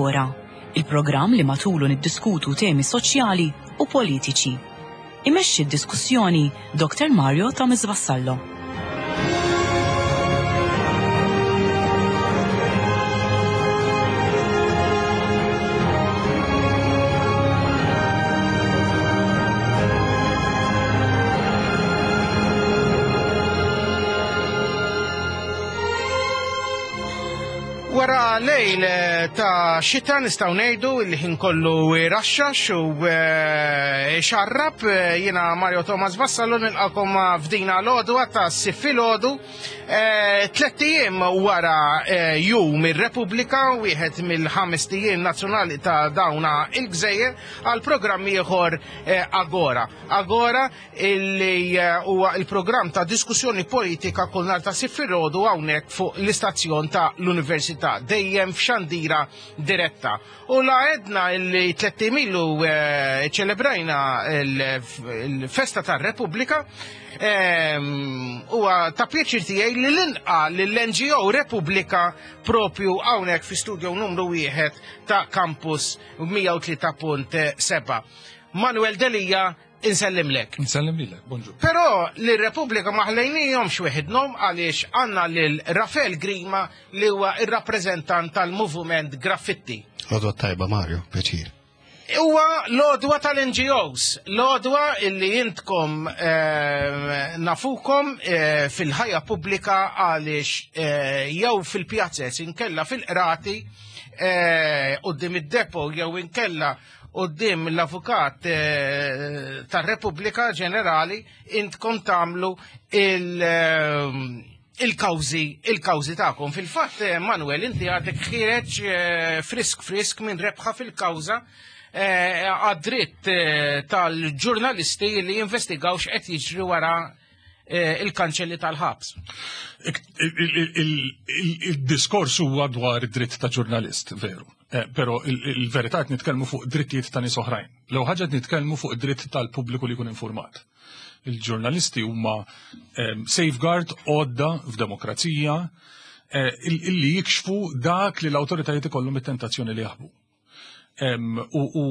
Agora, il-programm li matulu niddiskutu temi soċjali u politiċi. Imexxi d-diskussjoni Dr. Mario Thomas Vassallo. Wara lejl eh, ta' xita nistgħu ngħidu li ħin kollu raxxax u eh, xarrab eh, jiena Mario Thomas Vassallo nilqakom f'dina l-għodwa ta' siffilodu Tlett ijiem wara Jum ir-Repubblika, wieħed mill-ħamest ijiem nazzjonali ta' dawna il-gżejjer, għal programm ieħor Agora. Agora illi huwa il-programm ta' diskussjoni politika kull nhar ta' Sibt filgħodu hawnhekk fuq l-istazzjon ta' l-Università, dejjem f'xandira diretta. U la għedna illi tlett ijiem ilu ċelebrajna il-festa tar-Repubblika, huwa ta' pjaċir tiegħi li nilqa' lill-NGO Repubblika propju hawnhekk fi studio numru wieħed ta' Campus 103.7. Manuel Delia insellimlek. Insellim lilek, bonġu. Però li Repubblika ma ħlejnihomx weħidhom għaliex għandna lil Rafael Grima li huwa ir-rappreżentant tal-Moviment Graffitti. Għodwa tajba Mario, pjaċir. Huwa l-għodwa tal-NGOs, l-għodwa illi intkom eh, nafukom eh, fil-ħajja pubblika għaliex eh, jew fil-pjazzez inkella fil-qrati quddiem id-depo jew inkella quddiem l-avukat tar-Repubblika Ġenerali intkom tagħmlu il- il-kawżi il-kawżi tagħkom. Fil-fatt, eh, Manuel, inti għadek ħireġ eh, frisk frisk minn rebħa fil-kawża eh, għad-dritt tal-ġurnalisti li jinvestigaw x'qed jiġri wara il-kanċelli tal-ħabs. Il-diskors huwa dwar id-dritt ta' ġurnalist, veru. Però il-verità qed nitkellmu fuq drittijiet ta' nies oħrajn. L-ewwel ħaġa qed nitkellmu fuq id-dritt tal-pubbliku li jkun informat. Il-ġurnalisti huma ehm, safeguard għodda f'demokrazija eh, illi jikxfu dak li l-awtoritajiet ikollhom it-tentazzjoni li jaħbu. Ehm, u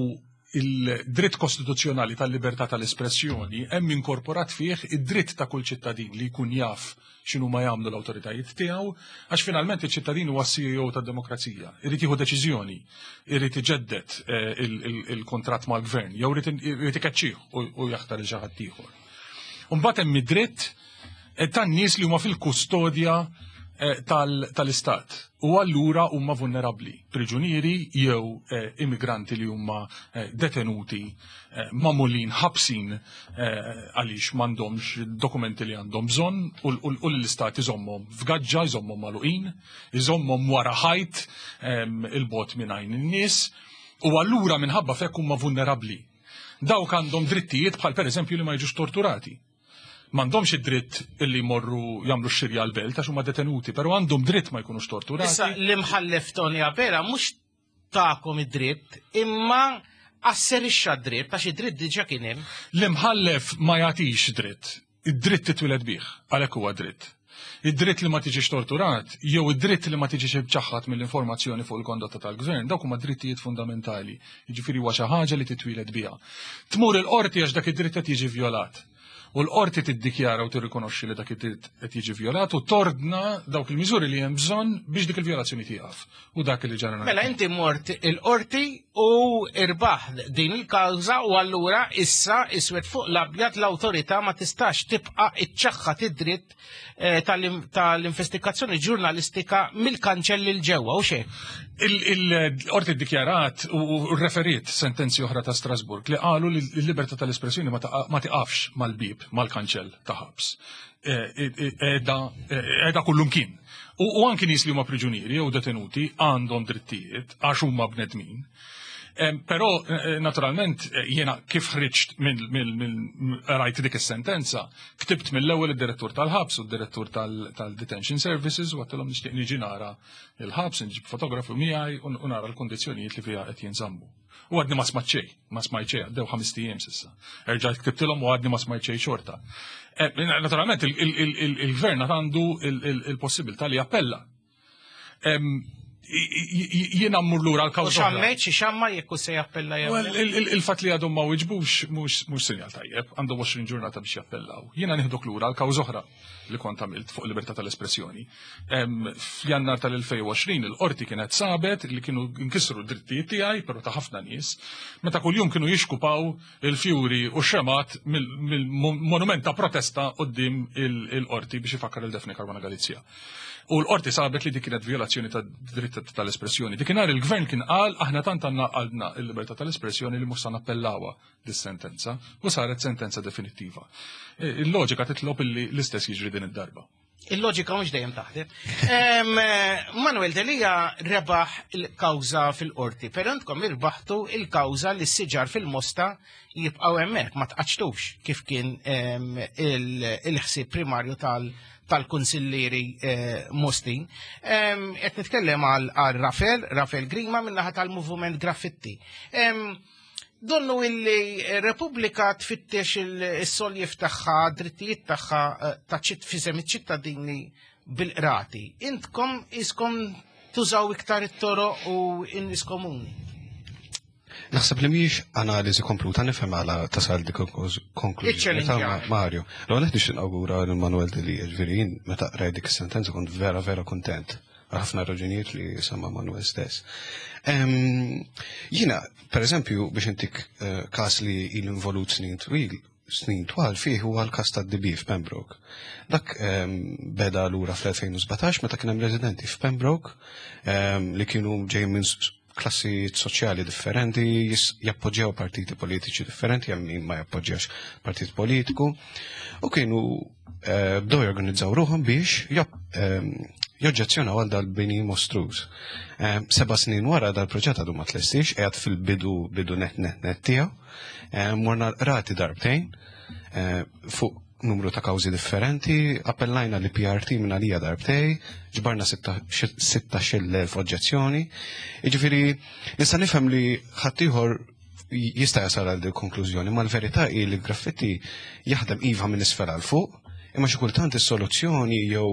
il-dritt kostituzzjonali tal-libertà tal-espressjoni hemm inkorporat fih id-dritt ta' kull ċittadin li jkun jaf x'inhu ma jagħmlu l-awtoritajiet tiegħu, għax finalment iċ-ċittadin huwa CEO tad-demokrazija, irid jieħu deċiżjoni, irid iġedded eh, il-kuntratt mal-gvern, jew irid ikeċċih u jaħtar il xi ħadd ieħor. Imbagħad hemm id-dritt eh, tan-nies li huma fil-kustodja eh, tal-istat u allura huma vulnerabbli, priġunieri jew immigranti li huma detenuti magħmulin ħabsin għaliex m'għandhomx dokumenti li għandhom bżonn u l-istat iżommhom f'gaġġa, iżommhom magħluqin, iżommhom wara ħajt il-bot minn għajn in-nies u allura minħabba fekk huma vulnerabbli. Dawk għandhom drittijiet bħal pereżempju li ma jiġux torturati. M'għandhomx id-dritt illi jmorru jagħmlu x-xirja l-belt għax huma detenuti, però għandhom dritt ma jkunux torturati. Issa l-imħallef Tony Abela mhux takom id-dritt, imma asserixxa d-dritt għax id-dritt diġà kien hemm. L-imħallef ma jagħtix dritt, id-dritt titwieled bih, għalhekk huwa dritt. Id-dritt li ma tiġix torturat jew id-dritt li ma tiġix imċaħħad mill-informazzjoni fuq il-kondotta tal-gvern, dawk huma drittijiet fundamentali. Jiġifieri huwa xi ħaġa li titwieled biha. Tmur il-qorti għax dak id-dritt qed jiġi vjolat. U l-qorti tiddikjara u tirrikonoxxi li dak id-dritt qed jiġi vjolat u tordna dawk il-miżuri li hemm bżonn biex dik il-vjolazzjoni tieqaf. U dak li ġara. Mela inti mort il-qorti u irbaħ din il-kawża u allura issa iswed fuq l-abjad l-awtorità ma tistax tibqa' iċċaħħad id-dritt eh, tal-investigazzjoni ġurnalistika mill-kanċelli l ġewwa u xejn. Il-qorti ddikjarat u referiet sentenzi oħra ta' Strasburg li qalu li l-libertà tal-espressjoni ma tiqafx mal-bib, mal-kanċell ta' ħabs. Eh, eh, edha kullumkien. U anki nies li huma priġunieri jew detenuti għandhom drittijiet għax huma bnedmin. Però eh, naturalment eh, jiena kif ħriġt minn rajt dik is-sentenza, ktibt mill-ewwel id-direttur tal-ħabs u d-direttur tal-detention services u għattilhom nixtieq niġi nara il-ħabs, nġib fotografu miegħi u nara l-kundizzjonijiet li fiha qed jinżammu. U għadni ma smajt xejn, ma smajt xejn, għaddew ħames ijiem s'issa. Erġajt ktibtilhom u għadni ma smajt xejn xorta. Eh, naturalment il-gvern għandu il-possibilità li jappella. Jiena mmur lura l-kawża. Xammet xi xamma jekk se jappella jew. Il-fatt li għadhom ma wiġbux mhux sinjal tajjeb, għandhom 20 ġurnata biex jappellaw. Jiena nieħdok lura l-kawża oħra li kont għamilt fuq libertà tal-espressjoni. F'Jannar tal-2020 il-qorti kienet sabet li kienu nkisru d-drittijiet tiegħi, però ta' ħafna nies, meta kuljum kienu jixkupaw il-fjuri u xemat mill-monument ta' protesta qoddim il-qorti biex ifakkar il-Daphne Caruana Galizia. U l-qorti sabet li dik kienet violazzjoni ta' dritt tal-espressjoni. Dikinhar il-gvern kien qal aħna tant għandna għandna il-libertà tal-espressjoni li mhux se nappellawha dis-sentenza u saret sentenza definittiva. E, il-loġika titlob illi l-istess jiġri din id-darba. Il-loġika mhux dejjem taħdem. Manuel Delia rebaħ il-kawża fil-qorti, però intkom irbaħtu il-kawża li s-siġar fil-mosta jibqgħu hemmhekk ma tqaċtux kif kien il-ħsieb primarju tal-kunsillieri eh, Mostin. Qed nitkellem għal Rafael, Rafael Grima min-naħa tal-Movement Graffiti. Donnu illi Repubblika tfittex il-soljev tagħha, drittijiet tagħha eh, ta' fisem iċ-ċittadini bil-qrati. Intkom iskom tużaw iktar it-toroq u in-nies komuni. Naħseb li mhijiex analiżi kompluta nifhem għala tasal dik konklużjoni ta' Mario. L-ewwel qed nixtieq nawgura lil Manuel Delia, ġifieri jien meta qrajt dik is-sentenza kont vera vera kuntent għal ħafna raġunijiet li semma Manuel stess. Jiena, per eżempju, biex intik eh, każ li il involut snin twil, snin twal fih huwa l-każ tad-DB f'Pembroke. Dak ehm, beda lura fl-2017 meta kien hemm residenti f'Pembroke ehm, li kienu ġejjin minn klassijiet soċjali differenti, jappoġġjaw partiti politiċi differenti, hemm min ma jappoġġjax partit politiku, u kienu eh, bdew jorganizzaw ruħhom biex ehm, joġġezzjonaw għal dal-bini mostruż. Ehm, seba' snin wara dal-proġett għadu ma tlestix, qiegħed fil-bidu bidu net net net tiegħu. Ehm, morna rati darbtejn eh, fuq numru ta' kawżi differenti, appellajna li PRT minn għalija darbtej, ġbarna 16,000 oġġezzjoni. Jiġifieri nista' nifhem li ħaddieħor jista' jasal għal din konklużjoni, ma l-verità hi li graffiti jaħdem iva minn isfel għal fuq, imma xi kultant is-soluzzjoni jew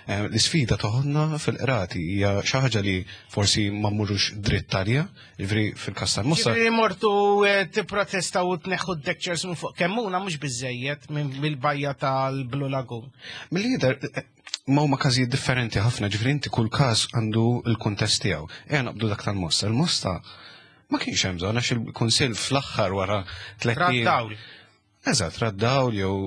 eh, l-isfida toħodna fil-qrati hija xi ħaġa li forsi ma mmurux dritt għaliha, Ġifri fil-kas tal-Mossa. Ġifri mortu eh, tipprotesta u tneħħu d-dekċers minn fuq kemmuna mhux biżejjed mill-bajja tal-Blue Lagoon. Mill-lider eh, ma huma każijiet differenti ħafna, ġifri inti kull każ għandu l-kuntest tiegħu. Ejja naqbdu dak tal-Mossa. Il-Mosta ma kienx hemm bżonn għax il-Kunsill fl-aħħar wara tliet. Eżatt, ra d-dawl jew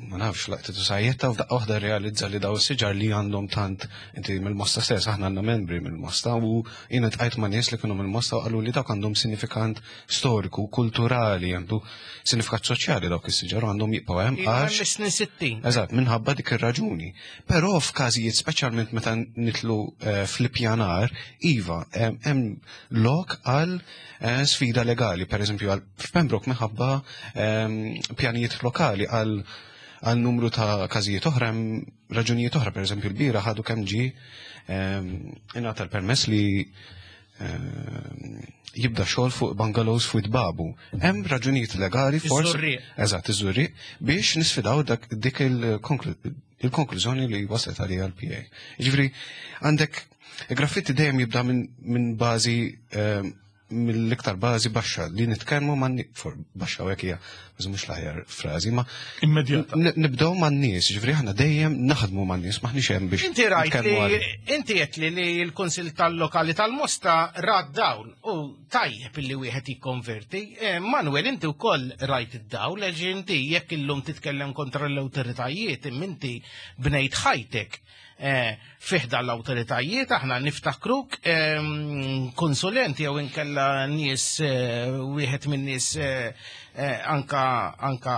ma nafx laqtitu sajjetta u f'daqqa waħda realizza li daw is-siġar li għandhom tant inti mill-mosta stess aħna għandna membri mill-mosta u jiena tqajt ma' nies li kienu mill-mosta u qalu li dawk għandhom sinifikant storiku, kulturali, għandu sinifikat soċjali dawk is-siġar u għandhom jibqgħu hemm għax. Snin 60. Eżatt, minħabba dik ir-raġuni. Però f'każijiet speċjalment meta nitlu eh, fl-ippjanar, iva, hemm lok għal eh, sfida legali, per eżempju f'Pembroke minħabba ehm, pjanijiet lokali għal għal numru ta' każijiet oħra hemm raġunijiet oħra, per eżempju l-bira ħadu kemm ġi ehm, ingħata l-permess li ehm, jibda xogħol fuq bungalows fuq babu. Hemm raġunijiet legali forsi. Eżatt, iż-żurri biex nisfidaw dak dik il-konklużjoni li waslet għalija l-PA. Jiġifieri għandek Il-graffitti dejjem jibda minn bażi ehm, mill-iktar bażi baxxa li nitkellmu ma' baxxa u hekk hija mhux l-aħjar frażi, ma immedjata. Nibdew man-nies, ġifieri aħna dejjem naħdmu man-nies, maħniex hemm biex. Inti rajt li inti qed li li l-Kunsill tal-Lokali tal-Mosta rad dawl u tajjeb illi wieħed jikkonverti. Eh, Manuel, inti wkoll rajt id-dawl, għax inti jekk illum titkellem kontra l-awtoritajiet, imma inti bnejt ħajtek Eh, fiħda l-autoritajiet, aħna niftakruk ehm, konsulenti jew inkella nies eh, wieħed minn nies eh, anka anka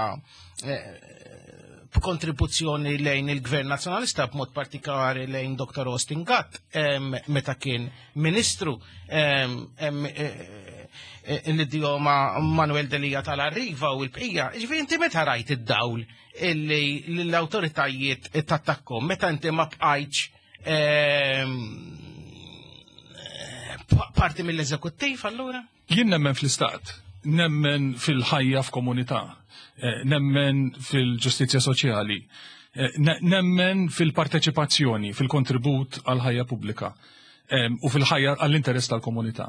b'kontribuzzjoni lejn il-Gvern Nazzjonalista b'mod partikolari lejn Dr. Austin Gatt ehm, meta kien ministru ehm, l-idioma Manuel Delia tal-Arriva u l-bqija. Ġifieri inti meta rajt id-dawl illi l-autoritajiet tattakkom meta inti ma bqajtx ehm, parti mill-eżekuttiv allura? Jien nemmen fl-istat, nemmen fil-ħajja f'komunità, eh, nemmen fil-ġustizzja soċjali, eh, nemmen fil-parteċipazzjoni, fil-kontribut għal ħajja pubblika. U fil-ħajja għall-interess tal-komunità.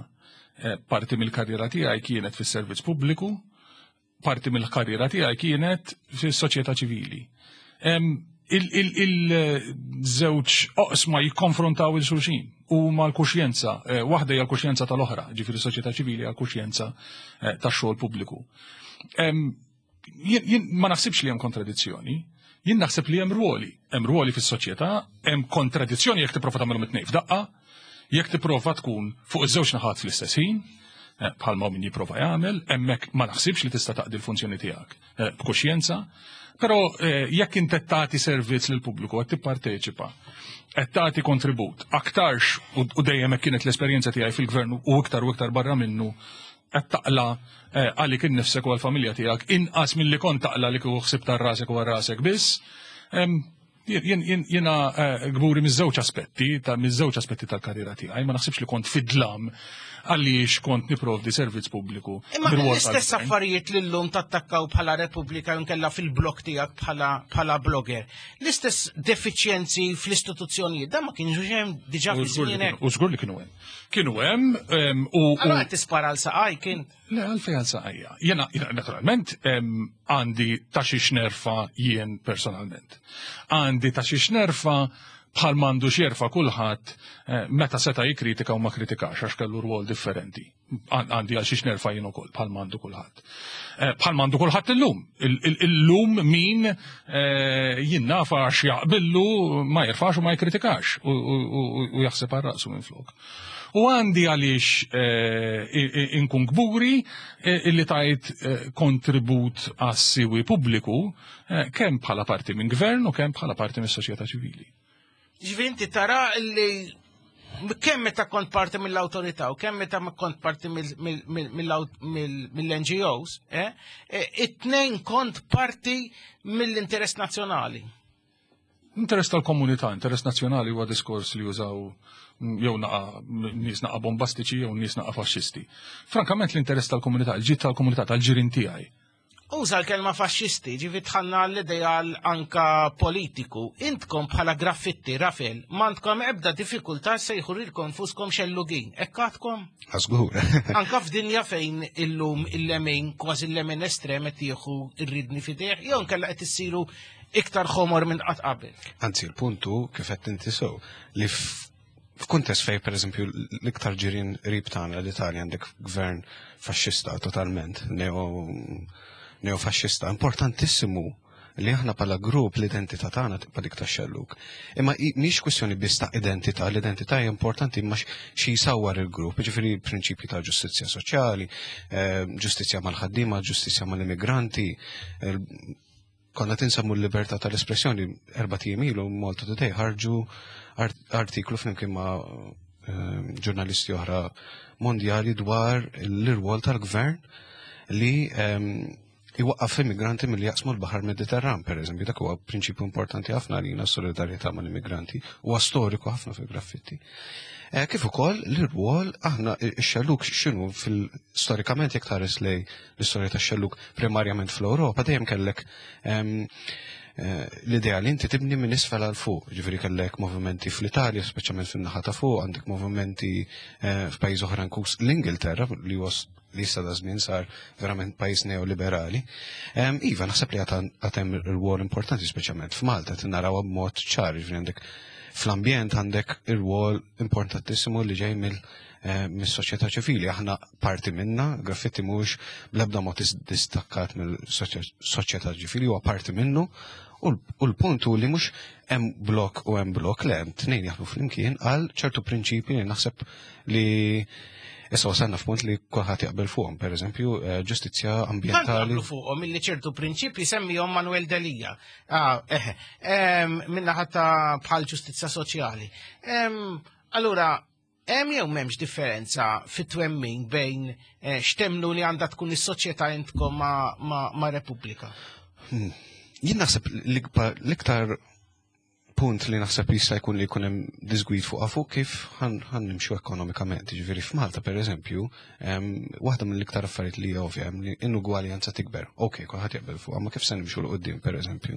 Eh, parti mill-karriera tiegħi kienet fis-servizz pubbliku, parti mill-karriera tiegħi kienet fis-soċjetà ċivili. Il-żewġ oqsma jikkonfrontaw il-xulxin u mal-kuxjenza, eh, waħda hija l-kuxjenza tal-oħra, ġifieri soċjetà ċivili hija l-kuxjenza eh, tax-xogħol pubbliku. Jien ma naħsibx li hemm kontradizzjoni, jien naħseb li hemm ruoli, hemm ruoli fis-soċjetà, hemm kontradizzjoni jekk tipprova tagħmelhom it-tnejn f'daqqa, jekk tipprova tkun fuq iż-żewġ naħat fl-istess ħin, eh, bħalma min jipprova jagħmel, hemmhekk ma naħsibx li tista' taqdi l-funzjoni tiegħek eh, b'kuxjenza, però eh, jekk inti tagħti servizz lill pubbliku qed tipparteċipa, qed tagħti kontribut, aktarx u dejjem hekk kienet l-esperjenza tiegħi fil-gvern u iktar u iktar barra minnu qed taqla għalik innifsek u għall-familja tiegħek inqas milli kont taqla li kieku ħsibt għal rasek u għal rasek biss. Jiena eh, gburi miż-żewġ aspetti, ta' miż-żewġ aspetti tal-karriera tiegħi, ma naħsibx li kont fid-dlam għaliex kont niprovdi servizz pubbliku. Imma l-istess affarijiet li llum tattakkaw bħala Repubblika nkella fil-blog tiegħek bħala blogger. L-istess defiċjenzi fl-istituzzjonijiet, dan ma kienx hemm diġà fi żmienek. U żgur li kienu hemm. Kienu hemm u. Allora qed tispara għal saqaj kien. Le għalfejn għal saqajja. Jena naturalment għandi ta' xiex nerfa jien personalment. Għandi ta' xiex nerfa bħal mandu xjerfa kulħadd eh, meta seta' jikkritika u ma kritikax għax kellu rwol differenti. Għandi għal xiex nerfa jien ukoll bħal mandu kulħadd. Eh, bħal mandu kulħadd illum. Illum min eh, jien nafa għax jaqbillu ma jirfax u ma jikkritikax u jaħseb għal raqsu minn flok. U għandi għaliex eh, inkun kburi illi tajt kontribut għas-siwi pubbliku kemm bħala parti minn gvern u kemm bħala parti mis soċjetà ċivili. Ġifieri inti tara li kemm meta kont parti mill-awtorità u kemm meta kont parti mill-NGOs, eh, eh, it-tnejn kont parti mill-interess nazzjonali. Interess tal-komunità, interess nazzjonali huwa diskors li jużaw jew naqa nies naqa bombastiċi jew nies naqa faxxisti. Frankament l-interess tal-komunità, il-ġid tal-komunità tal-ġirien tiegħi Uża l-kelma faxxisti, ġifi tħanna l-ideal anka politiku. Intkom bħala graffitti, Rafel, m'għandkom ebda diffikultà sejħu lilkom fuskom xellugin. Hekk għadkom? Żgur. Anka f'dinja fejn illum il-lemin, kważi il-lemin estrem qed jieħu r-ridni f'idejh, jew nkella qed issiru iktar ħomor minn qatt qabel. Anzi, il-puntu kif qed inti sew li F'kuntest fej pereżempju l-iktar ġirien qrib tagħna l-Italja għandek gvern faxxista totalment, neo neofaxxista, importantissimu li aħna bħala grupp l-identità tagħna tibqa' dik tax-xellug. Imma mhix kwistjoni biss ta' identità, l-identità hija importanti imma xi jsawwar il-grupp, jiġifieri prinċipji ta' ġustizzja soċjali, eh, ġustizzja mal-ħaddiema, ġustizzja mal-immigranti, Konna tinsemmu l-libertà tal-espressjoni erba' ijiem ilu Malta Today ħarġu artiklu flimkien ma' ehm, ġurnalisti oħra mondjali dwar l-irwol tal-gvern li ehm, iwaqqaf immigranti milli jaqsmu l-Baħar Mediterran, per eżempju, dak huwa prinċipju importanti ħafna għalina s-solidarjetà mal-immigranti, huwa storiku ħafna fil-graffitti. Eh, kif ukoll l-irwol aħna x-xelluk x'inhu fil-storikament jekk tħares lej l-istorja tax-xelluk primarjament fl-Ewropa dejjem kellek ehm, eh, l-idea li inti tibni minn isfel għal fuq, ġifieri kellek movimenti fl-Italja, speċjalment fin-naħa ta' fuq, għandek movimenti eh, f'pajjiż oħra inkluż l-Ingilterra li huwa li issa da żmien sar verament pajjiż neoliberali. Ehm, iva, naħseb li għad hemm rwol importanti speċjalment f'Malta qed naraw b'mod ċar, ġifieri għandek fl-ambjent għandek ir-rwol importantissimu li ġej mill eh, mis-soċjetà ċivili. Aħna parti minna, graffitti mhux bl-ebda mod distakkat mill-soċjetà ċivili, huwa parti minnu. U l-punt hu li mhux hemm blok u hemm blok, le hemm tnejn jaħdmu flimkien għal ċertu prinċipji li naħseb li issa wasalna f'punt li kulħadd jaqbel fuqhom, pereżempju eh, ġustizzja ambjentali. Jaqblu fuqhom illi ċertu prinċipji semmihom Manuel Delia. Ah, eh, minna ħatta bħal ġustizzja soċjali. Allura, Hemm jew m'hemmx differenza fit-twemmin bejn eh, x'temmnu li għandha tkun is-soċjetà intkom ma', ma, ma Repubblika? Hmm. Jien naħseb l-iktar punt li naħseb jista' jkun li jkun hemm disgwid fuq fuq kif ħan nimxu ekonomikament. Ġifieri f'Malta pereżempju, waħda mill-iktar affarijiet li ovvja hemm li inugwaljanza tikber. Okej, kulħadd jaqbel fuq, ma kif se nimxu l qudiem pereżempju.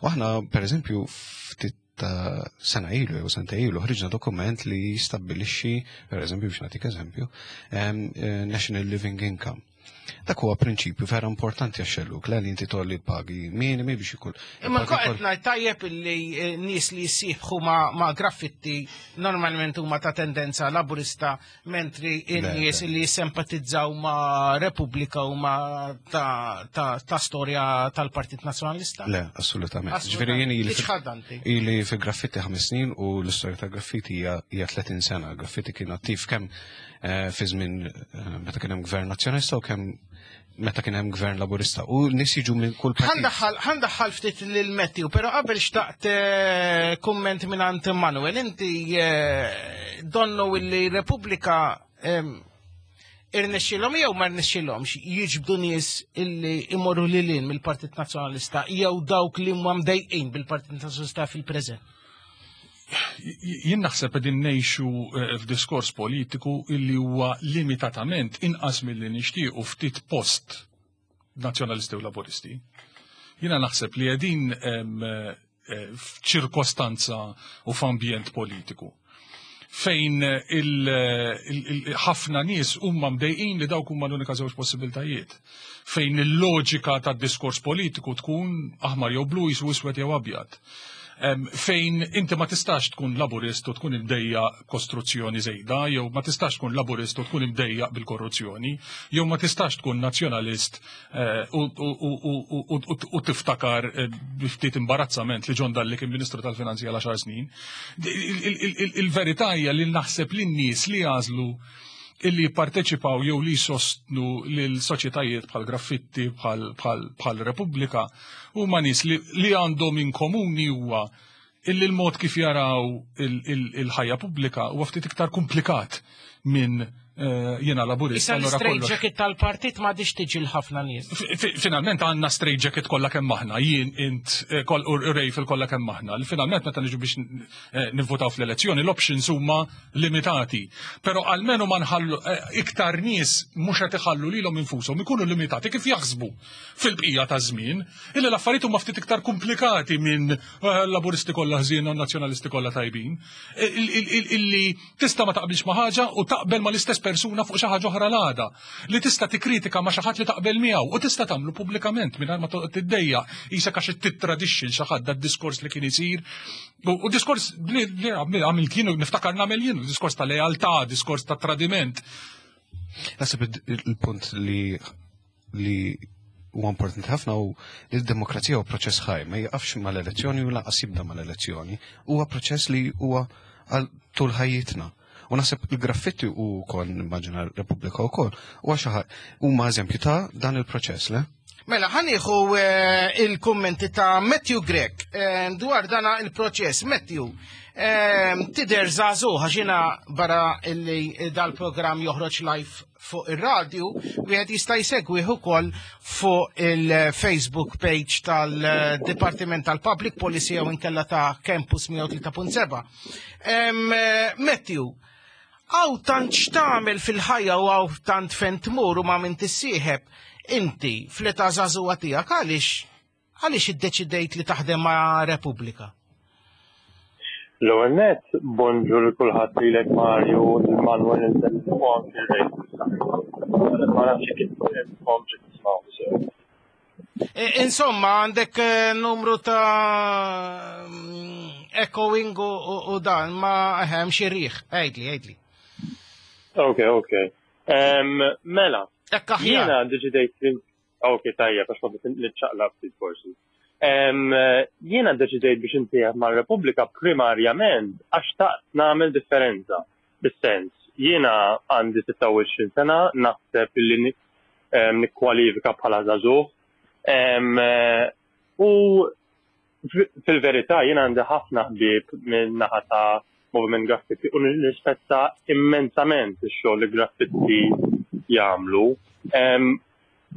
U aħna pereżempju ftit ta' sena ilu jew sentejn ilu ħriġna dokument li jistabbilixxi, per eżempju biex nagħtik eżempju, National Living Income. Dak huwa prinċipju vera importanti għax-xellug, le li inti tolli pagi minimi biex ikun. Imma qed ngħid tajjeb illi eh, nies li jissieħbu ma' graffitti normalment huma ta' tendenza laburista mentri n-nies li jissempatizzaw ma' Repubblika u ma' ta' storja tal-Partit Nazzjonalista? Le, assolutament. Ġifieri jien ili fil-graffitti ħames snin u l-istorja tal-graffiti hija 30 sena. Graffiti kien attiv kemm eh, fi żmien eh, meta kien hemm gvern nazzjonalista u kemm meta kien hemm gvern laburista u nies jiġu minn kull partit. Ħandaħħal ftit lil Matthew, però qabel xtaqt eh, kumment minn għand Manuel, inti eh, donnu illi Repubblika irnexxilhom jew ma rnexxilhomx jiġbdu nies illi imorru lil mill-Partit Nazzjonalista jew dawk li huma mdejqin bil-Partit Nazzjonalista fil-preżent. Jien naħseb qegħdin ngħixu eh, f'diskors politiku illi huwa limitatament inqas milli nixtiequ ftit post nazzjonalisti u laburisti. Jiena naħseb li qegħdin eh, f'ċirkostanza u f'ambjent politiku fejn ħafna nies huma mdejqin li dawk huma l-unika żewġ possibiltajiet. Fejn il-loġika tad-diskors politiku tkun aħmar jew blu jisu iswed jew abjad. Fejn inti ma tistax tkun laburist u tkun imdejja kostruzzjoni żejda, jew ma tistax tkun laburist u tkun imdejja bil-korruzzjoni, jew ma tistax tkun nazzjonalist eh, u tiftakar eh, ftit imbarazzament li John Dalli kien Ministru tal-Finanzi għal 10 snin. Il-verità hija li naħseb li n-nies li għażlu illi jipparteċipaw jew li jsostnu lil soċjetajiet bħal graffitti bħal Repubblika huma nies li għandhom in komuni huwa illi l-mod kif jaraw il-ħajja pubblika huwa ftit iktar komplikat minn Eh, jiena laburist. Issa l-straight jacket tal-partit ma diċ tiġi l-ħafna nies. Finalment għandna straight jacket kollha kemm aħna, jien int eh, u Rejfil kollha kemm aħna. Finalment meta niġu biex eh, nivvotaw fl-elezzjoni, l-options huma limitati. Però almenu ma nħallu eh, iktar nies mhux qed iħallu lilhom infushom ikunu limitati kif jaħsbu fil-bqija ta' żmien, illi l-affarijiet huma ftit iktar komplikati minn eh, laburisti kollha ħżiena u nazzjonalisti kollha tajbin. Illi tista' ma taqbilx ma' ħaġa u taqbel ma' l-istess persuna fuq xi ħaġa oħra l-għada. Li tista' tikkritika ma' xi ħadd li taqbel miegħu u tista' tagħmlu pubblikament mingħajr ma toqgħod tiddejjaq qisek għax tittradixxi l xi ħadd dad-diskors li kien isir. U diskors li għamilt jien niftakar nagħmel jien, diskors ta' lealtà, diskors ta' tradiment. Naħseb il-punt li li huwa importanti ħafna u li d-demokrazija huwa proċess ħaj, ma jiqafx mal-elezzjoni u lanqas jibda mal-elezzjoni. Huwa proċess li huwa għal tul ħajjitna. U naħseb il-graffitti u kol nimmaġina Repubblika u kol, u xi huma eżempju ta' dan il-proċess, le? Mela, ħanieħu eh, il-kummenti ta' Matthew Grech eh, dwar dana il-proċess. Matthew, eh, tider zazu ħaxina barra illi dal-programm joħroġ live fuq ir-radju, wieħed jista' jsegwih ukoll fuq il-Facebook page tal-Dipartiment tal-Public Policy jew inkella ta' Campus 103.7. Matthew, Hawn tant x'tagħmel fil-ħajja u hawn tant fejn tmur u ma' min tissieħeb. Inti, fl-età żagħżugħa tiegħek għaliex għaliex iddeċidejt li taħdem ma' Repubblika? L-ewwel nett, bonġu lil kulħadd lilek Mario, lil Manuel u anki Ray. Ma nafx jekk intom tismgħu sew. E, insomma, għandek eh, numru ta' mm, echoing u dan, ma hemm xi riħ. Għidli, għidli. Ok, ok. Mela, jiena deċidejt Ok, tajjeb, għax kont nitċaqlaq ftit forsi. Jiena deċidejt biex intieħ mar-Repubblika primarjament għax xtaqt nagħmel differenza. Bis-sens, jiena għandi 26 sena, naħseb li nikkwalifika bħala żagħżugħ. U fil-verità jiena għandi ħafna ħbieb minn naħa ta' Moviment Graffitti u nirrispetta immensament ix-xogħol li Graffitti jagħmlu.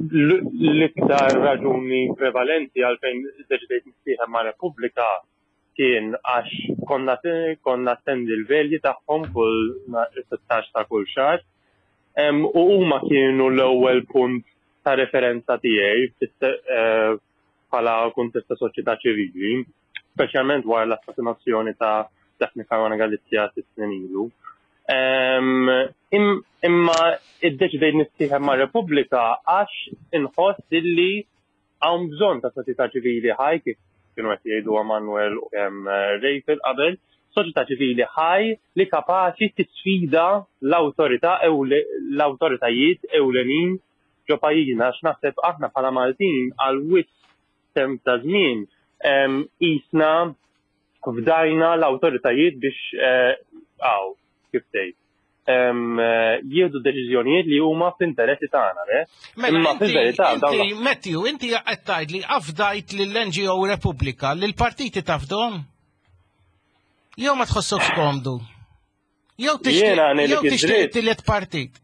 L-iktar raġuni prevalenti għalfejn iddeċidejt nissieħeb ma' Repubblika kien għax konna konna attendi l-velji tagħhom kull 16 ta' kull xahar. U huma kienu l-ewwel punt ta' referenza tiegħi eh, bħala kuntest ta' soċjetà ċivili. speċjalment wara l-assassinazzjoni ta' Daphne Caruana Galizia sitt snin ilu. Imma iddeċidejt nissieħeb ma' Repubblika għax inħoss illi hawn bżonn ta' soċjetà ċivili ħaj kif kienu qed jgħidu Manuel u kemm Rachel qabel, soċjetà ċivili ħaj li kapaċi tisfida l-awtorità l-awtoritajiet ewlenin ġo pajjiżna għax naħseb aħna bħala Maltin għal wisq temp ta' żmien qisna fdajna l-awtoritajiet biex għaw, kif tgħid, jieħdu deċiżjonijiet li huma fl-interessi tagħna, le? Mela, Imma fil-verità dawn. Matthew, inti qed tgħid li afdajt lill-NGO Repubblika, li l-partiti tafdhom? Jew ma tħossokx komdu? Jew tixtieq tielet partit?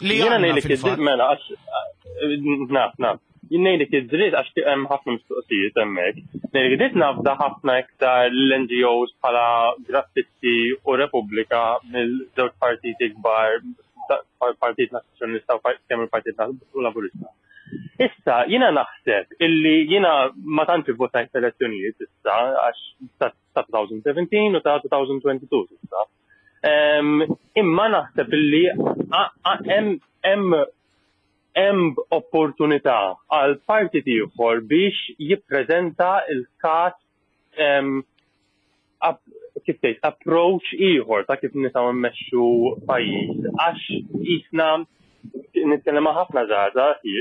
Li jiena ngħidlek id-dritt mela għax naf naf. Jien ngħidlek id-dritt għax hemm ħafna mistoqsijiet hemmhekk. Ngħidlek id-dritt nafda ħafna iktar l-NGOs bħala Graffitti u Repubblika mill-żewġ partiti kbar Partit Nazzjonalista u kemm il-Partit Laburista. Issa, jiena naħseb illi jiena ma tantx ivvotajt f'elezzjonijiet issa għax ta' 2017 u ta' 2022 issa. Imma naħseb illi hemm hemm opportunità għal partit ieħor biex jippreżenta l-każ kif tgħid approach ieħor ta' kif nistgħu mmexxu pajjiż għax qisna nitkellem ma' ħafna żgħażagħ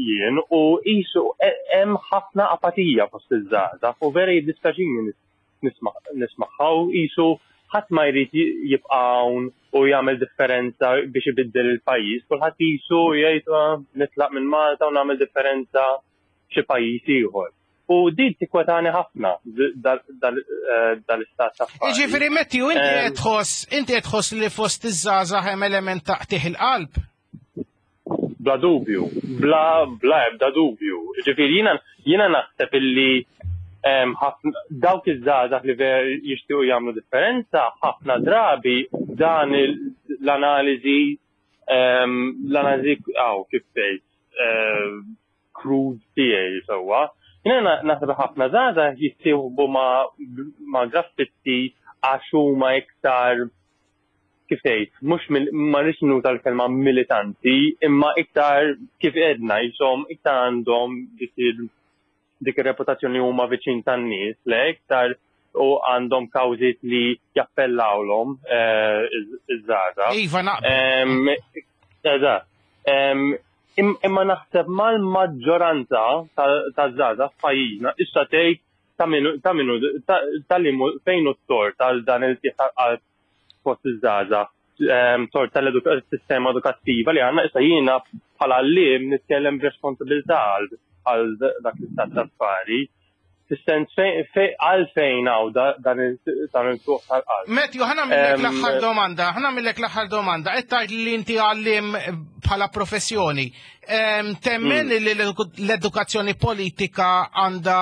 jien u qisu hemm ħafna apatija fost iż-żgħażagħ u vera jiddispjaċini nismagħha u qisu ħadd ma jrid jibqa' hawn u jagħmel differenza biex ibiddel il-pajjiż, kulħadd qisu jgħid ah, nitlaq minn Malta u nagħmel differenza f'xi pajjiż ieħor. U din tikkwetani ħafna eh, dal-istat ta' affarijiet. Jiġifieri Matthew, inti qed tħoss, inti qed tħoss li fost iż-żgħażagħ hemm element ta' qtigħ il-qalb? Bla dubju, bla bla ebda dubju. Ġifieri jiena jiena naħseb illi dawk iż-żgħażagħ li ver jixtiequ jagħmlu differenza ħafna drabi dan l-analiżi l-analiżi għaw kif tgħid crude tiegħi sewwa. Jiena naħseb ħafna żgħażagħ jissieħbu ma' graffitti għax huma iktar kif tgħid, mhux ma rridx nuża l-kelma militanti, imma iktar kif għedna jisom iktar għandhom dik dik ir-reputazzjoni huma viċin tan-nies, le iktar u għandhom kawżiet li jappellawlhom eh, iż-żgħażagħ. Iva naqbel. Eżatt. Imma naħseb mal-maġġoranza taż-żgħażagħ f'pajjiżna issa tgħid ta' minu ta' minu ta' li fejn hu t-tort għal dan il-tieħ tal-qalb fost iż-żgħażagħ, ehm, tort tal-sistema edukattiva li għandna issa jiena bħala għalliem nitkellem b'responsabilità għal dak l-istat ta' affari. Fis-sens għalfejn hawn dan il-tuq tal-qalb. Matthew, ħana millek ehm, l-aħħar domanda, ħana millek l-aħħar domanda. Qed tgħid li inti għalliem bħala professjoni. Temmen hmm. li l-edukazzjoni politika għandha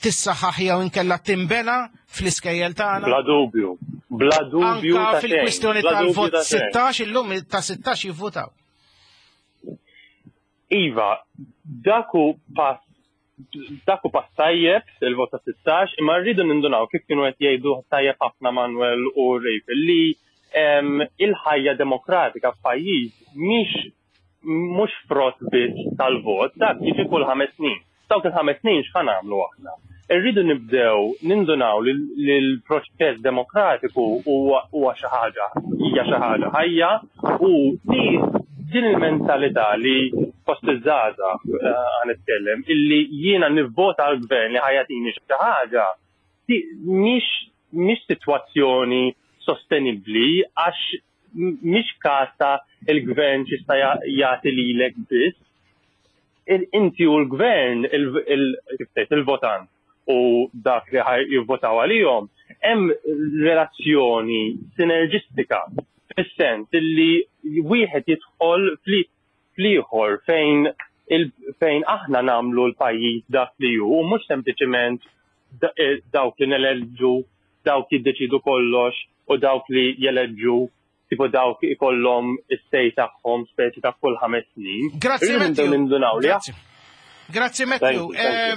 tissaħħaħ jew inkella timbena fl-iskejjel tagħna? Bla dubju. Bla dubju. Anka fil-kwistjoni tal-vot 16 illum ta' 16 jivvutaw. Iva, daku pass dak hu pass tajjeb, il-vot ta' 16, imma rridu nindunaw kif kienu qed jgħidu tajjeb ħafna Manuel u Rachel li il-ħajja demokratika f'pajjiż mhix mhux frott biss tal-vot, dak jiġi kull ħames snin. Dawk il-ħames snin x'ħa nagħmlu aħna? Irridu nibdew nindunaw li l-proċess demokratiku huwa xi ħaġa hija xi ħaġa ħajja u li din il-mentalità li fost iż-żgħażagħ eh, ħa nitkellem illi jiena nivvota għal gvern li ħajatini xi ħaġa mhix mhix sitwazzjoni sostenibbli għax mhix każ ta' il-gvern x'jista' jagħti lilek biss. Inti u l-gvern, il-votant u dak li jivvotaw għalihom, hemm relazzjoni sinerġistika fis-sens illi wieħed jidħol fl-ieħor fejn fejn aħna nagħmlu l-pajjiż dak li hu u mhux sempliċement eh, dawk li neleġġu dawk jiddeċidu kollox u dawk li jeleġġu tipo dawk ikollhom is-sej tagħhom speċi ta' kull ħames snin. Grazzi Matthew. Grazzi Matthew. Eh,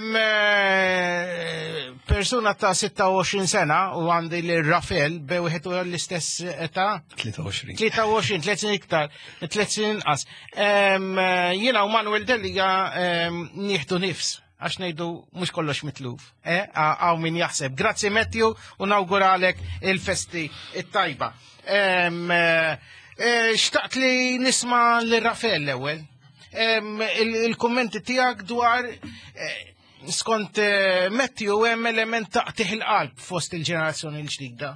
persuna ta' 26 sena u għandi li Rafael be wieħed u l-istess età. 23. 23, 3 snin iktar, 3 snin inqas. Eh, jiena u Manuel Delliga nieħdu nifs għax ngħidu mhux kollox mitluf. Eh, għaw min jaħseb. Grazzi Matthew u nawguralek il-festi it-tajba. Xtaqt li nisma' lil Rafael l-ewwel il-kummenti tiegħek dwar eh, skont eh, Matthew hemm element taqtih il-qalb fost il-ġenerazzjoni l-ġdida.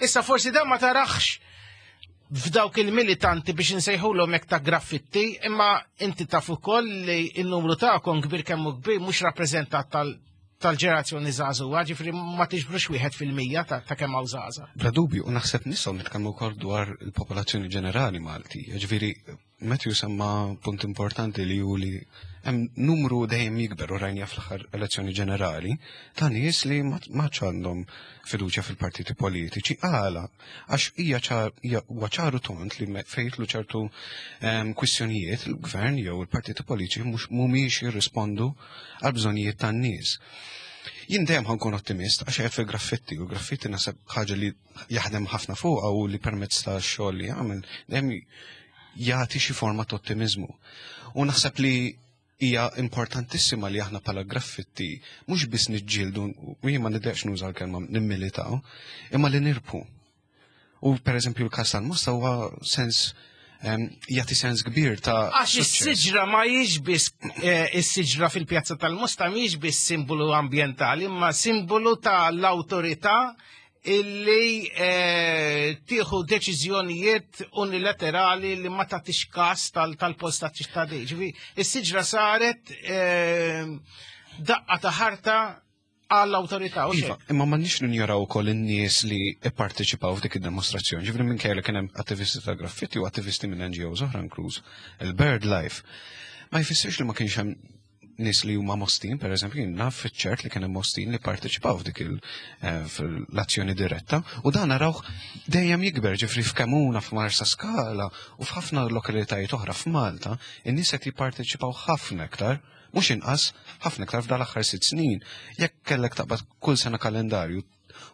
Issa forsi dan ma tarax f'dawk il-militanti biex nsejħulhom hekk ta' graffitti, imma inti taf ukoll li n-numru tagħkom kbir kemm kbir mhux rappreżentat tal-ġenerazzjoni żagħżugħa, ġifieri ma tiġbrux 1% ta' kemm hawn żgħażagħ. Bla dubju, u naħseb nistgħu nitkellmu wkoll dwar il-popolazzjoni ġenerali Malti, ġifieri Matthew semma punt importanti li hu li hemm numru dejjem jikber u rajnija fl-aħħar elezzjoni ġenerali ta' nies li ma għandhom fiduċja fil-partiti politiċi. Għala, għax hija huwa ċaru tont li fejtlu ċertu ehm, kwistjonijiet il-gvern jew il-partiti politiċi mhux mhumiex jirrispondu għal bżonnijiet tan-nies. Jien dejjem ħankun ottimist għax qed fil-graffitti u l-graffitti naħseb ħaġa li jaħdem ħafna fuqha u li permezz ta' xogħol li jagħmel dejjem jagħti xi forma ta' ottimiżmu. U naħseb li hija importantissima li aħna bħala graffitti mhux biss niġġieldu u jien ma niddeqx nuża l-kelma nimmilitaw, imma li nirbħu. U pereżempju l-każ tal-Mosta huwa sens jagħti sens kbir ta' Għax is-siġra ma hijiex biss eh, is-siġra fil-pjazza tal-Mosta mhijiex biss simbolu ambjentali, imma simbolu tal-awtorità illi eh, tieħu deċiżjonijiet unilaterali li ma tagħtix każ tal-post tal-ċittadin. Ġifi, is-siġra saret eh, daqqa ta' ħarta għall-awtorità. Iva, imma ma nix ninjoraw ukoll in-nies li ipparteċipaw f'dik id-demostrazzjoni. Ġifri minn li kien hemm attivisti ta' graffiti u attivisti minn NGOs oħra inkluż il-Bird Life. Ma jfissirx li ma kienx hemm nies li huma Mostin, per eżempju, jien naf fiċ-ċert li kien hemm Mostin li parteċipaw f'dik eh, l-azzjoni diretta u dan narawh dejjem jikber ġifri f'Kemuna, f'Marsa Skala u f'ħafna lokalitajiet oħra f'Malta, in-nies qed jipparteċipaw ħafna iktar, mhux inqas, ħafna iktar f'dal aħħar 6 snin. Jekk kellek taqbad kull sena kalendarju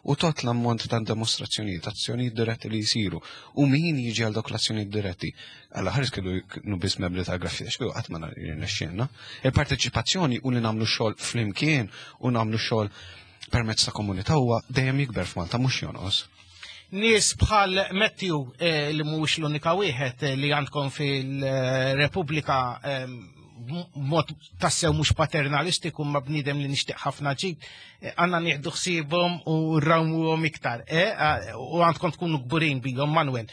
u tot l-ammont ta' demostrazzjonijiet, azzjonijiet diretti li jisiru, u min jiġi għal dawk l-azzjonijiet diretti. Alla ħares kienu kienu biss membri ta' graffiti, xkienu qatt ma jirnexxielna. Il-parteċipazzjoni u li nagħmlu xogħol flimkien u nagħmlu xogħol permezz ta' komunità huwa dejjem jikber f'Malta mhux jonqos. Nies bħal Matthew eh, li mhuwiex l-unika wieħed eh, li għandkom fil-Repubblika eh, mod tassew mhux paternalistiku ma bniedem li nixtieq ħafna ġid, għandna nieħdu ħsiebhom u rrawmuhom iktar, u għandkom tkunu kburin bihom Manuel.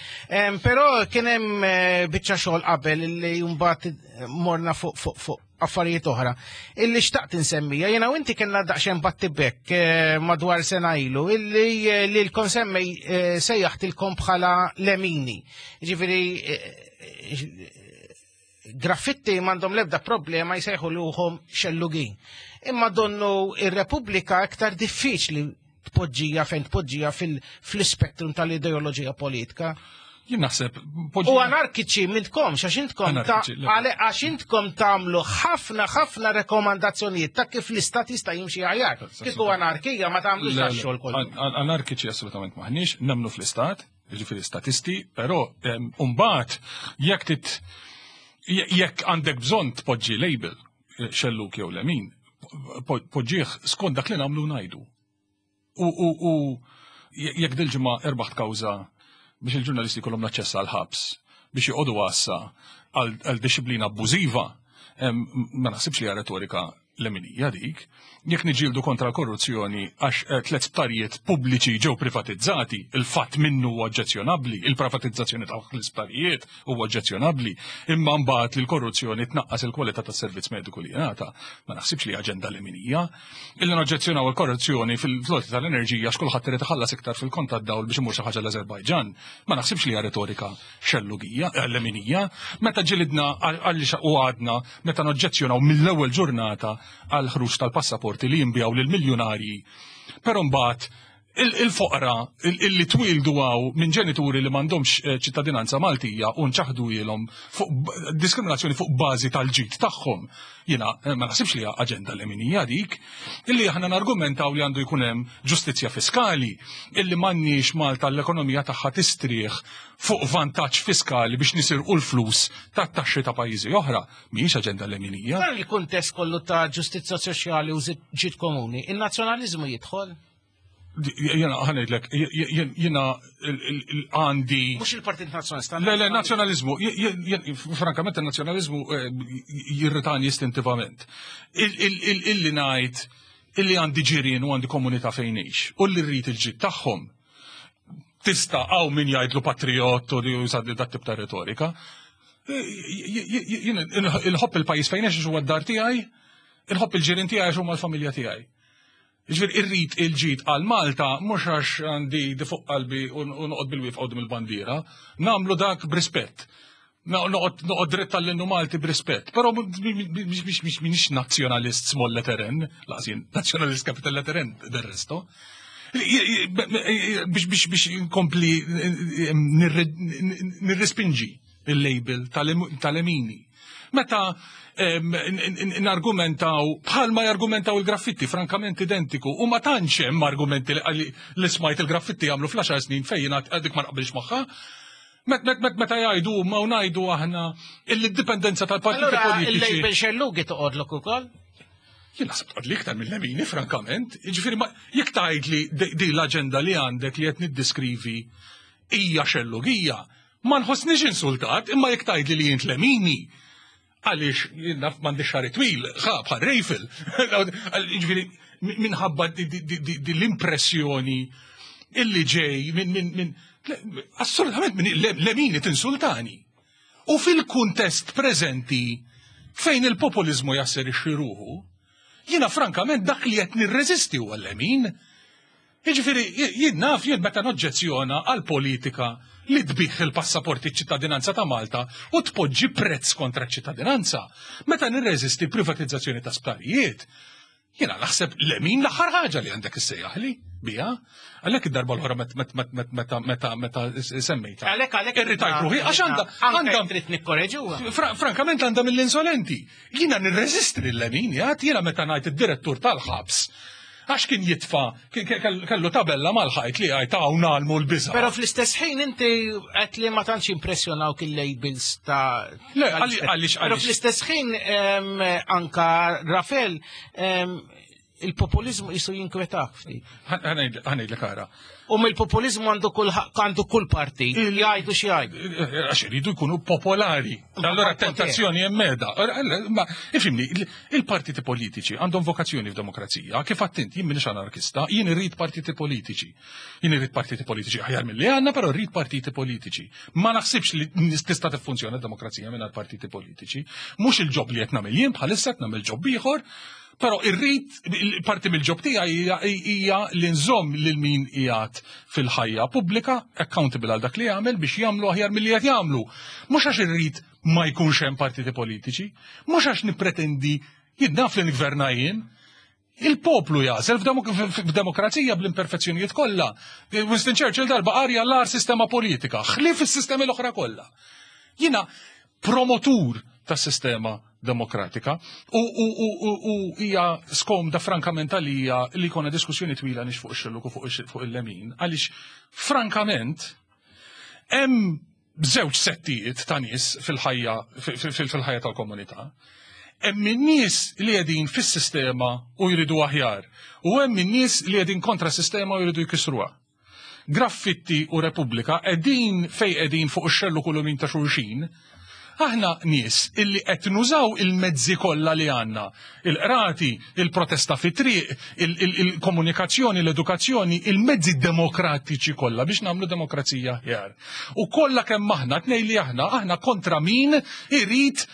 Però kien hemm biċċa xogħol qabel li mbagħad morna fuq fuq fuq affarijiet oħra. Illi xtaqt insemmija, jena u inti kellna daqsxejn battibek madwar sena ilu, illi li l-konsemmej sejjaħtilkom bħala lemini. Ġifieri graffitti m'għandhom lebda problema jsejħu ruħhom xellugin. Imma donnu ir-Repubblika iktar diffiċli tpoġġija fejn tpoġġija fil-spektrum tal-ideoloġija politika. Jien naħseb. U anarkiċi m'intkomx, għax intkom għax intkom tagħmlu ħafna ħafna rekomandazzjonijiet ta' kif l-istat jista' jimxi aħjar. Kieku anarkija ma tagħmlux xogħol kollu. Anarkiċi assolutament maħniex, nemmnu fl-istat, jiġifieri statisti, però mbagħad jekk tit jekk għandek bżonn tpoġġi label eh, xelluk jew lemin, poġġih skont dak li nagħmlu ngħidu. U jekk dil-ġimgħa erbaħt kawża biex il-ġurnalisti jkollhom l-aċċess għal ħabs biex joqogħdu għassa għal disciplina abbużiva, ma naħsibx li retorika leminija dik. Jekk niġġieldu kontra l-korruzzjoni għax eh, tliet sptarijiet pubbliċi ġew privatizzati, il-fatt minnu huwa oġġezzjonabbli, il-privatizzazzjoni ta' l-isptarijiet huwa oġġezzjonabbli, imma mbagħad li l-korruzzjoni tnaqqas il-kwalità tas-servizz mediku li jingħata, ma naħsibx li aġenda leminija. Illi noġġezzjonaw il-korruzzjoni fil-floti tal-enerġija x'kulħadd irid iħallas iktar fil-kont tad-dawl biex imur xi ħaġa l-Azerbajġan, ma naħsibx li hija retorika xellugija, eh, leminija, meta ġilidna għalli u għadna meta noġġezzjonaw mill-ewwel ġurnata għal ħruġ tal-passaporti li jinbiegħu lil miljonarji. Però mbagħad Il-foqra illi twildu għaw minn ġenituri li m'għandhomx eh, ċittadinanza Maltija u nċaħdu ilhom fuq diskriminazzjoni fuq bażi tal-ġid tagħhom. Jiena eh, ma naħsibx li hija aġenda leminija dik, illi aħna nargumentaw li għandu jkun hemm ġustizzja fiskali, illi m'għandniex Malta l-ekonomija tagħha tistrieħ fuq vantaġġ fiskali biex nisirqu l-flus tat-taxxi ta' pajjiżi oħra, mhijiex aġenda leminija. Dan il-kuntest kollu ta' ġustizzja soċjali u ġid komuni, in-nazzjonaliżmu jidħol? Jena ħa ngħidlek, jena għandi. Mhux il-Partit Nazzjonalista. Le, le, nazzjonalizmu, frankament il-nazzjonalizmu eh, jirritani istintivament. Illi ngħid, illi għandi ġirien u għandi komunità fejn u li rrid il-ġid tagħhom. Tista' hawn min jgħidlu patriot u li juża dat tip ta' retorika. Inħobb il-pajjiż fejn ngħix huwa d-dar tiegħi, inħobb il-ġirien tiegħi għax huma l-familja tiegħi. Ġifieri irrid il-ġid għal Malta mhux għax għandi di fuq qalbi u noqgħod bil-wieqfa quddiem il-bandiera, nagħmlu dak b'rispett. Noqgħod dritt tal-innu Malti b'rispett, però mhix nazzjonalist small letter N, lanqas jien nazzjonalist capital letter N del resto. Biex biex biex inkompli nirrespinġi il-label tal-lemini. Meta nargumentaw bħalma jargumentaw il-graffitti frankament identiku u ma tantx hemm argumenti li smajt il-graffitti jagħmlu fl-10 snin fejn dik ma naqbilx magħha. Meta jgħidu ma u ngħidu aħna il-dipendenza tal-partiti politiċi. Il-label xellugi toqgħodlok ukoll? Jien naħseb toqgħod li iktar mill-lemini, frankament. Jiġifieri jekk tgħid li di l-aġenda li għandek li qed niddiskrivi hija xellugija, ma nħossniex insultat, imma jekk tgħidli li jint lemini, għaliex jien naf m'għandix xagħri twil, ħa bħal Rejfel. Jiġifieri minħabba di l-impressjoni illi ġej minn assolutament minn lemini tinsultani. U fil-kuntest preżenti fejn il-populizmu jasserixxi ruħu, jiena frankament dak li qed nirreżisti huwa l-lemin. Jiġifieri jien naf jien meta noġġezzjona għal politika li tbigħ il-passaporti ċittadinanza ta' Malta u tpoġġi prezz kontra ċittadinanza. Meta nirreżisti privatizzazzjoni ta' sptarijiet, jiena naħseb lemin l-aħħar ħaġa li għandek issejjaħli bija. Għalhekk id-darba l-oħra meta meta meta semmejta. Għalhekk għalhekk irritajt ruħi għax għandha għandha trid nikkoreġuha. Frankament għandha mill-insolenti. Jiena nirreżisti lil-lemin, jgħid jiena meta ngħid id-direttur tal-ħabs għax kien jitfa kellu tabella mal-ħajt li għajt hawn għalmu l-biża. Però fl-istess ħin inti qed li ma tantx impressjonawk il-labels ta' Le, għaliex Però fl-istess ħin anka Rafel il-populizmu jisu jinkwetak ftit. Ħa ngħidlek ara. U mill-populizmu għandu kull għandu kull parti, jgħidu xi jgħidu. Għax iridu jkunu popolari. Allora tentazzjoni hemm meda. Ma ifhimni, il-partiti politiċi għandhom vokazzjoni f'demokrazija. Kif għedt int, jien m'iniex anarkista, jien irrid partiti politiċi. Jien irrid partiti politiċi aħjar milli għandna, però rrid partiti politiċi. Ma naħsibx li tista' tiffunzjona d-demokrazija mingħajr partiti politiċi. Mhux il-job li qed nagħmel jien bħalissa qed nagħmel job ieħor, Però irrid parti mill-job tiegħi hija li nżomm lil min qiegħed fil-ħajja pubblika accountable għal dak li jagħmel biex jagħmlu aħjar milli qed jagħmlu. Mhux għax irrid ma jkunx hemm partiti politiċi, mhux għax nippretendi jien naf li nigverna jien, Il-poplu jagħżel f'demokrazija bl-imperfezzjonijiet kollha. Winston Churchill darba qarja l-agħar sistema politika, ħlief is-sistemi l-oħra kollha. Jiena promotur tas sistema demokratika u hija skomda frankament għalija li jkollna diskussjoni twila nix fuq ix-xellug u fuq il-lemin, għaliex frankament hemm żewġ settijiet ta' nies fil-ħajja fil-ħajja tal-komunità. Hemm in-nies li qegħdin fis-sistema u jridu aħjar u hemm in-nies li qegħdin kontra s-sistema u jridu jkissruha. Graffitti u Repubblika qegħdin fej qegħdin fuq ix-xellug u l-lemin ta' xulxin, aħna nies illi qed nużaw il-mezzi kollha li għandna. Il-qrati, il-protesta fit-triq, il-komunikazzjoni, l-edukazzjoni, il-mezzi demokratiċi kollha biex nagħmlu demokrazija aħjar. U kollha kemm aħna tnej li aħna aħna kontra min irid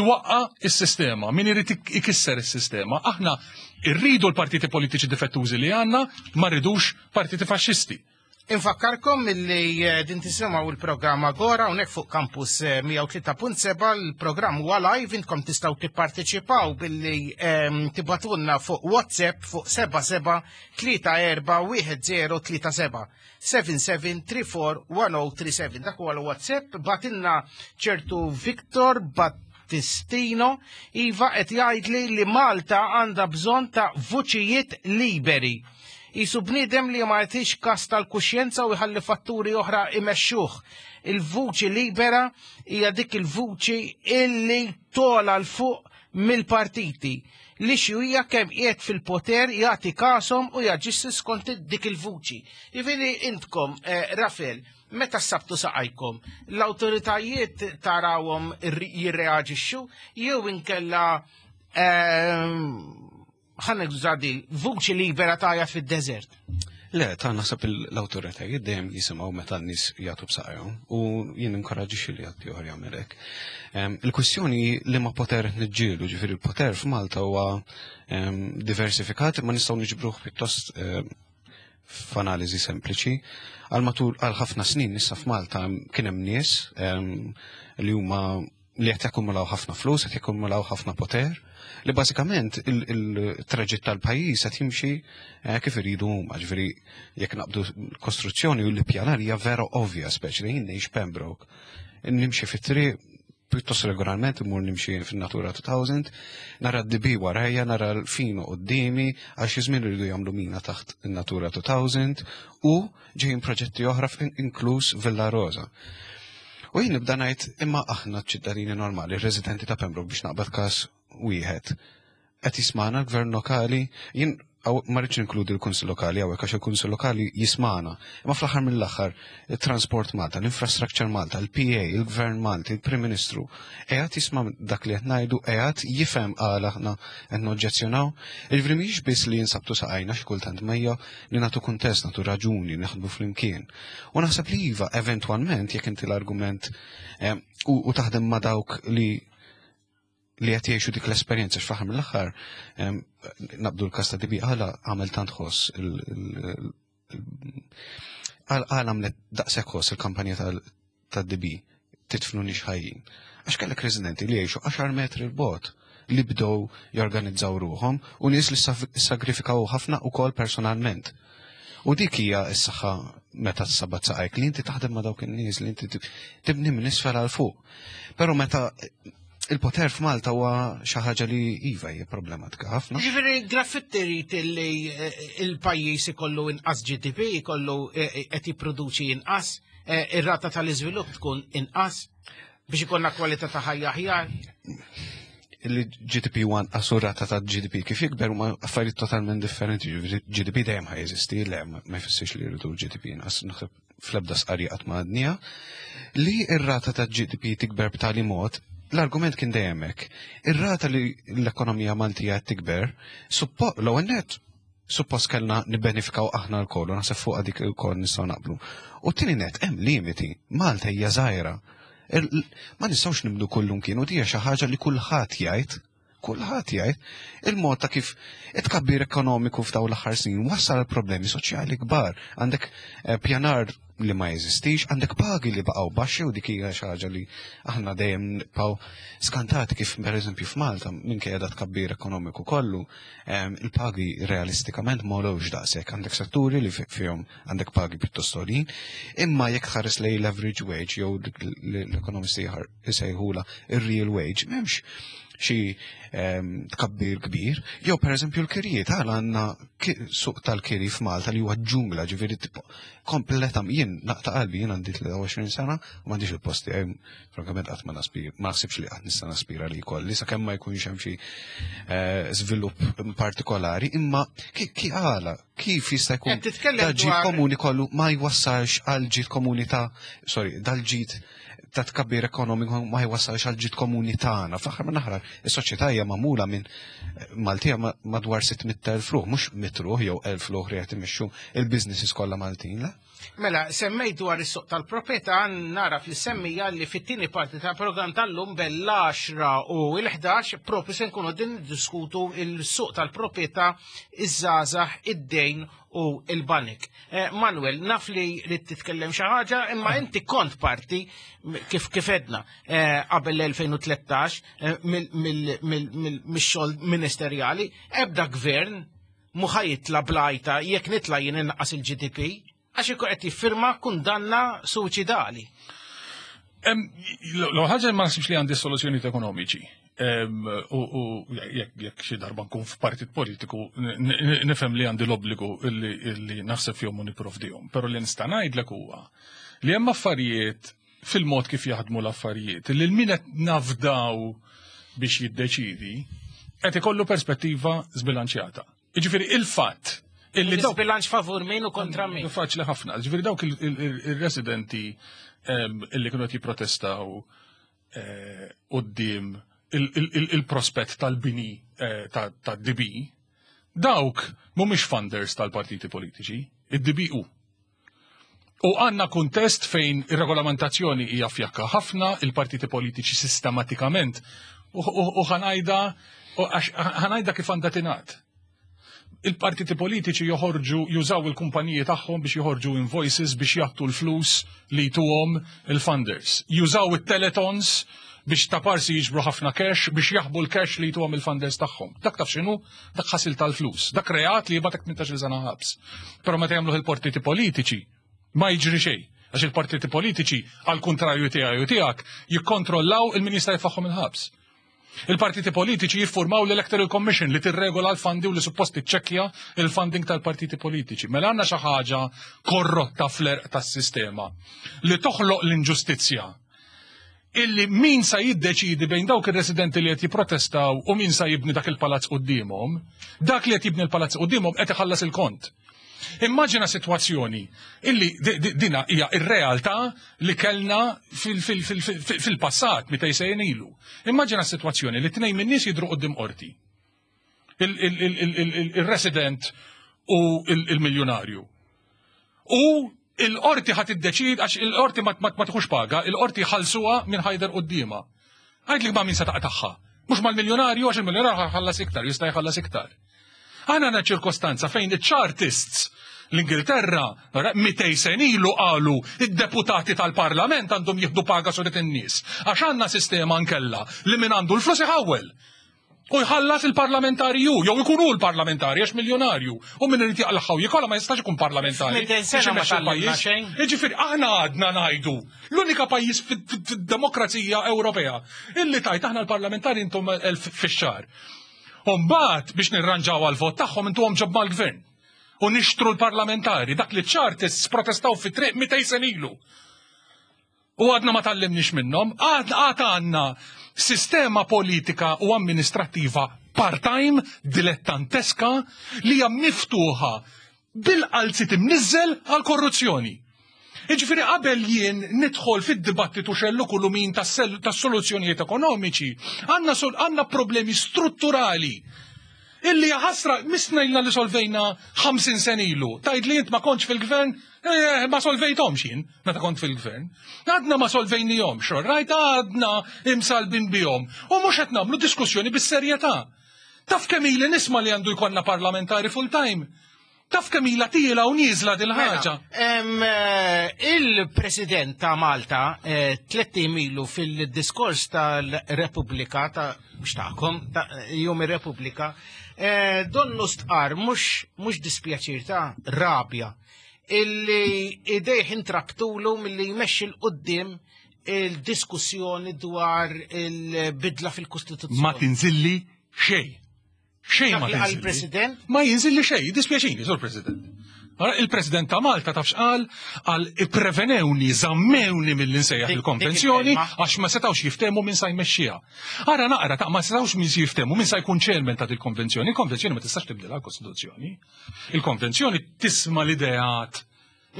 iwaqqa is-sistema, min irid ikisser is-sistema. Aħna irridu l-partiti politiċi difettużi li għandna, ma rridux partiti faxxisti. Infakkarkom illi eh, din tisimgħu il-programm Agora hawnhekk fuq Campus 103.7 eh, il-programm huwa live intkom tistgħu tipparteċipaw billi ehm, tibatulna fuq WhatsApp fuq 77 34 1037 77341037 dak huwa l-WhatsApp batilna ċertu Victor Battistino iva qed jgħidli li Malta għandha bżonn ta' vuċijiet liberi Qisu bniedem li ma jagħtix kas tal-kuxjenza u jħalli fatturi oħra imexxuh. Il-vuċi libera hija dik il-vuċi illi tola l fuq mill-partiti li xjuija kemm qiegħed fil-poter jagħti kasom u jaġixxi skont dik il-vuċi. Jiġifieri intkom, eh, Rafel, meta sabtu saqajkom, l-awtoritajiet tarawhom jirreaġixxu jew inkella ehm, ħa nuża di, vuċi libera tajja fid-deżert. Le, ta' naħseb l-awtoritajiet dejjem jisimgħu meta n-nies jagħtu b'saqajhom u jien inkoraġġixxi li ħadd ieħor jagħmel hekk. Il-kwistjoni li ma poter niġġieldu, ġifieri il-poter f'Malta huwa diversifikat imma nistgħu niġbruh pjuttost f'analiżi sempliċi. Għal matul għal ħafna snin issa f'Malta kien hemm nies li huma li qed jakkumulaw ħafna flus, qed jakkumulaw ħafna poter, li bażikament il-traġitt tal-pajjiż qed jimxi eh, kif iridu huma, ġifieri jekk naqbdu kostruzzjoni u l-ippjanar hija vera ovvja, speċi li jien ngħix Pembroke. Nimxi fit-triq pjuttost regolarment imur nimxi fin-Natura 2000, nara d-dibi warajja, nara l-fino qudiemi, għal xi żmien iridu jagħmlu mina taħt in-Natura 2000 u ġejjin proġetti oħra inkluż Villa Rosa. U jien nibda ngħid imma aħna ċittadini normali, residenti ta' Pembroke biex naqbad każ wieħed. Qed jismana l-gvern lokali, jien ma rridx inkludi l-Kunsill Lokali hawnhekk għax il-Kunsill Lokali jismana. Imma fl-aħħar mill-aħħar, il-Transport Malta, l-Infrastructure Malta, il-PA, il-Gvern Malti, il-Prim Ministru, qiegħed jisma' dak li qed ngħidu, qiegħed jifhem għala aħna qed noġġezzjonaw. Jiġifieri mhijiex biss li jinsabtu saqajna xi kultant ma hija li nagħtu kuntest, nagħtu raġuni, naħdmu flimkien. U naħseb li iva, eventwalment, jekk inti l-argument eh, u taħdem ma' dawk li li qed jgħixu dik l-esperjenza x'faħar mill-aħħar eh, naqbdu l-kas ta' dibi għala għamel tant ħoss għala għamlet daqshekk ħoss il-kampanja tad-DB titfnu nix ħajjin. Għax kellek residenti li jgħixu 10 metri l-bot li bdew jorganizzaw ruħhom u nies li sagrifikaw ħafna ukoll personalment. U dik hija s-saħħa meta s-sabat saqajk li inti taħdem ma' dawk in-nies li inti tibni minn isfel għal fuq. Però meta il-poter f'Malta huwa xi ħaġa li iva hija problematika ħafna. Ġifieri graffitti jrid li eh, il-pajjiż ikollu inqas GDP, ikollu eh, eh, qed jipproduċi inqas, ir-rata tal-iżvilupp tkun inqas biex ikollna kwalità ta' ħajja aħjar. Il-GDP huwa anqas u rata ta' GDP kif jikber huma affarijiet totalment differenti. GDP dejjem ħa jeżisti, le ma jfissirx li jridu l-GDP inqas naħseb fl-ebda sqarrija qatt ma għadniha, li r-rata ta' GDP tikber b'tali mod, l-argument kien dejjem hekk. Ir-rata li l-ekonomija Maltija qed tikber, l-ewwel nett suppost kellna nibbenefikaw aħna lkoll u naħseb fuqha dik ilkoll nistgħu naqblu. U t-tieni nett hemm limiti, Malta hija żgħira. Ma nistgħux nibnu kullumkien u dija xi ħaġa li kulħadd jgħid. Kulħadd jgħid, il-mod ta' kif it-tkabbir ekonomiku f'dawn l-aħħar snin wassal għal problemi soċjali kbar. Għandek eh, pjanar li ma jeżistix, għandek pagi li baqgħu baxxi u dik hija xi ħaġa li aħna dejjem nibqgħu skantati kif pereżempju f'Malta minkejja da tkabbir ekonomiku kollu, eh, il-pagi realistikament ma daqshekk. Għandek setturi li fihom għandek pagi pjuttost għoljin, imma jekk tħares lejn l-average wage jew l-ekonomisti isejħula ir-real wage, m'hemmx xi ehm, tkabbir kbir, jew pereżempju l-kirjiet għal għandna suq tal-kiri f'Malta li huwa ġungla ġifieri tipo kompleta jien naqta' qalbi jien għandi 23 sena u m'għandix il-post tiegħi frankament qatt ma naspir ma naħsibx li qatt nista' naspira li jkolli sakemm ma jkunx hemm xi eh, żvilupp partikolari, imma ki għala kif jista' jkun dal-ġid komuni kollu ma jwassalx għal ġid komuni ta' sorry, dal-ġid ta' tkabbir ekonomiku ma jwassalx għal ġid komuni tagħna. Fl-aħħar minn aħrar, is-soċjetà hija magħmula minn eh, Maltija madwar 600,000 ruħ, mhux mit ruħ jew 1000 ruħ li qed imexxu il-businesses kollha Maltin, le? Mela, semmejt dwar is-suq tal-proprjetà nara fl-semmija li fit-tieni parti tal-programm tal-lum bell-10 u l-11 propju se nkunu din niddiskutu il-suq tal-proprjetà, iż-żgħażagħ, id-dejn u il-banek. Eh, Manuel, naf li li titkellem xi ħaġa, imma inti kont parti kif kif edna eh, qabel l-2013 eh, mill-xogħol ministerjali, ebda gvern mhu ħa jitla' blajta jekk nitla' jien innaqqas il-GDP, għax ikun qed jiffirma kundanna suċidali. L-ħaġa ma naħsibx li għandi soluzzjonijiet ekonomiċi. U jekk xi darba nkun f'partit politiku nifhem li għandi l-obbligu li naħseb fihom u nipprovdihom. Però li nista' ngħidlek huwa li hemm affarijiet fil-mod kif jaħdmu l-affarijiet, li l-min qed nafdaw biex jiddeċidi qed ikollu perspettiva żbilanċjata. Jiġifieri il-fatt illi dawk bilanċ favur min u kontra min. Faċli ħafna. Ġifieri dawk il-residenti illi kienu qed jipprotestaw eh, quddiem il-prospett tal-bini eh, tad-DB, dawk mhumiex funders tal-partiti politiċi, id-DB hu. U għanna kuntest fejn ir-regolamentazzjoni hija fjakka ħafna, il-partiti politiċi sistematikament u ħanajda ħanajda kif għandha tingħad. Il-partiti politiċi joħorġu jużaw il-kumpaniji tagħhom biex joħorġu invoices biex jagħtu l-flus li jtuhom il-funders. Jużaw it-teletons biex ta' parsi jiġbru ħafna cash biex jaħbu l-cash li jtuhom il-funders tagħhom. Dak taf x'inhu? Dak ħasil tal-flus. Dak reat li jibatek 18 sena ħabs. Però meta jagħmluh il-partiti politiċi ma jiġri xejn. Għax il-partiti politiċi, għal kuntrarju tiegħi u tiegħek, jikkontrollaw il-min jista' jfaħħom il-ħabs. Il-partiti politiċi jiffurmaw l-Electoral Commission li tirregola l-fondi u li suppost tiċċekkja il-funding tal-partiti politiċi. Mela għandna xi ħaġa korrotta fl-erq tas-sistema li toħloq l-inġustizzja illi min sa jiddeċidi bejn dawk ir-residenti li qed jipprotestaw u min sa jibni dak il-palazz quddiemhom, dak li qed jibni l-palazz quddiemhom qed iħallas il-kont. Immaġina sitwazzjoni illi dina hija ir-realtà li kellna fil-passat meta jsejjen ilu. Immaġina sitwazzjoni li tnejn min-nies jidhru quddiem qorti. Il-resident u il-miljonarju. U il-qorti ħat iddeċid għax il-qorti ma tieħux paga, il-qorti ħalsuha minn ħajder quddiemha. Għidli ma' min se taqtagħha. Mhux mal-miljonarju għax il-miljonarju ħallas iktar, jista' jħallas iktar. Aħna għandna ċirkostanza fejn iċ-chartists l-Ingilterra 200 sen ilu qalu id-deputati tal-parlament għandhom jieħdu paga suret in-nies. Għax għandna sistema nkella li min għandu l-flus iħawwel. U jħallas il-parlamentari ju, jew ikun hu l-parlamentari għax miljonarju. U min irid jaqlaħħa u jikola ma jistax ikun parlamentari. Sena ma tgħallimna xejn. Jiġifieri aħna għadna ngħidu l-unika pajjiż fid-demokrazija Ewropea illi tajt aħna l-parlamentari intom elf fix-xahar. U mbagħad biex nirranġaw għal-vot tagħhom intuhom ġob mal-gvern. U nixtru l-parlamentari dak li ċ-chartists protestaw fit-triq 200 sen ilu. U għadna ma tgħallimniex minnhom, għad għad għandna sistema politika u amministrattiva part-time, dilettanteska, li hija miftuħa bil-qalzit imniżżel għal korruzzjoni. Jiġifieri qabel jien nidħol fid-dibattitu xellu kullu min tas-soluzzjonijiet ekonomiċi, għandna problemi strutturali illi ħasra misna ilna li solvejna 50 sen ilu. Tajd li int ma kontx fil-gvern, eh, ma solvejthomx jien meta kont fil-gvern. Għadna ma solvejnihomx, rajt għadna imsalbin bihom. U mhux qed nagħmlu diskussjoni bis-serjetà. Taf kemm ili nisma' li għandu jkollna parlamentari full-time. Taf kemm ilha tiela u nieżla dil-ħaġa. Mela, eh, il-President ta' Malta eh, tlett ilu fil-diskors tal-Repubblika ta' mhux tagħkom, ta' Jum ir-Repubblika, eh, donnu stqar mhux mhux dispjaċir ta' rabja illi idejh intrabtulu milli jmexxi 'l quddiem il-diskussjoni dwar il-bidla fil-Kostituzzjoni. Ma tinżilli xejn. Xejn ma tinżilli. President? Ma jinżilli xejn, dispjaċini, sur President. Il-President ta' Malta taf x'qal għal ipprevenewni, żammewni mill nsejjaħ il-konvenzjoni għax ma setgħux jiftehmu min sa jmexxiha. Ara naqra ta' ma setgħux min jiftehmu min sa jkun chairman ta' il-konvenzjoni. Il-konvenzjoni ma tistax tibdilha l-Kostituzzjoni. Il-konvenzjoni tisma' l-ideat.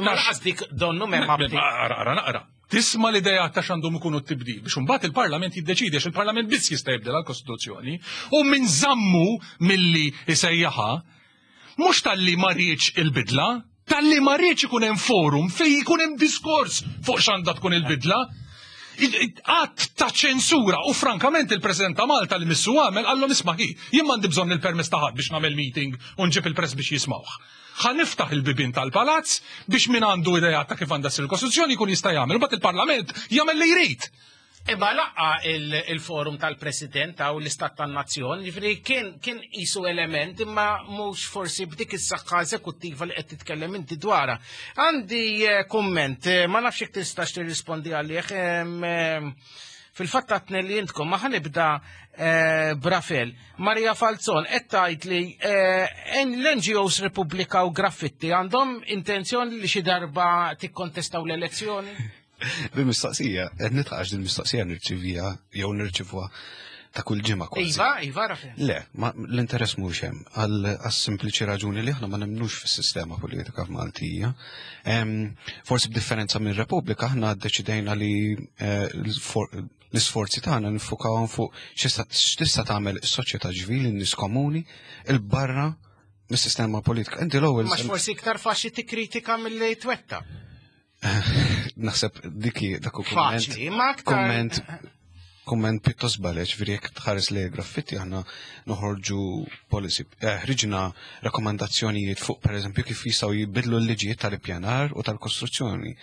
Ma laqas dik donnu m'hemm Naqra, naqra, naqra. Tisma' l-ideat ta' x'għandhom ikunu t-tibdil biex imbagħad il-Parlament jiddeċidi għax il-Parlament biss jista' jibdel għall-Kostituzzjoni u min żammu milli jsejjaħha mhux talli ma riedx il-bidla. Talli ma rridx ikun hemm forum fejn ikun hemm diskors fuq x'għandha tkun il-bidla. Att ta' ċensura u frankament il-President ta' Malta li missu għamel qallhom isma' hi, jien m'għandi bżonn il-permess ta' ħadd biex nagħmel meeting u nġib il-press biex jismawh. Ħa niftaħ il-bibien tal-palazz biex min għandu ideat ta' kif għandha ssir il-Kostituzzjoni jkun jista' jagħmel, u mbagħad il-Parlament jagħmel li jrid. Imma laqqa il-forum tal-President għaw l-Istat tan-Nazzjon, ġifieri kien kien qisu element imma mhux forsi b'dik is-saħħa eżekuttiva li qed titkellem inti dwarha. Għandi eh, kumment, eh, ma nafx jekk tistax tirrispondi għalih. Fil-fatt għatni li intkom ma ħanibda eh, b'Rafel. Maria Falzon qed tgħid li l-NGOs Repubblika u Graffitti għandhom intenzjoni li xi darba tikkontestaw l-elezzjoni? Din mistoqsija, qed nitqax din mistoqsija nirċivija jew nirċivuha ta' kull ġimgħa kważi. Iva, iva Rafael. Le, ma l-interess mhux hemm għal sempliċi raġuni li aħna ma nemmnux fis-sistema politika f'Maltija. Forsi b'differenza minn Repubblika aħna ddeċidejna li eh, l-isforzi tagħna nifukawhom fuq x'tista' tagħmel is-soċjetà ċivili, n-nies komuni, il-barra mis-sistema politika. Inti l-ewwel. Ma forsi iktar faċli tikkritika milli twetta. Naħseb diki dak kumment. Kumment kumment pjuttost baleċ, veri jekk tħares li graffitti aħna noħorġu policy, eh, ħriġna rakkomandazzjonijiet fuq pereżempju kif jistgħu jibidlu l-liġijiet tal-ippjanar u tal-kostruzzjoni.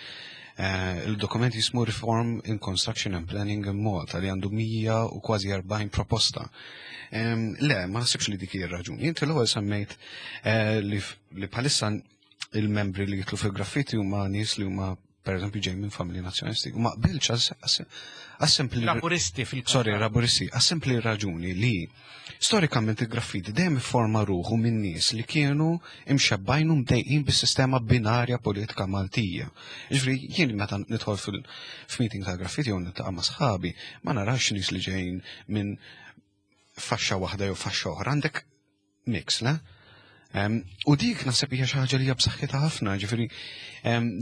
Eh, il-dokument jismu Reform in Construction and Planning in Malta li għandu 100 u kważi 40 proposta. Le, ma nasibx li dik hija raġuni. Inti l-ewwel semmejt eh, li bħalissa il-membri li jitlu fil-graffiti huma nies li huma per eżempju ġej minn familji nazzjonalisti u ma qbilx għas-sempli Laburisti fil Sorry, laburisti, għas-sempli raġuni li storikament il-graffiti dejjem ifforma ruħu minn nies li kienu imxebbajn u mdejqin bis-sistema binarja politika Maltija. Ġifieri jien meta nidħol fil-meeting ta' graffiti jew niltaqa' ma' sħabi, ma narax nies li ġejjin minn faxxa waħda jew faxxa oħra, għandek mix, le? U dik naħseb hija xi ħaġa li hija b'saħħitha ħafna, ġifieri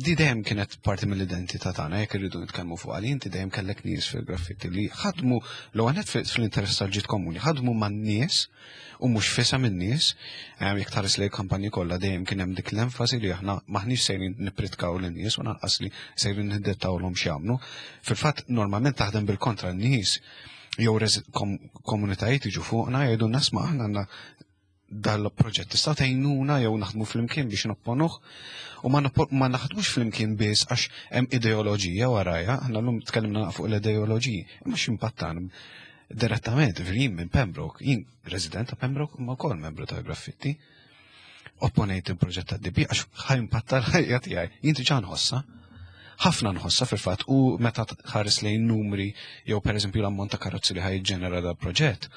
di dejjem kienet parti mill-identità tagħna jekk irridu nitkellmu fuq għal inti dejjem kellek nies fil-graffitti li ħadmu l għanet fl-interess tal-ġid komuni, ħadmu man-nies u mhux fisa min-nies, jekk tħares lejn kampanji kollha dejjem kien hemm dik l-enfasi li aħna maħniex sejrin nippritkaw lin-nies u lanqas li sejrin niddettawlhom x'jagħmlu. Fil-fatt normalment taħdem bil-kontra n-nies jew komunitajiet jiġu fuqna jgħidu nasma aħna għandna dal-proġett tista' tgħinuna jew naħdmu flimkien biex nopponuh u ma, ma naħdmux flimkien biss għax hemm ideoloġija warajja, aħna llum tkellimna fuq l-ideoloġiji, imma x'impattan direttament, jien minn Pembroke, jien resident ta' Pembroke imma wkoll membru ta' Graffitti. Opponejt il-proġett ta' DB għax ħajmpatta l-ħajja tiegħi. Jien diġà nħossha. Ħafna nħossha fil-fatt u meta tħares lejn numri jew pereżempju l-ammont ta' karozzi li ħajġenera dal proġett.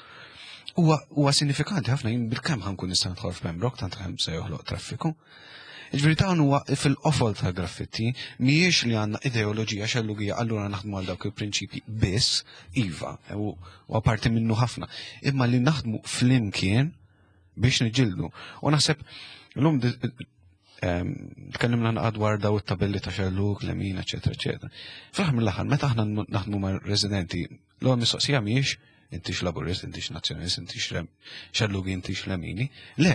Huwa sinifikanti ħafna jien bil-kemm ħankun nista' nidħol f'Pembroke tant kemm se joħloq traffiku. Ġifieri dawn huwa fil-qofol ta' graffitti mhijiex li għandna ideoloġija xellugija allura naħdmu għal dawk il-prinċipji biss, iva, u apparti minnu ħafna, imma li naħdmu flimkien biex niġildu. U naħseb l-lum tkellimna naqgħod dwar daw it-tabelli ta' xelluk, lemin, eċetera, eċetera. Fl-aħħar mill-aħħar, meta aħna naħdmu ma' residenti, l-ewwel mistoqsija mhijiex intix laburist, intix nazzjonalist, intix xellugi, intix lemini. Le,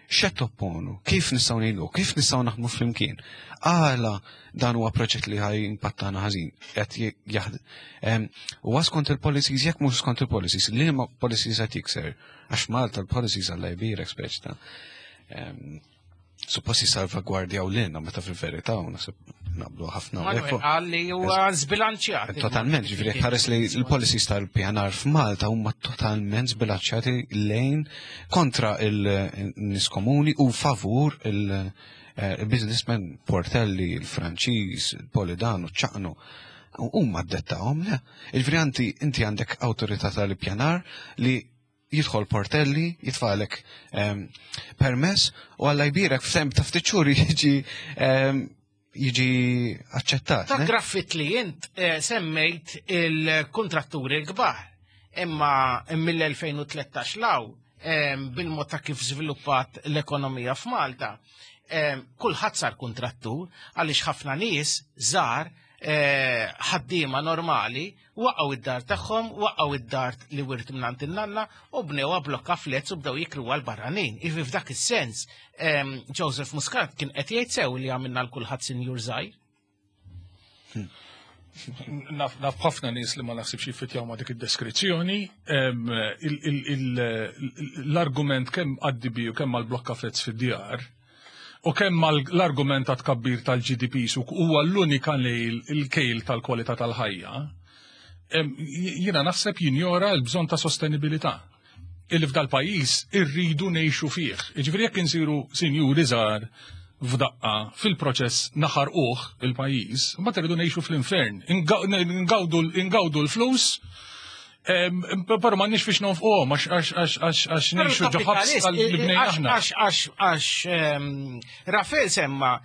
x'qed topponu, kif nistgħu ngħinu, kif nistgħu naħdmu flimkien. Għala dan huwa proġett li ħaj impattana ħażin, qed jaħdem. Huwa skont il-policies, jekk mhux skont il-policies, liema policies qed jikser. Għax Malta l-policies għalla jbirek speċ ta' suppost jisalvagwardjaw lilna meta fil-verità u naħseb naqblu ħafna. Għalli huwa zbilanċjat. Totalment, ġifieri ħares li l-policies tal-PNR f'Malta huma totalment zbilanċjati lejn kontra il-nies komuni u favur il-businessman eh, Portelli, il-Franċiż, il-Polidano, ċaqnu. Huma ddettawhom, le. Il-vri inti għandek awtorità tal-ippjanar li jidħol portelli, jitfalek ehm, permess u għalla jbirek f'temp ta' ftit xhur jiġi ehm, jiġi aċċettat. Ta' graffit li jint eh, semmejt il-kontratturi l-kbar imma mill-2013 law ehm, bil-mod ta' kif żviluppat l-ekonomija f'Malta, kulħadd sar kontrattur għaliex ħafna nies żgħar. eh, ħaddiema normali waqgħu id-dar tagħhom, waqgħu id-dar li wirt mingħand in-nanna u bnewha blokka flets u bdew jikru għal barranin. Ivi f'dak is-sens, ehm, Joseph Muscat kien qed jgħid sew li għamilna l kulħadd sinjur żgħir. Naf ħafna nies li ma naħsibx jiffitjaw ma' dik id-deskrizzjoni. L-argument kemm għad-DB u kemm għall-blokka flets fid-djar u kemm l-argument ta' tkabbir tal-GDP su huwa l-unika il-kejl tal-kwalità tal-ħajja, jiena naħseb jinjora l-bżonn ta' sostenibilità illi f'dal pajjiż irridu ngħixu fih. Jiġifieri jekk insiru sinjuri żgħar f'daqqa fil-proċess naħarquh il-pajjiż, mbagħad irridu ngħixu fl-infern, ingawdu l-flus, però m'għandniex fiex nonfquhom għax ngħixu ġo ħabs li bnejna aħna. Għax Rafael semma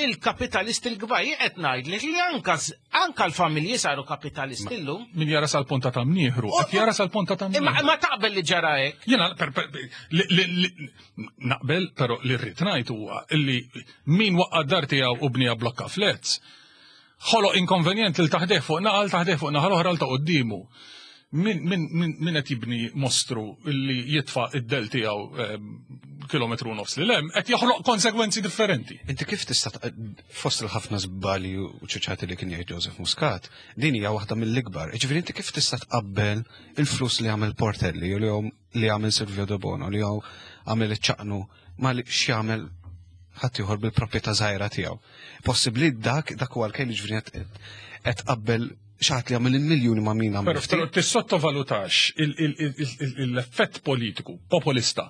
il-kapitalisti l-kbar qed ngħidlek li anka anka l-familji saru kapitalisti llum. Min jara sal-ponta ta' mnieħru, qed jara sal-ponta ta' mnieħru. Ma taqbel li ġara hekk. Jiena naqbel, però li rrid ngħid huwa li min waqqa' dar tiegħu u bnija blokka flets, ħoloq inkonvenjent lil taħdeh fuq naqal taħdeh fuq naħa l-oħra l ta' quddiemu. Min, min, min, min qed jibni mostru li jitfa' id-del tiegħu ehm, kilometru nofs li lem, qed joħloq konsegwenzi differenti. Inti kif tista' fost il-ħafna żbali u ċuċati li kien jgħid Joseph Muscat, din hija waħda mill-ikbar. Ġifieri inti kif tista' tqabbel il-flus li għamel Portelli u li għamel Silvio De Bono li għamel iċ-ċaqnu ma li x'jagħmel ħaddieħor bil-proprjetà żgħira tiegħu. Possibbli dak dak huwa l-kejl ġifieri qed qabbel xaħat li għamil il-miljuni ma' min għamil. Pero tissottovalutax l-effett politiku, populista,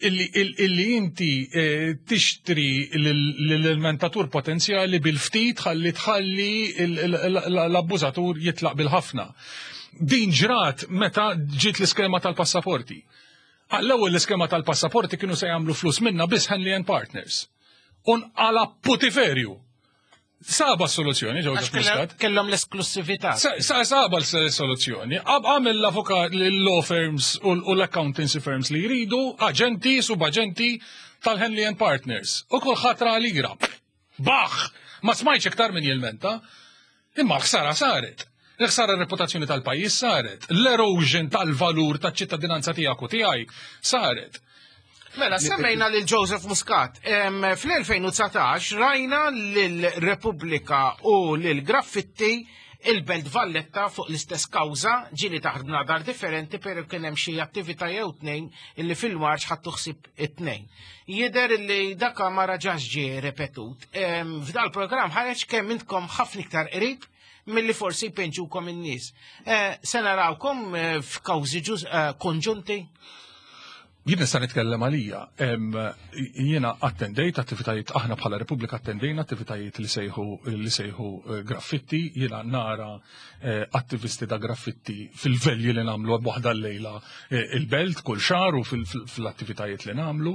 illi inti eh, tixtri l-mentatur potenzjali bil-ftit ħalli tħalli l-abbużatur jitlaq bil-ħafna. Din ġrat meta ġiet l-iskema tal-passaporti. Għall-ewwel l-iskema tal-passaporti kienu se jagħmlu flus minna biss Henley and Partners. U nqala putiferju. Saba soluzzjoni Joseph Muscat. Kellhom l-esklusività. Saba l-soluzzjoni. Għamel l-avukat l-law firms u l-accountancy firms li jridu, aġenti, subaġenti tal-Henley and Partners. U kulħadd ra lira. Baħ! Ma smajtx iktar min jilmenta. Imma l-ħsara saret. Il-ħsara reputazzjoni tal-pajjiż saret. L-erosion tal-valur taċ-ċittadinanza tiegħek u tiegħi saret. Mela, semmejna lil Joseph Muscat. Fl-2019 rajna lil Repubblika u lil Graffitti il-Belt Valletta fuq l-istess kawża ġieli taħt bnadar differenti pero kien hemm xi attività jew tnejn illi fil-marċ ħadtu ħsieb it-tnejn. Jidher li daka ma raġax ġie repetut. F'dal programm ħareġ kemm intkom ħafna iktar qrib milli forsi jpinġukom in-nies. Eh, se narawkom eh, f'kawżi eh, konġunti? Jien nista' nitkellem għalija. Jiena attendejt attivitajiet aħna bħala Repubblika attendejna attivitajiet li sejħu li sejħu graffitti, jiena nara Eh, attivisti ta' graffitti fil-velji li namlu waħda l-lejla eh, il-belt kull xar u fil-attivitajiet li namlu.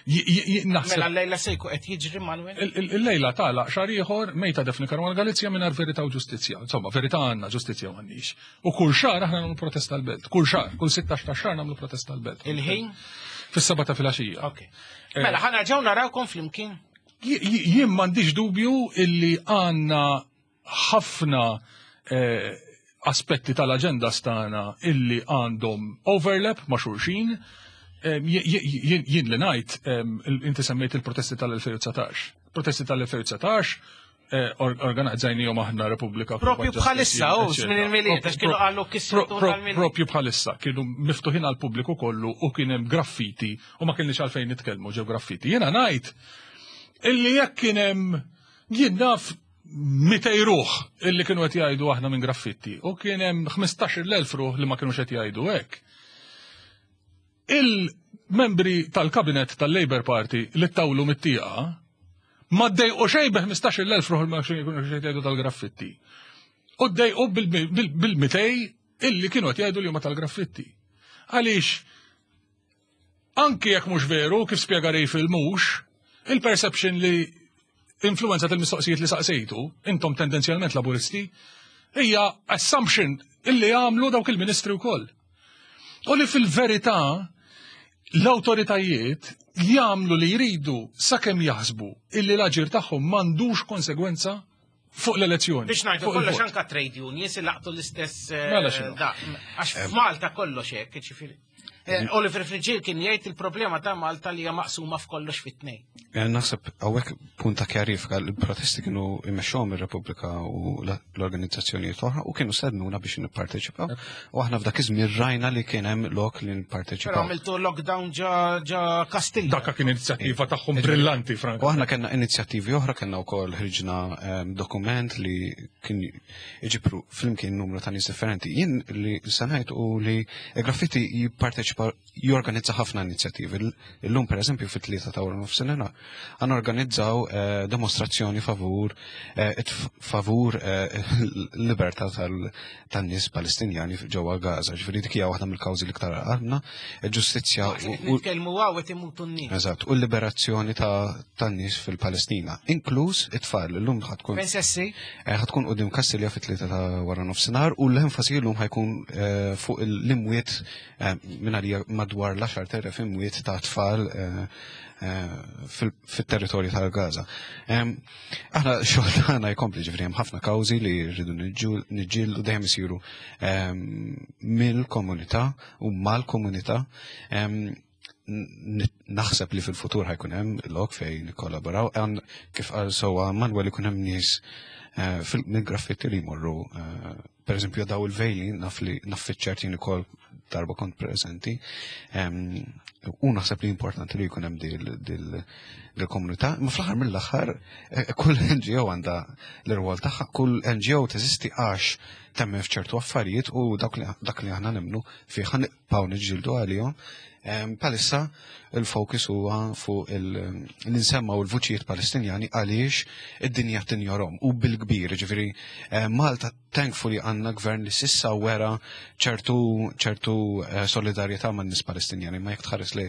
Mela l-lejla se jkun qed jiġri Manuel? Il-lejla tagħlaq xar ieħor mejta Defni Karwana Galizja mingħajr verità u ġustizzja. Insomma, verità għandna, ġustizzja m'għandniex. U kull xar aħna nagħmlu protesta l-belt. Kull xar, kull 16 ta' xar nagħmlu protesta l-belt. Il-ħin? Fis-seba ta' filgħaxija. Ok. Eh, mela ħana ġew narawkom flimkien. Jien m'għandix dubju illi għandna ħafna eh, aspetti tal-aġenda stana illi għandhom overlap ma' xulxin. Eh, jien li ngħid, eh, inti semmejt il-protesti tal-2019. Protesti tal-2019 organizzajnijom aħna Repubblika. Propju bħalissa, u żmien il-miliet, għax kienu qalu kissru Propju bħalissa, kienu miftuħin għal pubbliku kollu u kien hemm graffiti u ma kienx għalfejn nitkellmu ġew graffiti. Jiena ngħid illi jekk kien hemm jien naf 200 ruħ illi kienu qed jgħidu aħna minn graffitti u kien hemm 15,000 ruħ li ma kienux qed jgħidu hekk. Il-membri tal-kabinet tal-Labour Party li tawlu mit-tieqa ma ddejqu xejn bi 15,000 ruħ li ma kienux qed jgħidu tal-graffitti. U ddejqu bil-200 illi kienu qed jgħidu li huma tal-graffitti. Għaliex Anki jekk mhux veru, kif spjega Ray fil-mhux, il-perception li influenzat il-mistoqsijiet li saqsejtu, intom tendenzjalment laburisti, hija assumption illi għamlu dawk il-ministri wkoll. U li fil-verità l-awtoritajiet jagħmlu li jridu sakemm jaħsbu illi l-aġir tagħhom m'għandux konsegwenza. Fuq l-elezzjoni. Biex ngħidu kollox anka trade unions laqtu l-istess. Eh, mela għax eh. f'Malta kollox hekk, ġifieri. Eh, Oliver Frigil kien jgħid il-problema ta' Malta li hija maqsuma f'kollox fit-tnejn. Eh, naħseb hawnhekk punt ta' kjarifika l-protesti kienu jmexxuhom ir-Repubblika u l-organizzazzjonijiet oħra u kienu sednuna biex nipparteċipaw. U aħna f'dak iż-żmien rajna li kien hemm lok li nipparteċipaw. Però għamiltu lockdown ġa ġa Kastilja. Dakka kien inizjattiva tagħhom brillanti, Frank. U aħna kellna inizjattivi oħra, kellna wkoll ħriġna ehm, dokument li kien iġibru flimkien numru ta' nies differenti. Jien li sanajt u li graffiti jipparteċipa jorganizza ħafna inizjattivi. Illum per eżempju fit-tlieta ta' wara nofsinhar għan organizzaw eh, demostrazzjoni favur eh, favur eh, l-libertà tan-nies Palestinjani ġewwa Gaza. Ġifieri dik hija waħda mill-kawżi l-iktar għandna, il-ġustizzja u nitkellmu hawn qed imutu n-nies. Eżatt, u l-liberazzjoni tan-nies fil-Palestina, inkluż it-tfal. Illum ħatkun. Fejn sessi? Ħatkun qudiem Kastilja fit-tlieta ta' wara nofsinhar u l-enfasi llum ħajkun fuq l-imwiet minn għalija madwar l-10,000 imwiet ta' tfal fit-territorju tal-Gaza. Aħna xogħol tagħna jkompli ġifieri hemm ħafna kawżi li rridu niġġieldu dejjem isiru mill-komunità u mal-komunità. Naħseb li fil-futur ħajkun hemm lok fejn nikkollaboraw, kif qal sewwa Manuel ikun hemm nies eh, mill-graffitti li jmorru eh, per eżempju daw il-vejli naf li naf fiċ-ċertin ukoll darba kont preżenti. U naħseb li importanti li jkun hemm dil-komunità, imma fl-aħħar mill-aħħar eh, kull NGO għandha l-irwol tagħha, kull NGO teżisti għax temmen f'ċertu affarijiet u dak li aħna nemmnu fih nibqgħu niġġieldu għalihom. Palissa il-fokus huwa fuq l-insemma u l-vuċijiet Palestinjani għaliex id-dinja tinjorhom u bil-kbir, ġifieri Malta thankfully għandna gvern li sissa wera ċertu ċertu eh, solidarjetà man nies Palestinjani, ma jekk tħares li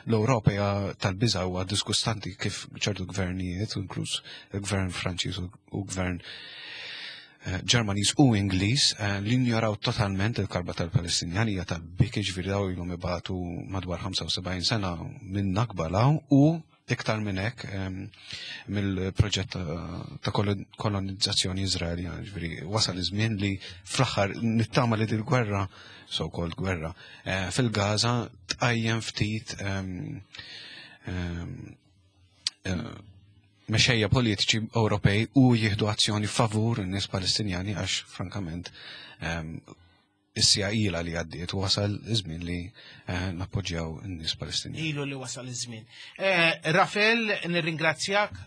l-Ewropa hija tal-biża' huwa diskustanti kif ċertu gvernijiet, inkluż il-gvern Franċiż u gvern eh, Ġermaniż u Ingliż eh, li njoraw totalment il-karba tal-Palestinjani hija tal-biki ġifieri daw ilhom ibatu madwar 75 sena minn Nakba law u iktar minn hekk mill-proġett ta' kolonizzazzjoni Iżraeljana, ġifieri wasal iż-żmien li fl-aħħar nittama li dil-gwerra, so called gwerra, eh, fil-Gaza tqajjem ftit eh, mexejja politiċi Ewropej u jieħdu azzjoni favur in-nies Palestinjani għax frankament Is-siegħa ilha li għaddiet u wasal iż-żmien li eh, nappoġġjaw in-nies Palestinjani. Ilu li wasal iż-żmien. Eh, Rafael, nirringrazzjak,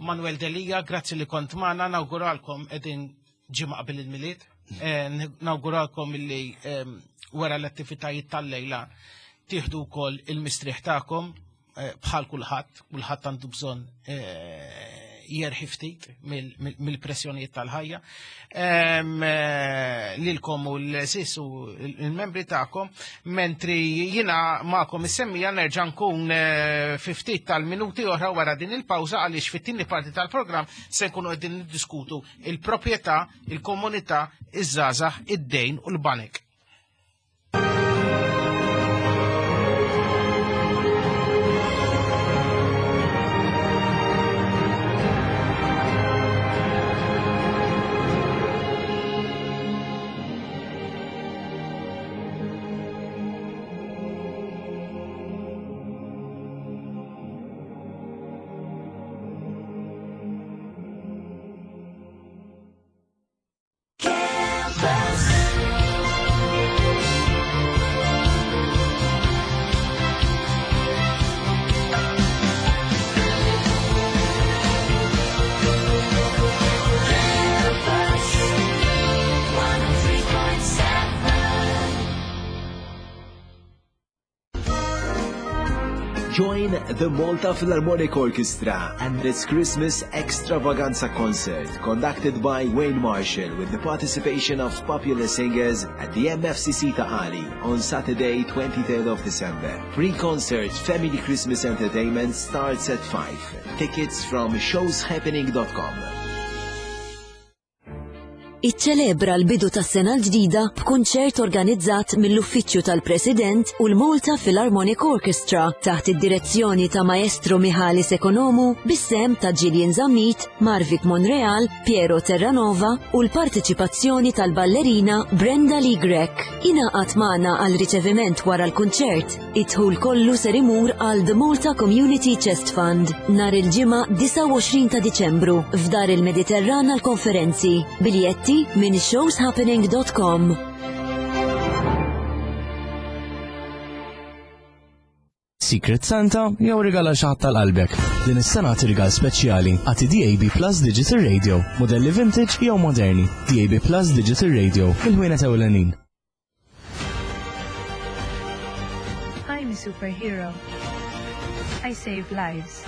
Manuel Delia, grazzi li kont magħna, nawguralkom qegħdin ġimgħa qabel il-Milied. Eh, nawguralkom illi ehm, wara l-attivitajiet tal-lejla tieħdu wkoll il-mistrieħ tagħkom Eh, bħal kulħadd, kulħadd għandu bżonn eh, jerħi ftit mill-pressjonijiet tal-ħajja. Eh, lilkom u l-sis u l-membri tagħkom, mentri jiena magħkom is-semmija nerġa' nkun fi ftit tal-minuti oħra wara din il-pawża għaliex fit-tieni parti tal-programm se nkunu qegħdin niddiskutu il-proprjetà, il-komunità, iż-żgħażagħ, id-dejn u l-banek. Join the Malta Philharmonic Orchestra and its Christmas Extravaganza concert conducted by Wayne Marshall with the participation of popular singers at the MFCC Ta'ali on Saturday 23rd of December. Pre-concert Family Christmas Entertainment starts at 5. Tickets from showshappening.com. Iċċelebra l-bidu tas-sena l-ġdida b'kunċert organizzat mill-Uffiċċju tal-President u l-Malta Philharmonic Orchestra taħt id-direzzjoni ta' Maestro Michalis Economou bis-sehem ta' Gillian Zammit, Marvic Monreal, Piero Terranova u l-parteċipazzjoni tal-ballerina Brenda Lee Grech. Ingħaqad magħna għal riċeviment wara l-kunċert. Id-dħul kollu ser imur għal The Malta Community Chest Fund nhar il-Ġimgħa 29 ta' Diċembru f'Dar il-Mediterran għall-Konferenzi. Biljetti minn showshappening.com. Secret Santa jew rigal għal xi ħadd tal-qalbek. Din is-sena agħti rigal speċjali, agħti DAB Plus Digital Radio, mudelli vintage jew moderni. DAB Plus Digital Radio, mill-ħwienet ewlenin. I'm a superhero. I save lives.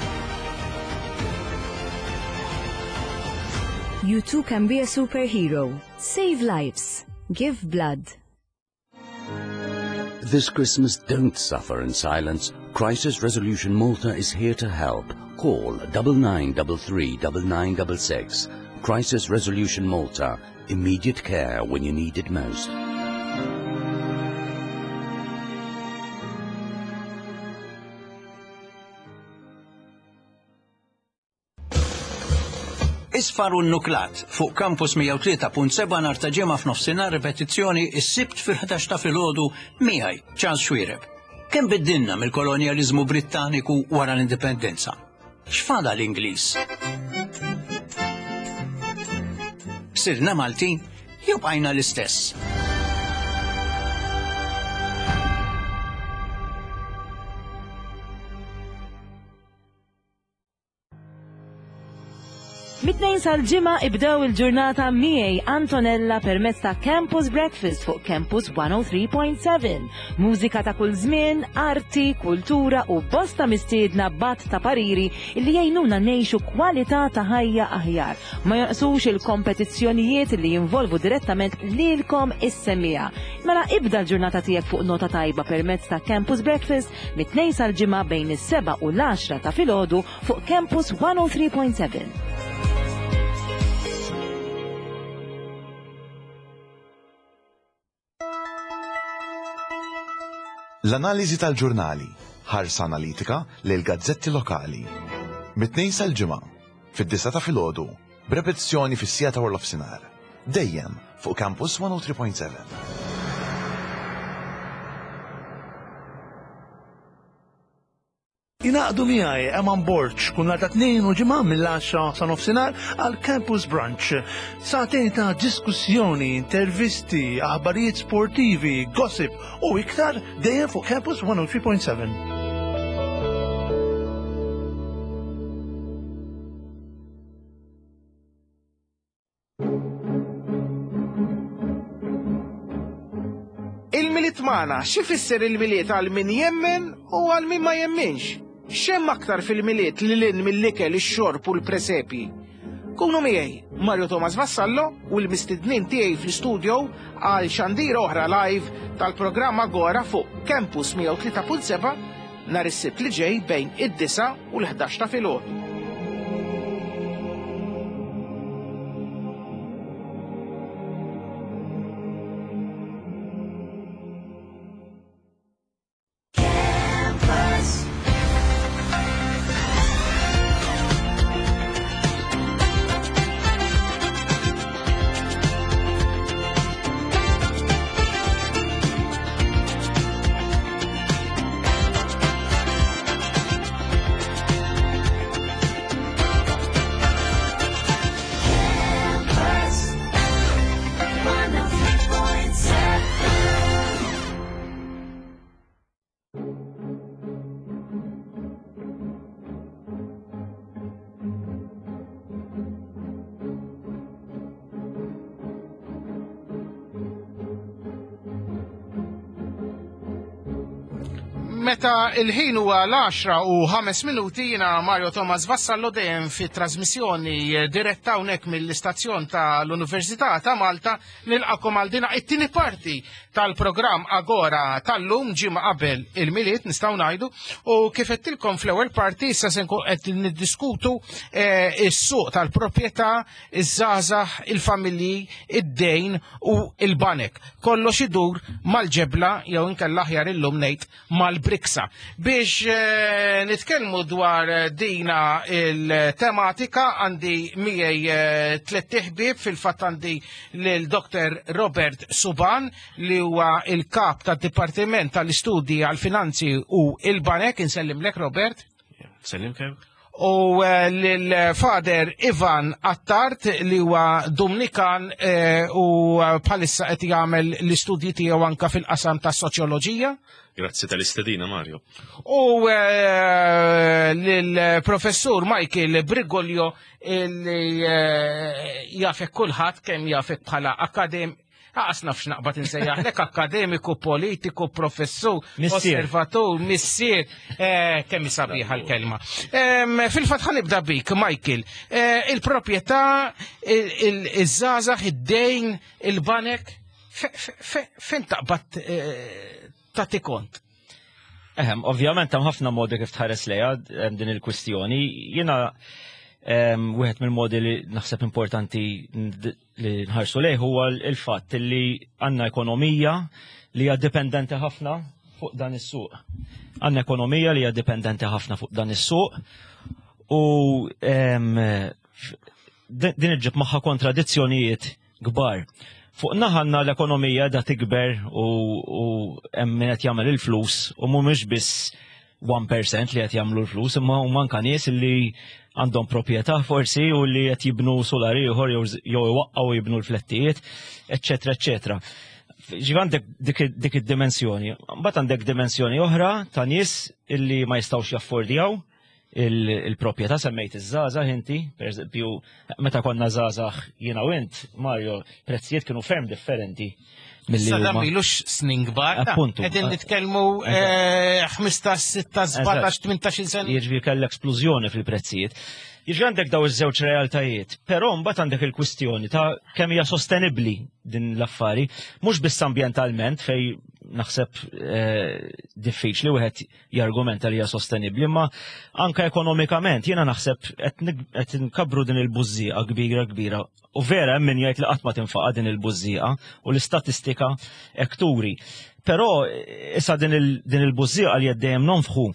You too can be a superhero. Save lives. Give blood. This Christmas, don't suffer in silence. Crisis Resolution Malta is here to help. Call double nine double three double nine double six. Crisis Resolution Malta. Immediate care when you need it most. Isfar u Nuklat fuq Campus 103.7 nhar ta' Ġimgħa f'nofsinhar ripetizzjoni s-Sibt fil-11 ta' filgħodu miegħi Charles Xuereb. Kemm biddilna mill-kolonjaliżmu Brittaniku wara l-Indipendenza? X'fadal Ingliż? Sirna Maltin jew bqajna l-istess? Mit-Tnejn sal-Ġimgħa ibdew il-ġurnata miegħi Antonella permezz ta' Campus Breakfast fuq Campus 103.7. Mużika ta' kull żmien, arti, kultura u bosta mistiedna b'għadd ta' pariri li jgħinuna ngħixu kwalità ta' ħajja aħjar. Ma jonqsux il-kompetizzjonijiet li jinvolvu direttament lilkom is-semmiegħa. Mela ibda l-ġurnata tiegħek fuq nota tajba permezz ta' Campus Breakfast mit-Tnejn sal-Ġimgħa bejn is-sebgħa u l-għaxra ta' filgħodu fuq Campus 103.7. L-analiżi tal-ġurnali, ħarsa analitika lejn gazzetti lokali. Mit-Tnejn sal-Ġimgħa, fid-disgħa ta' filgħodu, b'repetizzjoni fis-siegħa ta' warnofsinhar. Dejjem fuq Campus 103.7. Ingħaqdu miegħi Eman Borg kull nhar ta' Tnejn u Ġimgħa mill-għaxra sa nofsinhar għal Campus Brunch. Sagħtejn ta' diskussjoni, intervisti, aħbarijiet sportivi, gossip u iktar dejjem fuq Campus 103.7. Il-Milied magħna, x'ifisser il-Milied għal min jemmen u għal min ma jemminx? X'hemm aktar fil-Milied lil hinn mill-ikel, ix-xorb u l-presepji? Kunu miegħi, Mario Thomas Vassallo u l-mistednin tiegħi fl-istudio għal xandira oħra live tal-programm Agora fuq Campus 103.7 nhar is-Sibt li ġej bejn id-disgħa u l-ħdax ta' filgħodu. Meta il-ħin huwa l-10 u 5 minuti jiena Mario Thomas Vassallo dejjem fi trasmissjoni diretta hawnhekk mill-istazzjon tal-Università ta' Malta nilqakom għal dina it-tieni parti tal-programm Agora tal-lum ġimgħa qabel il-Milied nistgħu ngħidu u kif qedtilkom fl-ewwel parti issa se nkun qed niddiskutu eh, is-suq tal-proprjetà, iż-żgħażagħ, il-familji, id-dejn u il-banek. Kollox idur mal-ġebla jew inkella aħjar illum ngħid mal-briksa. Biex eh, nitkellmu dwar eh, dina il-tematika għandi miegħi eh, tliet ħbieb fil-fatt għandi lil Dr. Robert Suban li huwa il-kap tad-Dipartiment tal-Istudji għal-Finanzi u il-Banek. Insellimlek Robert. Sellim kemm? U eh, l-fader Ivan Attard li huwa Dumnikan eh, u eh, bħalissa qed jagħmel l-istudji tiegħu anka fil-qasam ta' soċjoloġija. Grazzi tal-istedina, Mario. U l-professur Michael Brigolio li jafek kulħadd kemm jafek bħala akadem Għas nafx naqbad insejjaħlek akademiku, politiku, professur, osservatur, missier, eh, kemm sabiħa l-kelma. Fil-fatt ħanibda bik, Michael, eh, il-proprjetà, il-żgħażagħ, id-dejn, il-banek, fejn taqbad eh, tagħti kont? Ehem, ovvjament hemm ħafna modi kif tħares lejha din il-kwistjoni. Jiena wieħed mill-modi li naħseb importanti li nħarsu lejh huwa l-fatt li għandna ekonomija li hija dipendenti ħafna fuq dan is-suq. Għandna ekonomija li hija dipendenti ħafna fuq dan is-suq u din iġġib magħha kontradizzjonijiet kbar. Fuq naħa għandna l-ekonomija da tikber u hemm min qed jagħmel il-flus u mhumiex biss 1% li qed jagħmlu l-flus, imma huma anka nies li għandhom proprjetà forsi u li qed jibnu solar ieħor jew iwaqqgħu jibnu l-flettijiet, eċċetera, eċċetera. Ġifi għandek dik id-dimensjoni. Mbagħad għandek dimensjoni oħra ta' nies illi ma jistgħux jaffordjaw il-proprjetà semmejt iż-żgħażagħ inti, pereżempju, meta konna żgħażagħ jiena u int, Mario, prezzijiet kienu ferm differenti milli huma. Sadam ilux snin kbar. Appuntu. Qegħdin nitkellmu 15, 16, 17, 18 sena. Jiġifieri kellek splużjoni fil-prezzijiet. Jiġifieri għandek daw iż-żewġ realtajiet, però mbagħad għandek il-kwistjoni ta' kemm hija sostenibbli din l-affari, mhux biss ambjentalment fej naħseb eh, diffiċli wieħed jargumenta li hija sostenibbli, imma anka ekonomikament jiena naħseb qed nkabbru din il-bużżieqa kbira kbira u vera hemm min jgħid li qatt ma tinfaqa' din il-bużżieqa u l-istatistika hekk turi. Però issa din il-bużżieqa li qed dejjem nonfħu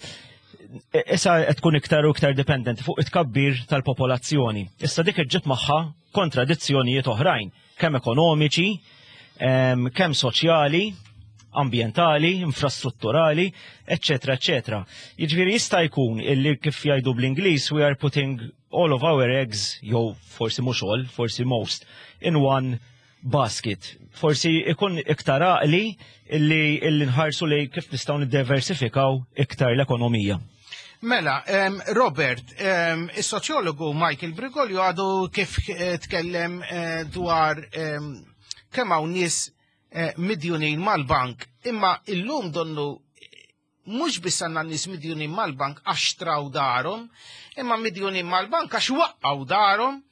issa qed tkun iktar u iktar dipendenti fuq it-tkabbir tal-popolazzjoni. Issa dik iġġib magħha kontradizzjonijiet oħrajn kemm ekonomiċi, kemm soċjali, ambjentali, infrastrutturali, eccetera, eccetera. Jiġifieri jista' jkun illi kif jgħidu bl-Ingliż we are putting all of our eggs, jew forsi mhux all, forsi most, in one basket. Forsi ikun iktar għaqli illi, illi nħarsu li kif nistgħu niddiversifikaw iktar l-ekonomija. Mela, Robert, is-soċjologu Michael Brigolio għadu kif eh, tkellem eh, dwar kemm hawn nies eh, midjunin mal-bank, imma illum donnu mhux biss għandna nies midjunin mal-bank għax traw darhom, imma midjunin mal-bank għax waqqgħu darhom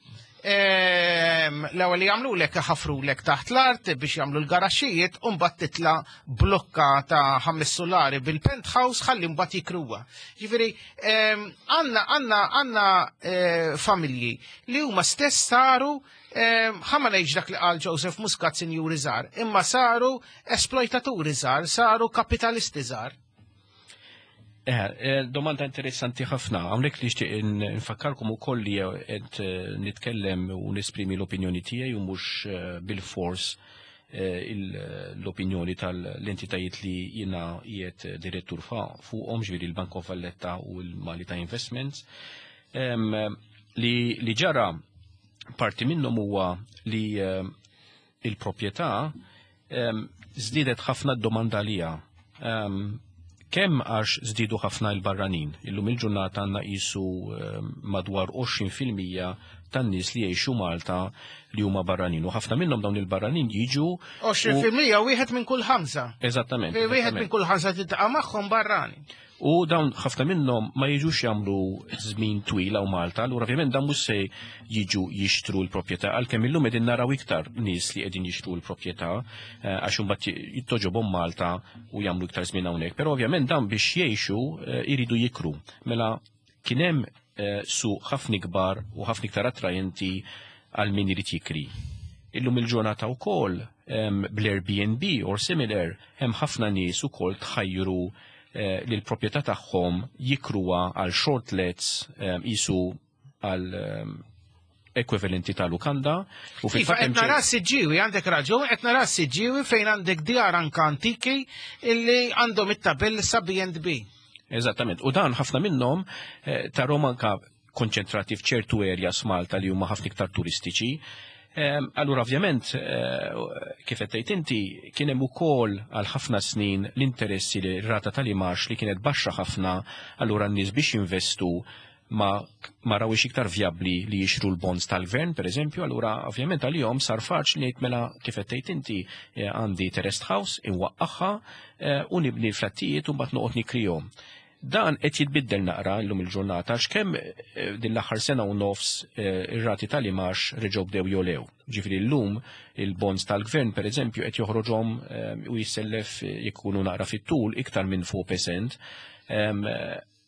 L-ewwel li jagħmlulek ħafrulek taħt l-art biex jagħmlu l-garaxxijiet u mbagħad titla' blokka ta' ħames sulari bil-penthouse ħalli mbagħad jikruha. Ġifieri għandna għandna għandna eh, familji li huma stess saru ħa ma ngħidx dak li qal Joseph Muscat sinjuri żgħar, imma saru esploitaturi żgħar, saru kapitalisti żgħar. Eh, eh, domanda interessanti ħafna. Hawnhekk li nixtieq nfakkarkom ukoll li qed eh, nitkellem u nesprimi l-opinjoni tiegħi u mhux bil-fors l-opinjoni tal-entitajiet li jiena qiegħed direttur fuqhom ġifieri l-Bank of Valletta u l-Malita Investments. Li ġara parti minnhom huwa li il-proprjetà żdiedet ħafna d-domanda għaliha. Kemm għax żdiedu ħafna l-barranin. Illum il-ġurnata għandna qisu madwar 20% tan-nies li jgħixu Malta li huma barranin. U ħafna minnhom dawn il-barranin jiġu. 20% wieħed minn kull ħamsa. Eżattament. Wieħed minn kull ħamsa tiltaqa' magħhom barrani. U dawn ħafna minnhom ma jiġux jagħmlu żmien twil hawn Malta, allura ovvjament dan mhux se jiġu jixtru l-proprjetà għalkemm illum qegħdin naraw iktar nies li qegħdin jixtru l-proprjetà eh, għax imbagħad jittoġobhom Malta u jagħmlu iktar żmien hawnhekk. Però ovvjament dan biex jgħixu eh, jridu jikru. Mela kien hemm eh, suq ħafna ikbar u ħafna iktar attrajenti għal min irid jikri. Illum il-ġurnata wkoll bl-Airbnb or similar hemm ħafna nies ukoll tħajru eh, li l-proprjetà tagħhom jikruha għal short lets qisu għal ekwivalenti ta' lukanda. U fil Iva, qed nara s-siġġiewi, għandek raġun, qed nara s-siġġiewi fejn għandek djar anka antiki illi għandhom it-tabell sa B&B. Eżattament. U dan ħafna minnhom eh, tarhom anka konċentrati f'ċertu areas Malta li huma ħafna iktar turistiċi. Ehm, allura ovvjament, eh, kif qed tgħid inti, kien hemm ukoll għal ħafna snin l-interessi li rata tal-imax li kienet baxxa ħafna, allura n-nies biex jinvestu ma ma rawix iktar vjabbli li jixtru l-bonds tal-gvern, per eżempju, allura ovvjament għalihom sar faċli ngħid mela kif qed tgħid inti eh, għandi terraced house inwaqqaħħa eh, u nibni l-flattijiet u mbagħad noqgħod nikrihom. Dan qed jitbiddel naqra llum il-ġurnata għax kemm eh, din l-aħħar sena u nofs eh, ir-rati tal-imax reġgħu bdew jolew. Ġifieri llum il-bonds tal-gvern pereżempju qed joħroġhom eh, u jissellef jkunu naqra fit-tul iktar minn 4%.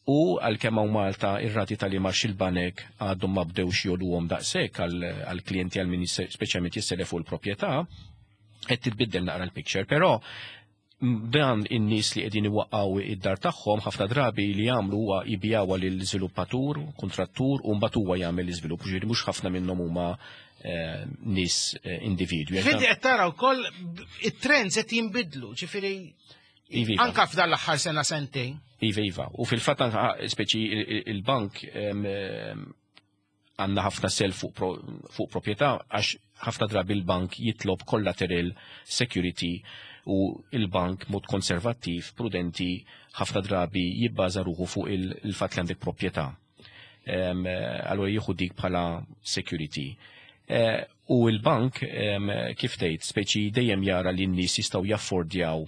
U għalkemm hawn Malta ir-rati tal-imax il-banek għadhom ma bdewx joluhom daqshekk għall-klijenti għal min speċjalment jissellef fuq il-proprjetà, qed titbiddel naqra l-picture, però dan in-nies li qegħdin iwaqqgħu id-dar tagħhom ħafna drabi li jagħmlu huwa jbijawha lil żviluppatur, kuntrattur u mbagħad huwa jagħmel l-iżvilupp, ġifieri mhux ħafna minnhom huma eh, nies eh, individwi. Ġifieri qed tara wkoll it-trends qed jinbidlu, ġifieri iva, iva. anka f'dan l-aħħar sena sentejn. Iva, iva. U fil-fatt anka speċi il-bank għandna ħafna self fuq, pro, fuq proprjetà għax ħafna drabi l-bank jitlob collateral security u il-bank mod konservattiv, prudenti, ħafna drabi jibbaża ruħu fuq il-fatt li għandek proprjetà. Allura jieħu dik bħala security. Eh, u l-bank kif tgħid speċi dejjem jara li n-nies jistgħu jaffordjaw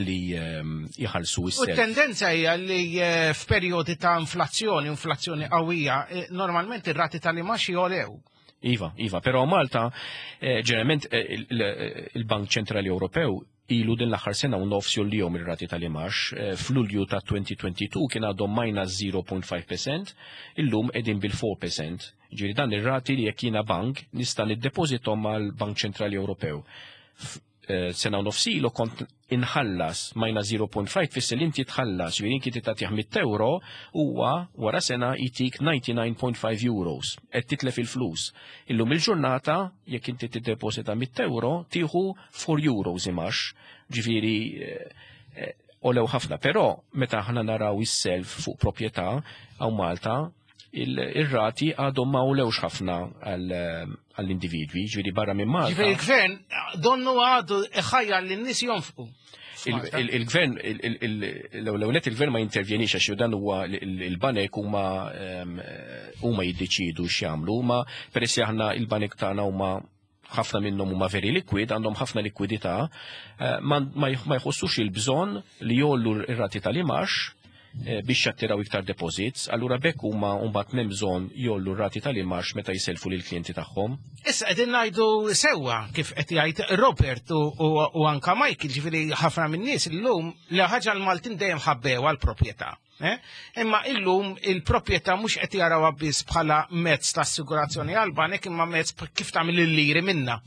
li ehm, jħallsu s U tendenza hija li eh, f'perjodi ta' inflazzjoni, inflazzjoni qawwija, eh, normalment ir-rati tal-imax jolew. Iva, iva, però Malta eh, ġeneralment il-Bank Ċentrali Ewropew ilu din l-aħħar sena u nofs jollijom ir-rati tal-imax. F'Lulju ta' 2022 kien għadhom minus 0.5%, illum qegħdin bil-4%. Ġifieri dan ir-rati li jekk jiena bank nista' niddepożitom mal-Bank Ċentrali Ewropew. Eh, sena u nofs ilu kont inħallas minus 0.5 tfisser li inti tħallas, ġifieri inti tagħtih 100 euro huwa wara sena jtik 99.5 euros, qed titlef il-flus. Illum il-ġurnata jekk inti tiddeposita 100 euro tieħu 4 euros imax, ġifieri eh, eh, olew ħafna, però meta aħna naraw is-self fuq proprjetà hawn Malta ir-rati għadhom ma għolewx ħafna għall-individwi, ġifieri barra minn Malta. Ġifieri il-gvern donnu għadu iħajjar lin-nies jonfqu. Il-gvern, l-ewwel il-gvern ma jintervjenix għax dan huwa il-banek huma ehm, huma jiddeċiedu x'jagħmlu, ma peress li aħna il-banek tagħna huma ħafna minnhom huma very liquid, għandhom ħafna likwidità, eh, ma jħossux il-bżonn li jollu r-rati tal-imax eh, biex jattiraw iktar deposits, allura bekk huma mbagħad m'hemm bżonn jollu r-rati tal-imax meta jiselfu lill-klijenti tagħhom. Issa qegħdin ngħidu sewwa kif qed jgħid Robert u anka Michael, ġifieri ħafna min-nies illum li ħaġa l-Maltin dejjem ħabbew għall-proprjetà. Eh? Imma illum il-proprjetà mhux qed jarawha biss bħala mezz ta' assigurazzjoni għal banek imma mezz kif tagħmel il-liri minna.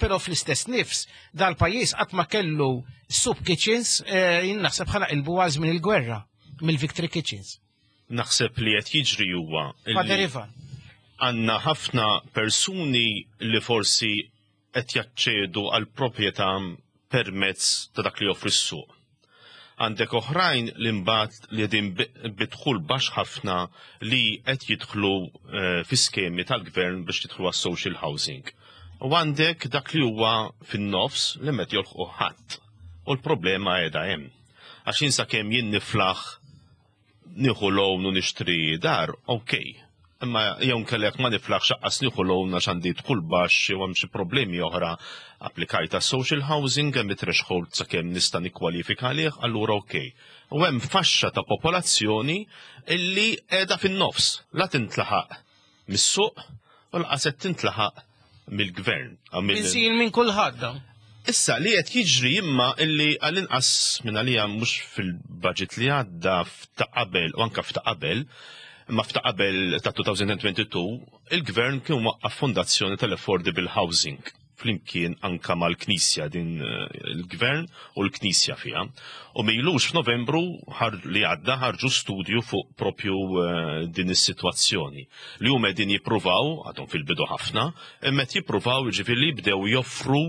Però fl-istess nifs dal-pajjiż qatt ma kellu soup kitchens eh, jien naħseb bħala ilbu għal żmien il-gwerra mill-Victory Kitchens. Naħseb li qed jiġri huwa Father Ivan. Għandna ħafna persuni li forsi qed jaċċedu għal proprjetà permezz ta' dak li joffri s-suq. Għandek oħrajn li mbagħad li qegħdin bi dħul baxx ħafna li qed jidħlu eh, fi skemi tal-gvern biex jidħlu għas-social housing. U għandek dak li huwa fin-nofs li met jolħqu ħadd. U l-problema qiegħda hemm. Għax jien sakemm jien niflaħ nieħu loan u nixtri dar, ok. Imma jew inkella jekk ma niflaħx aqqas nieħu loan għax għandi dħul baxx jew hemm xi problemi oħra applikajt għas social housing hemm it-threshold sakemm nista' nikkwalifika għalih, allura ok. U hemm faxxa ta' popolazzjoni illi qiegħda fin-nofs, la tintlaħaq mis-suq u lanqas qed tintlaħaq mill-gvern. Insil minn kulħadd dawn. Issa li qed jiġri imma illi għall-inqas minn għalija mhux fil-budget li għadda f'ta' qabel u anke f'ta' qabel, imma f'ta' qabel ta' 2022 il-gvern kien waqqaf fondazzjoni tal-affordable housing flimkien anka mal-Knisja din eh, il-gvern u l-Knisja fiha. U mejlux f'Novembru li għadda ħarġu studju fuq propju eh, din is-sitwazzjoni li huma qegħdin jippruvaw, għadhom fil-bidu ħafna, imma qed jippruvaw jiġifieri bdew joffru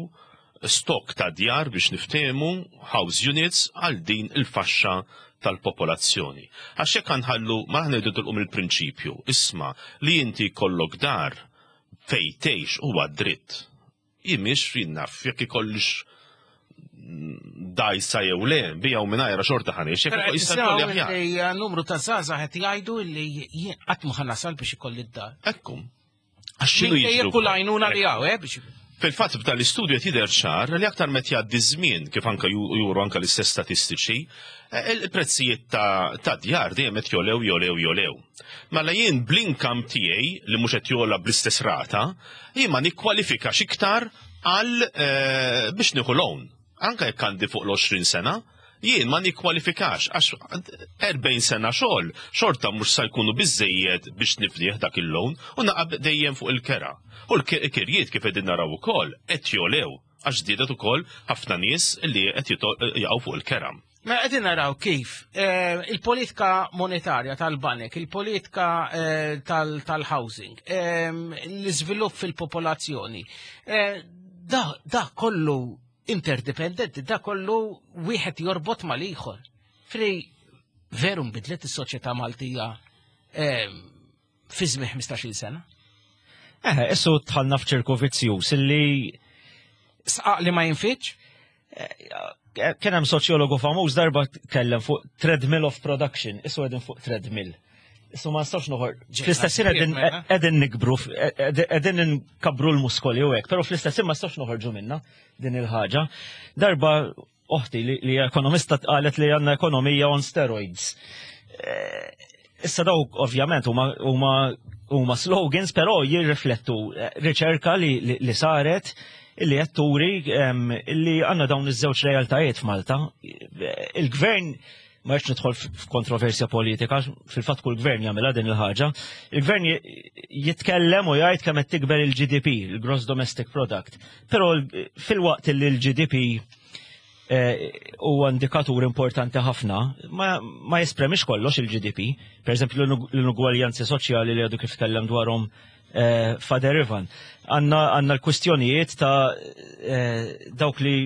stok ta' djar biex niftehmu house units għal din il-faxxa tal-popolazzjoni. Għax jekk nħallu ma ngħidu tilqu mill-prinċipju, isma' li inti jkollok dar fejn tgħix huwa dritt. Jien mhix jien naf jekk ikollix dajsa jew le, bija u mingħajra xorta ħaniex, jekk jista' jkolli aħjar. Li eh, numru ta' żgħażagħ qed jgħidu li jien qatt ma ħanasal biex ikolli d-dar. Ekku. Għax x'inhu jiġri? Kull għajnuna li hawn, eh, biex Fil-fatt f'dan l-istudju qed jidher ċar li aktar meta jgħaddi żmien kif anke juru anke l-istess statistiċi, eh, il-prezzijiet ta' djar dejjem qed jolew jolew jolew. Mela jien bl-income tiegħi li mhux qed jola bl-istess rata, jien ma nikkwalifikax iktar għal eh, biex nieħu loan. Anke jekk għandi fuq l-20 sena, jien ma nikkwalifikax għax 40 sena xogħol xorta mhux sa jkunu biżejjed biex niflih dak il-loan u naqab dejjem fuq il-kera. U l-kirjiet kif qegħdin naraw ukoll qed jolew għax żdiedet ukoll ħafna nies li qed jaqgħu fuq il-kera. Mela qegħdin naraw kif eh, il-politika monetarja tal-banek, il-politika eh, tal-housing, eh, l-iżvilupp fil-popolazzjoni, da kollu interdipendenti, da kollu wieħed jorbot mal-ieħor. Fri veru nbidlet is-soċjetà Maltija ehm, fi żmien 15-il sena. Eh, issu tħallna f'ċirku vizzjuż illi sqaq li ma jinfitx? Eh, kien hemm soċjologu famuż darba tkellem fuq treadmill of production, issu qegħdin fuq treadmill. Issu ma nistax noħor. Fl-istess qegħdin qegħdin nikbru, qegħdin nkabru l-muskoli u hekk, però fl-istess ma nistax noħorġu minna din il-ħaġa. Darba oħti li ekonomista qalet li għandna ekonomija on steroids. Eh, issa dawk ovvjament huma huma slogans, però jirriflettu eh, riċerka li, li, li saret illi qed turi illi għandna dawn iż-żewġ realtajiet f'Malta. Il-gvern ma rridx nidħol f'kontroversja politika, fil-fatt kull gvern jagħmilha din il-ħaġa. Il-gvern jitkellem u jgħid kemm qed tikber il-GDP, il-Gross Domestic Product. Però fil-waqt li l-GDP eh, huwa indikatur importanti ħafna, ma, ma jespremix kollox il-GDP. Per eżempju, l-inugwaljanzi soċjali li għadu kif tkellem dwarhom eh, Father Ivan. Għanna l-kwistjonijiet ta' eh, dawk li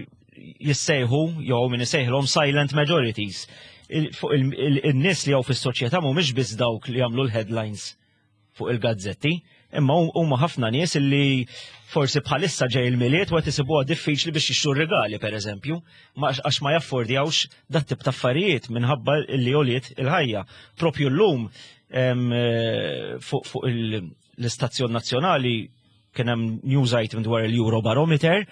jissejħu jew min isejħilhom silent majorities. Fuq il-nies li hawn fis-soċjetà mhumiex biss dawk li jagħmlu l-headlines fuq il-gazzetti, imma huma ħafna nies li forsi bħalissa ġej il-miliet u qed isibuha diffiċli biex jixtru regali pereżempju, għax ma jaffordjawx dat tip ta' affarijiet minħabba li għoliet il-ħajja. Propju llum eh, fuq l-istazzjon nazzjonali kien hemm news item dwar il-Eurobarometer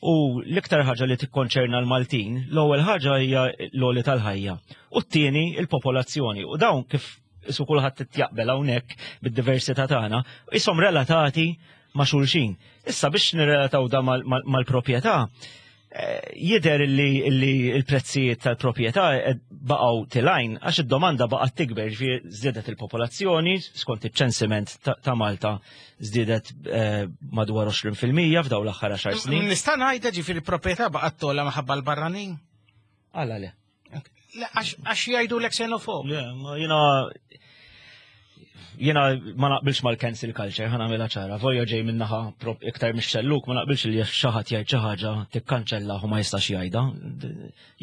u l-iktar ħaġa li tikkonċerna l-Maltin, l-ewwel ħaġa hija l-għoli tal-ħajja u t-tieni il-popolazzjoni. U dawn kif isu kulħadd jaqbel hawnhekk bid-diversità tagħna, ishom relatati ma' xulxin. Issa biex nirrelataw da mal-proprjetà, eh, jider li l-prezzijiet tal-proprjetà eh, baqgħu tilajn għax id-domanda baqgħet tikber, ġifieri żdiedet il-popolazzjoni skont iċ-ċensiment ta' Malta żdiedet eh, madwar 20% f'dawn l-aħħar 10 snin. Nista' ngħidha ġifieri proprjetà baqgħet tola minħabba l-barranin? Għala le. Għax jgħidu l-xenofob. Le, jina jena ma naqbilx mal-cancel culture, ħana għamela ċara, volja ġej minnaħa iktar mix xelluk, ma naqbilx li xaħat jgħid xi ħaġa tikkanċella u ma jistax jgħidha.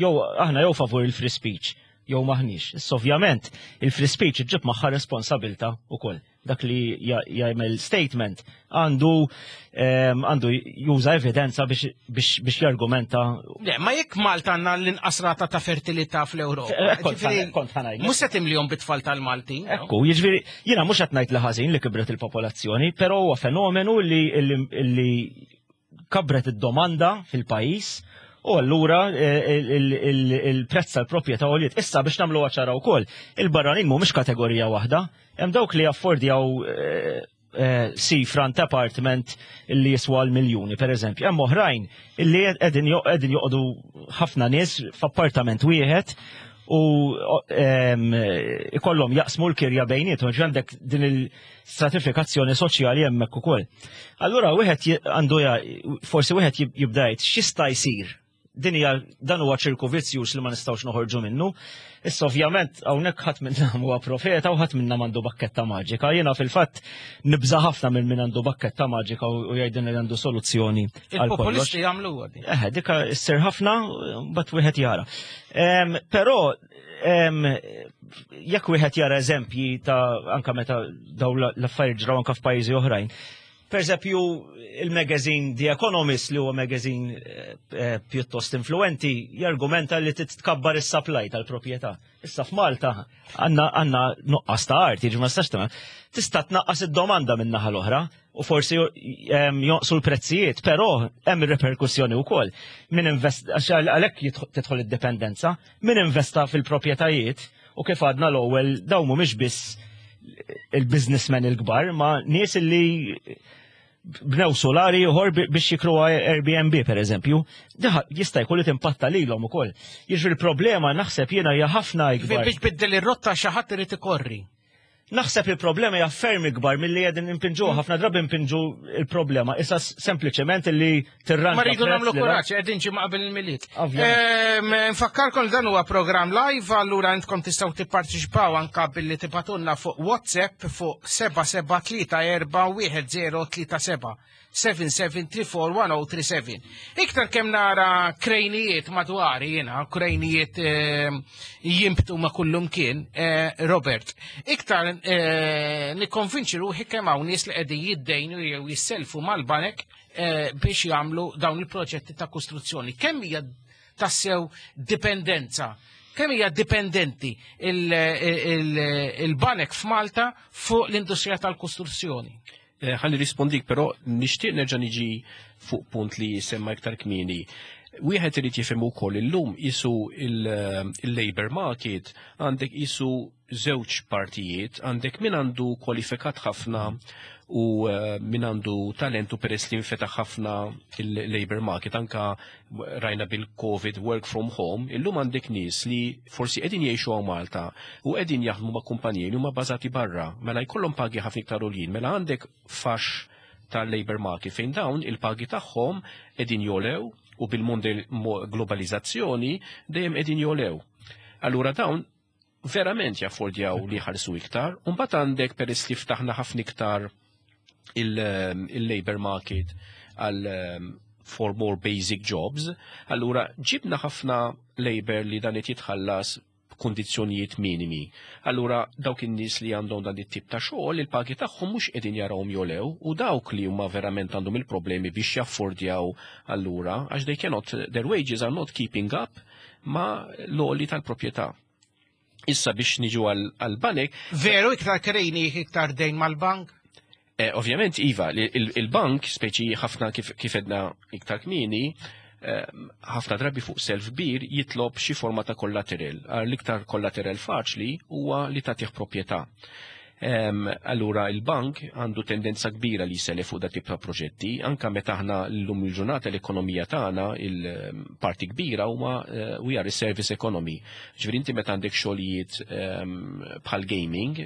Jew aħna jew favur il-free speech, jew maħniex. Issa ovvjament il-free speech iġġib magħha responsabilta wkoll. dak li jagħmel statement għandu ehm, għandu juża evidenza biex jargumenta. Le, ma jekk Malta għandna l-inqas rata ta' fertilità fl-Ewropa. Eh, kont ħanajt. Mhux se timlihom bit-tfal tal-Maltin. Ekku, jiġifieri jiena mhux qed ngħid li ħażin li kibret il-popolazzjoni, però huwa fenomenu li kabret id-domanda fil-pajjiż u allura eh, il-prezz tal-proprjetà għoliet. Issa biex nagħmlu ċara wkoll, il-barranin mhumiex kategorija waħda, hemm dawk li jaffordjaw eh, eh, sea front apartment li jiswa l-miljuni, per eżempju. Hemm oħrajn illi qegħdin joqogħdu ħafna nies f'appartament wieħed u ehm, ikollhom jaqsmu l-kirja bejniethom, għandek din il-stratifikazzjoni soċjali hemmhekk ukoll. Allura wieħed għandu forsi wieħed jibda jgħid x'jista' jsir din hija dan huwa ċirku vizzjuż li ma nistgħux noħorġu minnu. Issa ovvjament hawnhekk ħadd minna huwa profeta u ħadd minna m'għandu bakketta maġika. Jiena fil-fatt nibża' ħafna minn min għandu bakketta maġika u jgħidilna li għandu soluzzjoni. Il-populisti jagħmluha din. Eh, dika ssir ħafna mbagħad wieħed jara. Però jekk wieħed jara eżempji ta' anka meta daw l-affarijiet ġraw anka f'pajjiżi oħrajn, Per eżempju, il-magazine The Economist li huwa magazine eh, eh, pjuttost influenti jargumenta li titkabbar is-supply tal-proprjetà. Issa f'Malta għandna għandna nuqqas ta' art, jiġi ma stax tagħmel. Tista' tnaqqas id-domanda minn naħa l-oħra u forsi ehm, jonqsu l-prezzijiet, però hemm ir-reperkussjoni wkoll. Min invest għax għalhekk tidħol id-dipendenza, min investa fil-proprjetajiet u kif għadna l-ewwel dawn mhumiex biss il-businessmen il-kbar, ma nies li bnew solari ieħor biex jikru Airbnb per eżempju, jista' jkun li timpatta lilhom ukoll. Jiġri l-problema naħseb jiena hija ħafna ikbar. Biex biddel ir-rotta xi ħadd irid ikorri. Naħseb il-problema hija ferm ikbar milli qegħdin impinġu ħafna drabi impinġu il-problema issa sempliċement li tirranġa. Ma rridu nagħmlu kuraġġ qegħdin ġimgħa qabel il-Milied. Nfakkarkom dan huwa programm live allura intkom tistgħu tipparteċipaw anka billi tibatunna fuq WhatsApp fuq 77341037. 77341037. Iktar kemm nara krejnijiet madwari jiena, krejnijiet eh, jimbtu ma' kullum kien, eh, Robert, iktar eh, nikkonvinċi ruħi kemm hawn nies li qegħdin jiddejnu jew jisselfu mal-banek biex jagħmlu dawn il-proġetti ta' kostruzzjoni. Kemm hija tassew dipendenza kemm hija dipendenti il-banek f'Malta fuq l-industrija tal-kostruzzjoni? Eh, ħalli rispondik, però nixtieq nerġa' niġi fuq punt li semma iktar kmieni. Wieħed irid jifhem ukoll illum isu il-labor market għandek isu żewġ partijiet, għandek min għandu kwalifikat ħafna u eh, min għandu talentu peress li nfetaħ ħafna il-labor market anka rajna bil-Covid work from home, illum għandek nies li forsi qegħdin jgħixu hawn Malta u qegħdin jaħdmu ma' kumpaniji li huma bażati barra, mela jkollhom pagi ħafna iktar għoljin, mela għandek fax tal-labor market fejn dawn il-pagi tagħhom qegħdin jolew u bil-mond globalizzazzjoni dejjem qegħdin jolew. Allura dawn verament jaffordjaw li jħallsu iktar, u mbagħad għandek peress li ftaħna ħafna iktar il-labor market għal ehm, for more basic jobs, allura ġibna ħafna labor li dan qed jitħallas b'kundizzjonijiet minimi. Allura dawk in-nies li għandhom dan it-tip ta' xogħol, il-pagi tagħhom mhux qegħdin jarawhom jolew u dawk li huma verament għandhom il-problemi biex jaffordjaw allura għax they cannot their wages are not keeping up ma l-għoli tal-proprjetà. Issa biex niġu għal-banek. Veru iktar krejni iktar dejn mal-bank? Eh, ovvjament, Iva, il-bank, speċi ħafna kif edna iktar kmini, eh, ħafna drabi fuq self kbir jitlob xi forma ta' kollateral. L-iktar kollateral faċli huwa li tagħtih proprjetà. Allura il-bank għandu tendenza kbira li jsellef fuq dat tip ta' proġetti, anka meta aħna llum il-ġurnata l-ekonomija tagħna il-parti kbira huma eh, we are a service economy. Ġifieri inti meta għandek xogħlijiet bħal gaming,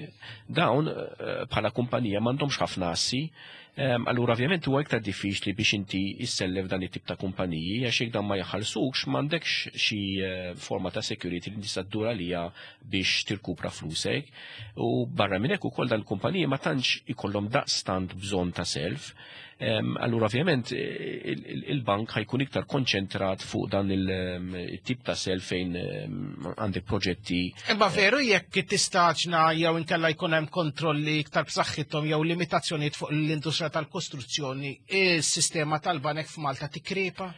dawn eh, bħala kumpanija m'għandhomx ħafna assi, Allura ovvjament huwa iktar diffiċli biex inti issellef dan it-tip ta' kumpaniji għax jekk dan ma jaħallsukx m'għandekx xi eh, forma ta' security li tista' ddur għalija biex tirkupra flusek. U barra minn hekk ukoll dan il-kumpaniji ma tantx ikollhom daqstant bżonn ta' self. Allura ovvjament il-bank ħajkun iktar konċentrat fuq dan il-tip ta' self fejn għandek proġetti. Imma veru jekk tistaġna jew inkella jkun hemm kontrolli iktar b'saħħithom jew limitazzjonijiet fuq l-industrija tal-kostruzzjoni, is-sistema tal-banek f'Malta tikkrepa?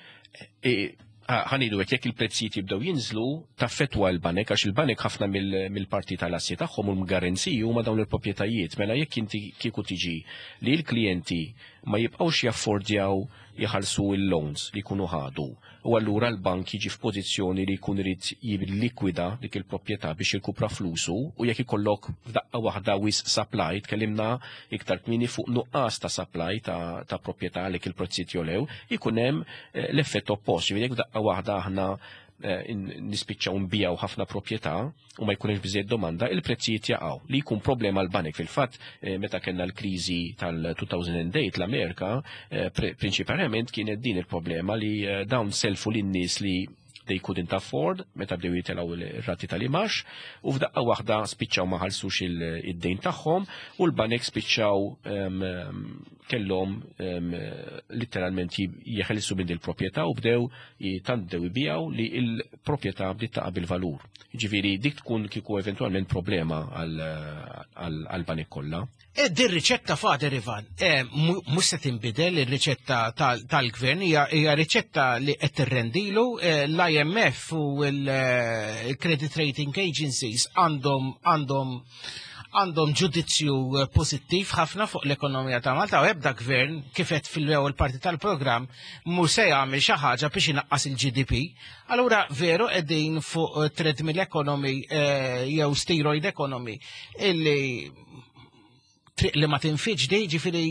Ħanidu hekk jekk il-prezzijiet jibdew jinżlu, taffettwa l-banek għax il-banek ħafna mill-parti tal-assi tagħhom u l-garanziji huma dawn il-proprjetajiet. Mela jekk inti kieku tiġi li l-klijenti ma jibqgħux jaffordjaw jħallsu l-loans li jkunu ħadu u allura l-bank jiġi f'pożizzjoni li jkun irid jillikwida dik il-proprjetà biex jirkupra flusu u jekk ikollok f'daqqa waħda wisq supply, tkellimna iktar kmieni fuq nuqqas ta' supply ta', ta proprjetà għalhekk il-prezzijiet jolew, ikun hemm eh, l-effett oppost, jiġifieri jekk f'daqqa waħda aħna eh, nispiċċaw nbijaw ħafna proprjetà u ma jkunx biżejjed domanda, il-prezzijiet jaqgħu li jkun problema l-banek fil-fatt eh, meta kellna l-kriżi tal-2008 l-Amerika eh, prinċipalment kienet din il-problema li dawn selfu lin-nies li they couldn't afford meta bdew jitilgħu r-rati tal-imax u f'daqqa waħda spiċċaw ma ħallsux id-dejn tagħhom u l-banek spiċċaw ehm, ehm, kellhom ehm, litteralment jeħelsu minn il-proprjetà u bdew tant bdew ibijaw li l-proprjetà bdiet taqa' bil-valur. Ġifieri dik tkun kieku eventwalment problema għall-banek kollha. E din riċetta Father Ivan, e, mhux se tinbidel ir-riċetta tal-gvern, hija riċetta li qed tirrendilu e, l-IMF u l-credit rating agencies għandhom għandhom għandhom ġudizzju pożittiv ħafna fuq l-ekonomija ta' Malta u ebda gvern kif qed fil-ewwel parti tal-programm mhu se jagħmel xi ħaġa biex inaqqas il-GDP. Allura veru qegħdin fuq treadmill economy jew steroid economy illi triq li ma tinfiġ di, ġifiri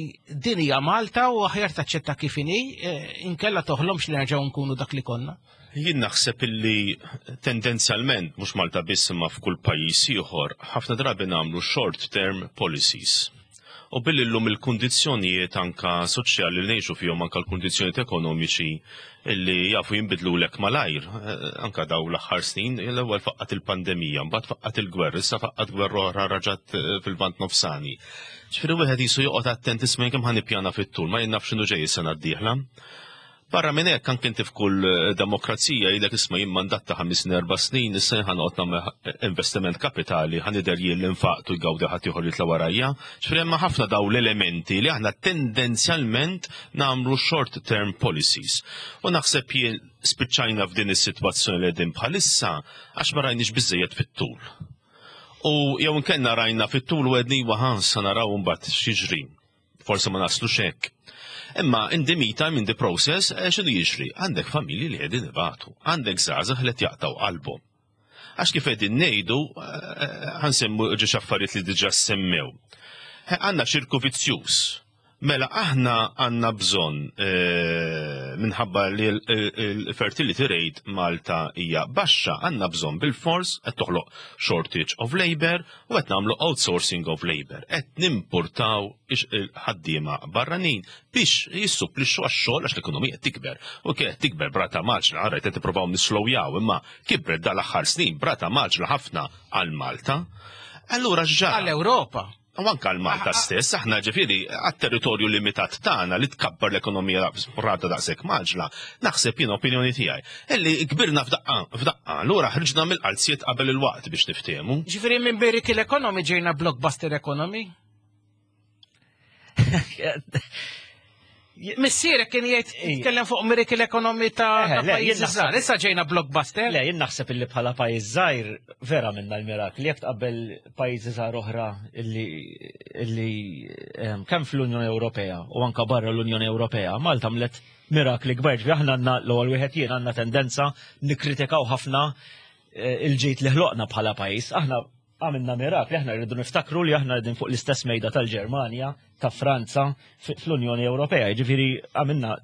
din hija Malta u aħjar taċċetta kif inhi, eh, inkella toħlomx li nerġgħu nkunu dak li konna. Jien naħseb illi tendenzjalment mhux Malta biss imma f'kull pajjiż ieħor ħafna drabi nagħmlu short term policies. U billi llum il-kundizzjonijiet anka soċjali li ngħixu fihom anka l-kundizzjonijiet ekonomiċi illi jafu jinbidlulek malajr, eh, anka daw l-aħħar snin, l-ewwel faqqat il-pandemija, mbagħad faqqat il-gwerra, issa faqqat gwerra oħra raġat eh, fil-Lvant Nofsani. Ġifieri wieħed jisu joqgħod attent isma' kemm ħa nippjana fit-tul, ma jien naf x'inhu ġej is-sena d-dieħla. Barra minn hekk anke inti f'kull eh, demokrazija jgħidlek isma' jien mandat ta' ħames snin erba' snin issa jien ħanoqgħod nagħmel eh, investiment kapitali ħa nidher jien li nfaqtu jgawdi ħadd ieħor jitla' warajja. Ġifieri hemm ħafna daw l-elementi li aħna tendenzjalment nagħmlu short term policies. U naħseb jien spiċċajna f'din is-sitwazzjoni li qegħdin bħalissa għax ma rajniex biżejjed fit-tul. U jew inkella rajna fit-tul u għedni iwa ħa sa naraw imbagħad x'jiġri. Forsi ma naslux hekk. Imma in the meantime, in the process, eh, x'inhu jiġri? Għandek familji li qegħdin ibatu, għandek żgħażagħ li qed jaqtgħu qalbhom. Għax kif qegħdin ngħidu, eh, eh, ħansemmu ġiex affarijiet li diġà semmew. Għandna ċirku vizzjuż. Mela aħna għandna bżonn minħabba li l-fertility rate Malta hija baxxa, għandna bżonn bil-fors qed toħloq shortage of labor u qed nagħmlu outsourcing of labor, qed nimpurtaw ħaddiema barranin biex jissupplixxu għax-xogħol għax l-ekonomija qed tikber. U kienet tikber brata maġla, rajt qed ippruvaw nislowjaw, imma kibret dal-aħħar snin brata maġla ħafna għal Malta. Allura x'ġara? Għall-Ewropa. U anke għal Malta stess, aħna ġifieri għat-territorju limitat tagħna li tkabbar l-ekonomija rata daqshekk maġla, naħseb jien opinjoni tiegħi, illi kbirna f'daqqa, f'daqqa, allura ħriġna mill-qalziet qabel il-waqt biex niftehmu. Ġifieri minn miracle economy ġejna blockbuster economy? Missierek kien jgħid jitkellem fuq miracle economy ta' pajjiż żgħar. Issa ġejna blockbuster. Le, jien naħseb illi bħala pajjiż żgħir vera minna l-mirakli jekk tqabbel pajjiżi żgħar oħra illi ehm, kemm fl-Unjoni Ewropea u anka barra l-Unjoni Ewropea, Malta mlet mirakli kbar. Ġifieri aħna għandna l-ewwel wieħed jien għandna tendenza nikkritikaw ħafna eh, il-ġid li ħloqna bħala pajjiż. Aħna għamilna mirakli, aħna rridu niftakru li aħna qegħdin fuq l-istess mejda tal-Ġermanja, ta' Franza, fl-Unjoni Ewropea, jiġifieri għamilna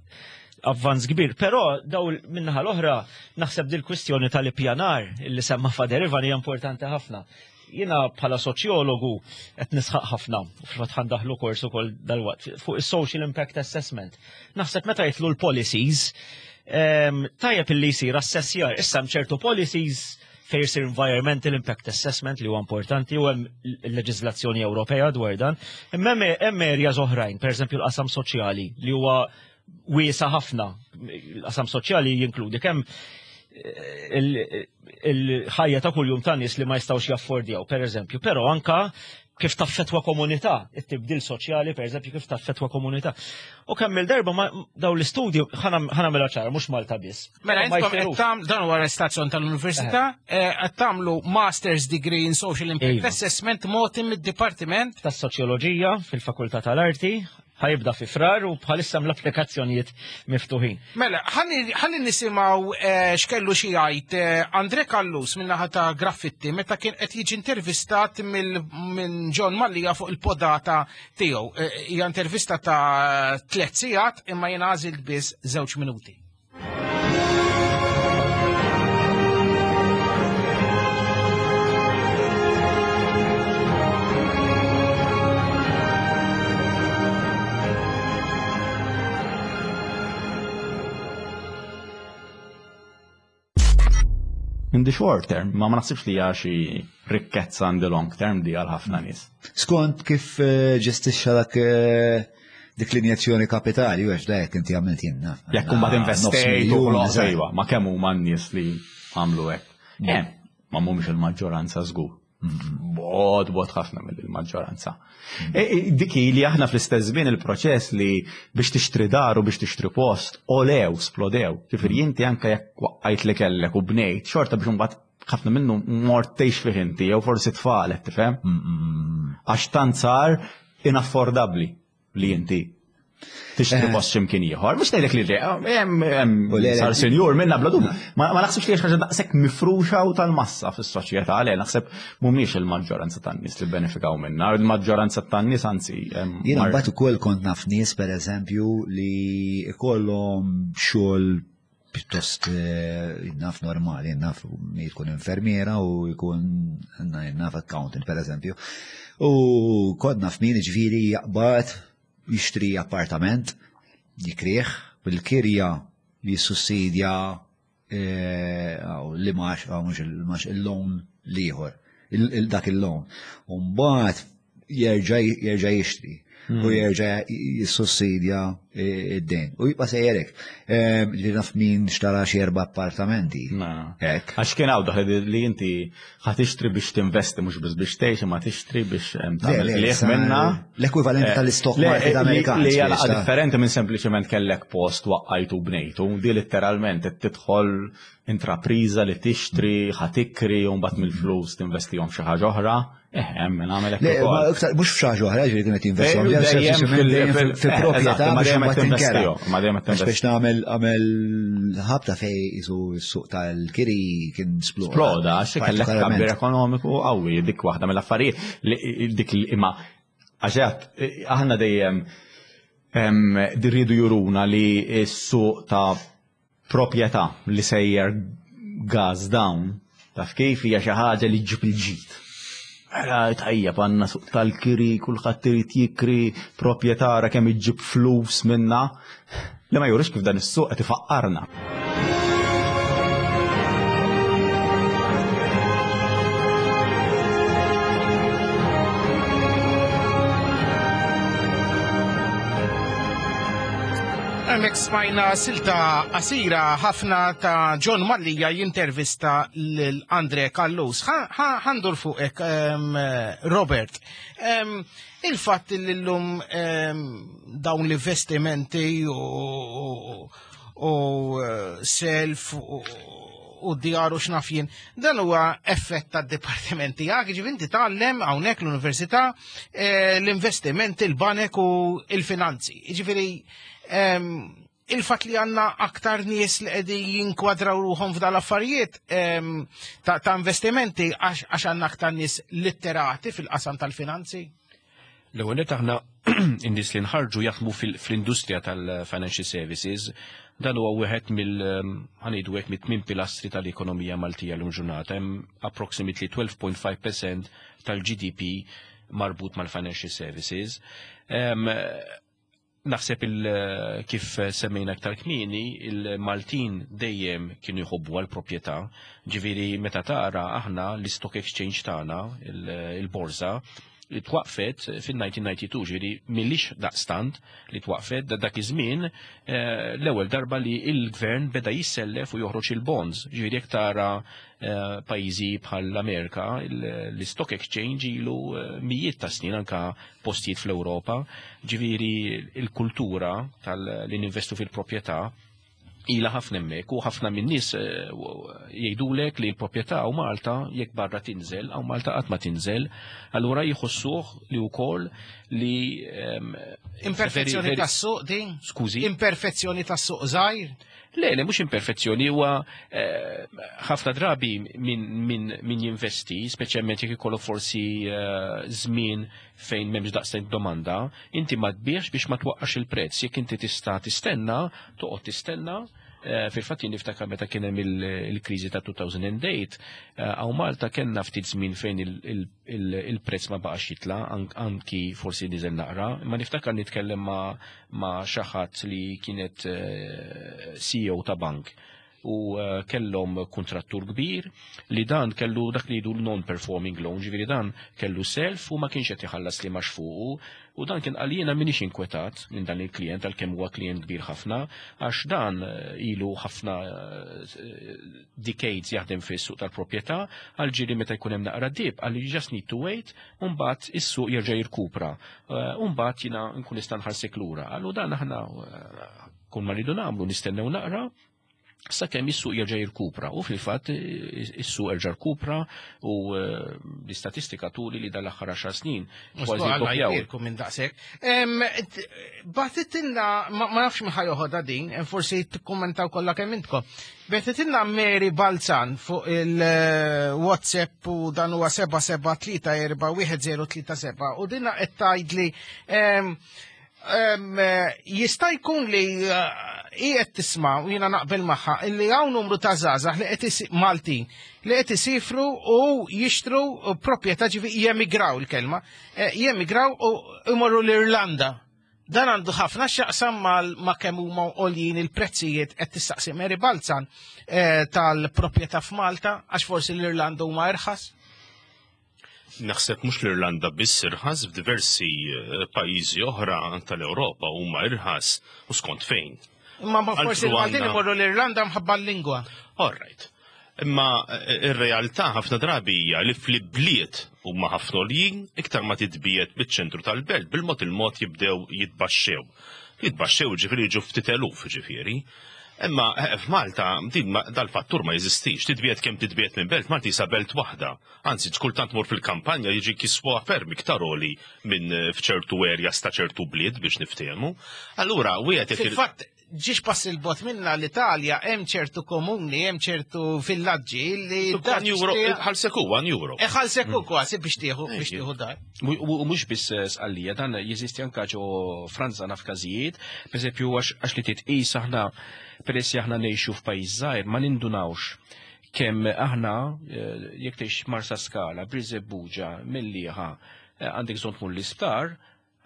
avvanz kbir. Però daw minnaħa l-oħra naħseb dil-kwistjoni tal-ippjanar li semma Fader Ivan hija importanti ħafna. Jiena bħala soċjologu qed nisħaq ħafna, fil-fatt ħandaħlu kors ukoll dalwaqt fuq is-social impact assessment. Naħseb meta jitlu l-policies, ehm, tajjeb illi jsir assessjar, issa hemm ċertu policies fejn jsir environmental impact assessment li huwa importanti u hemm leġiżlazzjoni Ewropea dwar dan. Imma hemm areas oħrajn, pereżempju l-qasam soċjali li huwa wiesa ħafna. Il-qasam soċjali jinkludi kemm eh, il-ħajja ta' kuljum ta' nies li ma jistgħux jaffordjaw, pereżempju, però anka kif taffetwa komunità, it-tibdil soċjali, per eżempju, kif taffetwa komunità. U kemm il-darba ma daw l-istudju ħanamela ċara, mhux Malta biss. Mela, intom qed tagħmlu dan huwa l-istazzjon tal-Università, eh, qed tagħmlu Master's Degree in Social Impact iva. Assessment mogħti mid-Dipartiment tas-Soċjoloġija fil-Fakultà tal-Arti, ħajibda fi frar u bħalissa l-applikazzjonijiet miftuħin. Mela, ħalli nisimgħu eh, x'kellu xi jgħid eh, Andre Kallus min-naħa ta' Graffitti meta kien qed jiġi intervistat minn John Mallia fuq il-podata tiegħu. Eh, hija intervista ta' tliet sigħat imma jien għażilt biss żewġ minuti. In the short term, ma ma naħsibx li hija xi rikkezza in the long term di għal ħafna nies. Skont kif eh, ġestixxa dak eh, dik l-injezzjoni kapitali, u għax da jekk inti għamilt jien naf. Jekk imbagħad investejt u iva, ma kemm huma n-nies li għamlu hekk. Mm. Eh, ma mhumiex il-maġġoranza żgur. Bod, bod ħafna mill-maġġoranza. Mm. E, e, dik li aħna fl-istess żmien il-proċess li biex tixtri dar u biex tixtri post, olew, splodew. Ġifieri mm. inti anke jekk waqqajt li kellek u bnejt, xorta biex imbagħad ħafna minnu mort tgħix fih inti jew forsi tfal qed tifhem. Mm, Għax tant sar inaffordabbli li inti tixtri eh. post x'imkien ieħor. Mhux ngħidlek li hemm sar senjur minna bla dubju. Ma naħsibx li ħaġa daqshekk mifruxa u tal-massa fis-soċjetà għalih naħseb mhumiex il-maġġoranza tan-nies li benefikaw minna, il-maġġoranza tan-nies anzi. Jiena mbagħad ukoll kont naf nies pereżempju li ikollhom xogħol pjuttost eh, naf normali, naf jkun infermiera u jkun naf accountant per eżempju. U kont naf min ġviri jaqbad jixtri appartament, jikrieħ, bil-kirja jissussidja eh, li max, mux il-max il-loan liħor, dak il-loan. Umbat jerġa' jixtri u hmm. jerġa' jissussidja id-dejn. U jibqa' sejjerek. Ehm, li naf min xtara xi erba' appartamenti. Għax kien hawn daħli li inti ħa tixtri biex tinvesti mhux biss biex tgħix imma tixtri biex ehm, tagħmel qligħ minna. L-ekwivalenti eh, tal-istock market eh, Amerikan. Li hija differenti minn sempliċement kellek post waqqajtu bnejtu, di letteralment qed tidħol intrapriża li tixtri, ħa tikri u mbagħad mill-flus tinvestihom f'xi ħaġa oħra. Eh, hemm min għamel hekk ukoll. Mhux f'xi ħaġa oħra, ġifieri kienet jinvestihom fi proprjetà biex imbagħad tinkera. Ma dejjem qed Biex nagħmel għamel ħabta fej isu s-suq tal-kiri kien sploda. Sploda, għax kellek tkabbir ekonomiku qawwi dik waħda mill-affarijiet dik imma għax aħna dejjem dirridu juruna li s-suq ta' Proprjetà li sejjer gas down, taf kif hija xi ħaġa li ġġib il-ġid. Mela tajjeb għandna suq tal-kiri, kulħadd irid jikri, proprjetà ara kemm iġġib flus minna. Li ma jurix kif dan is-suq qed ifaqqarna. Hemmhekk smajna silta qasira ħafna ta' John Mallia jintervista lil Andre Callus. Ħandur fuqek, Robert. Il-fatt li llum dawn l-investimenti u eh, self u djar u x'naf jien, dan huwa effett tad-dipartiment tiegħek, ġifieri inti tgħallem hawnhekk l-università eh, l-investimenti, il-banek u il-finanzi. Ġifieri ehm, il-fatt li għanna aktar nies li qegħdin jinkwadraw ruħhom f'dal affarijiet ehm, ta' investimenti għax għandna aktar nies litterati fil-qasam tal-finanzi. L-ewwel nett aħna in-nies li nħarġu jaħdmu fl-industrija tal-financial services, dan huwa wieħed mill ħanejdu hekk mit-tmien pilastri tal-ekonomija Maltija l ġurnata. Hemm approximately 12.5% tal-GDP marbut mal-financial services. Naħseb il kif semmejna aktar kmieni, il-Maltin dejjem kienu jħobbu għall-proprjetà. Ġifieri meta tara aħna l-istock exchange tagħna, il-borża, li twaqfet fin-1992, ġifieri m'ilhiex daqstant li twaqfet, dak iż-żmien eh, l-ewwel darba li l-gvern beda jissellef u joħroġ il-bonds. Ġifieri jekk tara eh, pajjiżi bħal l-Amerika, l-stock exchange ilu eh, mijiet ta' snin anka postijiet fl-Ewropa, ġifieri il-kultura tal-li ninvestu fil-proprjetà ila ħafna hemmhekk u ħafna minn nies eh, jgħidulek li l-proprjetà u Malta jekk barra tinżel hawn Malta qatt ma tinżel, allura jħossuh li wkoll li ehm, Imperfezzjoni tas-suq din? Skużi. Imperfezzjoni tas-suq żgħir? Le, le, mhux imperfezzjoni, huwa eh, ħafna drabi min, min jinvesti, speċjalment jekk ikollu forsi eh, żmien fejn m'hemmx daqshekk domanda, inti ma tbiex biex ma twaqqax il-prezz. Jekk inti tista' tistenna, toqgħod tistenna, eh, Fil-fatt jien niftakar meta kien hemm il-kriżi ta' 2008, hawn Malta kellna ftit żmien fejn il-prezz ma baqax jitla, anki forsi niżel naqra, imma niftakar nitkellem ma' ma' xi ħadd li kienet eh, CEO ta' bank u eh, kellhom kuntrattur kbir li dan kellu dak li jgħidu non-performing loan, ġifieri dan kellu self u ma kienx qed iħallas li max fuqu u dan kien qal jiena m'iniex inkwetat minn dan il-klient għalkemm huwa klient kbir ħafna għax dan eh, ilu ħafna decades jaħdem fis-suq tal-proprjetà għal ġieli meta jkun hemm naqra dip għal you just need to wait u mbagħad is-suq jerġa' jirkupra. Eh, u mbagħad jiena nkun nista' nħarsek lura. Allu dan aħna eh, kull ma rridu nagħmlu nistennew naqra sakemm is-suq jerġa' jirkupra u fil-fatt eh, is-suq erġa' rkupra u l-istatistika turi li dal-aħħar 10 snin kważi doppjaw. minn daqshekk. Bagħtitilna ma nafx min ħajoħodha din, forsi tikkummentaw kollha kemm intkom. Betitilna Mary Balzan fuq il-WhatsApp u dan huwa 77341037 u dinna qed tgħidli jista' jkun li eh, hi qed tisma' u jiena naqbel magħha illi hawn numru ta' żgħażagħ li qed Maltin li qed isifru u jixtru proprjetà ġifi jemigraw il-kelma, eh, jemigraw u imorru l-Irlanda. Dan għandu ħafna x'jaqsam ma' kemm huma għoljin il-prezzijiet qed tistaqsi Mary Balzan eh, tal-proprjetà f'Malta għax forsi l-Irlanda huma irħas? Naħseb mhux l-Irlanda biss irħas f'diversi eh, pajjiżi oħra tal-Ewropa huma irħas u skont fejn. Imma ma forsi l-Maltin imorru l-Irlanda mħabba l-lingwa. All right. Imma eh, ir-realtà ħafna drabi hija li fl-ibliet huma ħafna għoljin iktar ma titbiegħed biċ-ċentru tal-belt bil-mod il-mod jibdew jitbaxxew. Jitbaxxew ġifieri jiġu ftit eluf ġifieri. Imma eh, f'Malta din dal-fattur ma jeżistix. Titbiegħed kemm titbiegħed minn belt, Malta jisa belt waħda. Anzi, kultant mur fil-kampanja jiġi kiswa ferm iktar għoli minn eh, f'ċertu areas ta' ċertu bliet biex niftehmu. Allura, wieħed Fil-fatt, ġiex pass il-bot minna l-Italja hemm ċertu komuni, hemm ċertu villaġġi li. Euro, ħalseku, 1 euro. E ħalseku mm. kważi biex tieħu biex tieħu dar. U mhux biss eh, sqallija, dan jeżisti anka ġo Franza naf każijiet, pereżempju għax li titqis aħna peress li aħna ngħixu f'pajjiż żgħir ma nindunawx kemm aħna eh, jekk tgħix Marsa Skala, Birżebbuġa, Mellieħa, eh, għandek bżonn tmur l-isptar,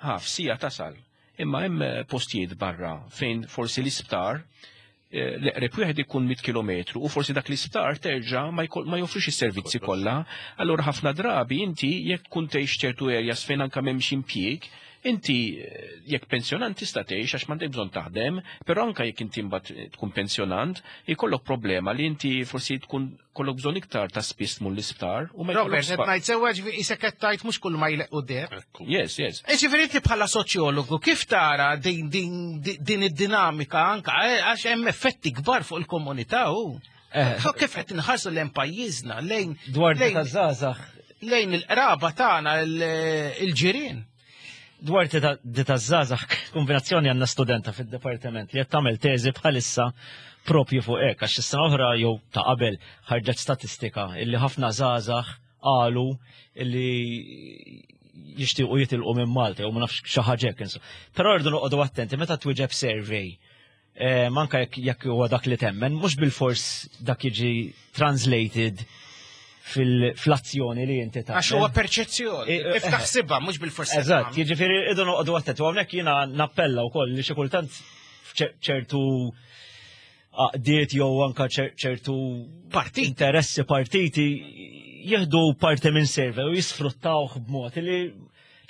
Ha, f'siegħa tasal. Imma hemm postijiet barra fejn forsi l-isptar eh, l-eqreb wieħed ikun 100 kilometru u forsi dak l-isptar terġa' ma joffrix is-servizzi kollha. Allura ħafna drabi inti jekk tkun tgħix ċertu areas fejn anke m'hemmx impjieg, inti eh, jekk pensjonant tista' tgħix għax m'għandek bżonn taħdem, però anke jekk inti mbagħad tkun pensjonant, ikollok problema li inti forsi tkun kollok bżonn iktar ta' spiss tmur l-isptar u ma Robert, qed ngħid sewwa ġifieri isek qed tgħid mhux kull ma jleqqu deb. Yes, yes. E ġifieri inti bħala soċjologu kif tara din din din id-dinamika anka eh, għax hemm effetti kbar fuq il-komunità u eh. kif qed inħarsu lejn pajjiżna lejn dwar taż-żgħażagħ lejn il-qraba tagħna il-ġirien. Dwar di taż-żgħażagħ kombinazzjoni għandna studenta fid-dipartiment li qed tagħmel teżi bħalissa propju fuq hekk għax is-sena oħra jew ta' qabel ħarġet statistika illi ħafna żgħażagħ qalu illi jixtiequ jitilqu minn Malta jew ma nafx xi ħaġa hekk insomma. Però rridu noqogħdu attenti meta twieġeb survey eh, manka jekk huwa dak li temmen, mhux bil-fors dak jiġi translated fil-azzjoni li inti tagħmel. Għax huwa perċezzjoni, kif taħsibha mhux bil-forsi. Eżatt, jiġifieri idu noqogħdu attenti u hawnhekk jiena nappella wkoll li xi kultant ċertu għaqdiet jew anka ċertu partit interessi partiti jieħdu parti minn survey u jisfruttawh b'mod li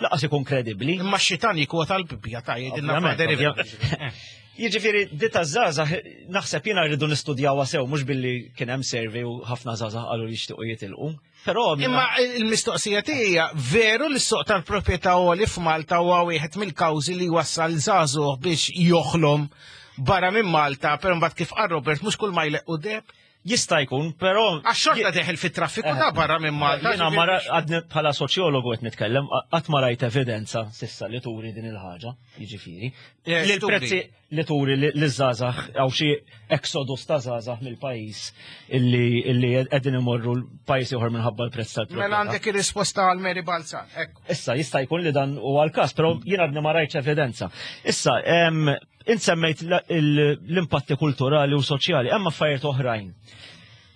laqas ikun kredibbli. Imma x-xitan jikwota l-Bibbja ta' jgħidilna Jiġifieri di ta' żgħażagħ naħseb jiena rridu nistudjawha sew mhux billi kien hemm survey u ħafna żgħażagħ qalu li jixtiequ jitilqu. Però Imma il-mistoqsija tiegħi hija veru li s-suq tal-proprjetà għoli f'Malta huwa wieħed mill-kawżi li wassal żagħżugħ biex joħlom barra minn Malta, però mbagħad kif qal Robert mhux kull ma jleqqu deb. Jista' jkun, però. Għax xorta deħel fit-traffiku ta' barra minn Malta. Jiena ma għadni bħala soċjologu qed nitkellem, qatt ma rajt evidenza sissa li turi din il-ħaġa, jiġifieri. Eh, li l-prezzi li turi li żgħażagħ hawn xi exodus ta' żgħażagħ mill-pajjiż illi qegħdin imorru l-pajjiż ieħor minħabba l-prezz tal-proprjetà. Mela għandek ir-risposta għal Mary Balzan, ekku. Issa jista' jkun li dan huwa l-każ, però jien għadni ma rajtx evidenza. Issa, Int semmejt l-impatti kulturali u soċjali, hemm affarijiet oħrajn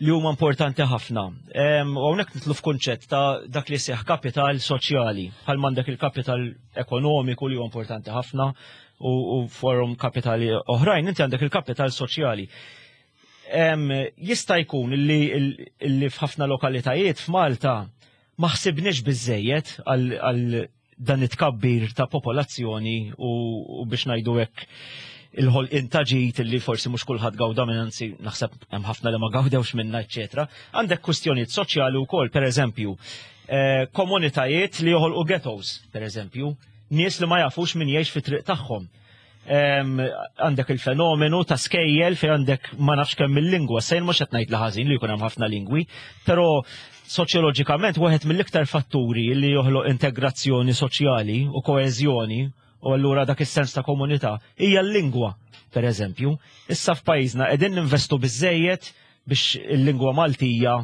li huma importanti ħafna. U hawnhekk nitlu f'kunċett ta' dak li seħ kapital soċjali, bħal m'għandek il-kapital ekonomiku li huwa importanti ħafna u forum kapitali oħrajn, inti għandek il-kapital soċjali. Jista' jkun li f'ħafna lokalitajiet f'Malta ma ħsibniex biżejjed għal dan it-tkabbir ta' popolazzjoni u biex ngħidu hekk il-ħolqien ta' ġid li forsi mhux kulħadd gawda minn anzi naħseb hemm ħafna li ma gawdewx minna, eċetera. Għandek kwistjonijiet soċjali wkoll, pereżempju, eh, komunitajiet li joħolqu ghettos, pereżempju, nies li ma jafux min jgħix fit-triq tagħhom għandek il-fenomenu ta' skejjel fejn għandek ma nafx kemm il-lingwa, sejn mhux qed ngħid li ħażin li jkun hemm ħafna lingwi, però soċjoloġikament wieħed mill-iktar fatturi li joħloq integrazzjoni soċjali u koeżjoni u allura dak is-sens ta' komunità hija l-lingwa, per eżempju. Issa f'pajjiżna qegħdin ninvestu biżejjed biex il-lingwa Maltija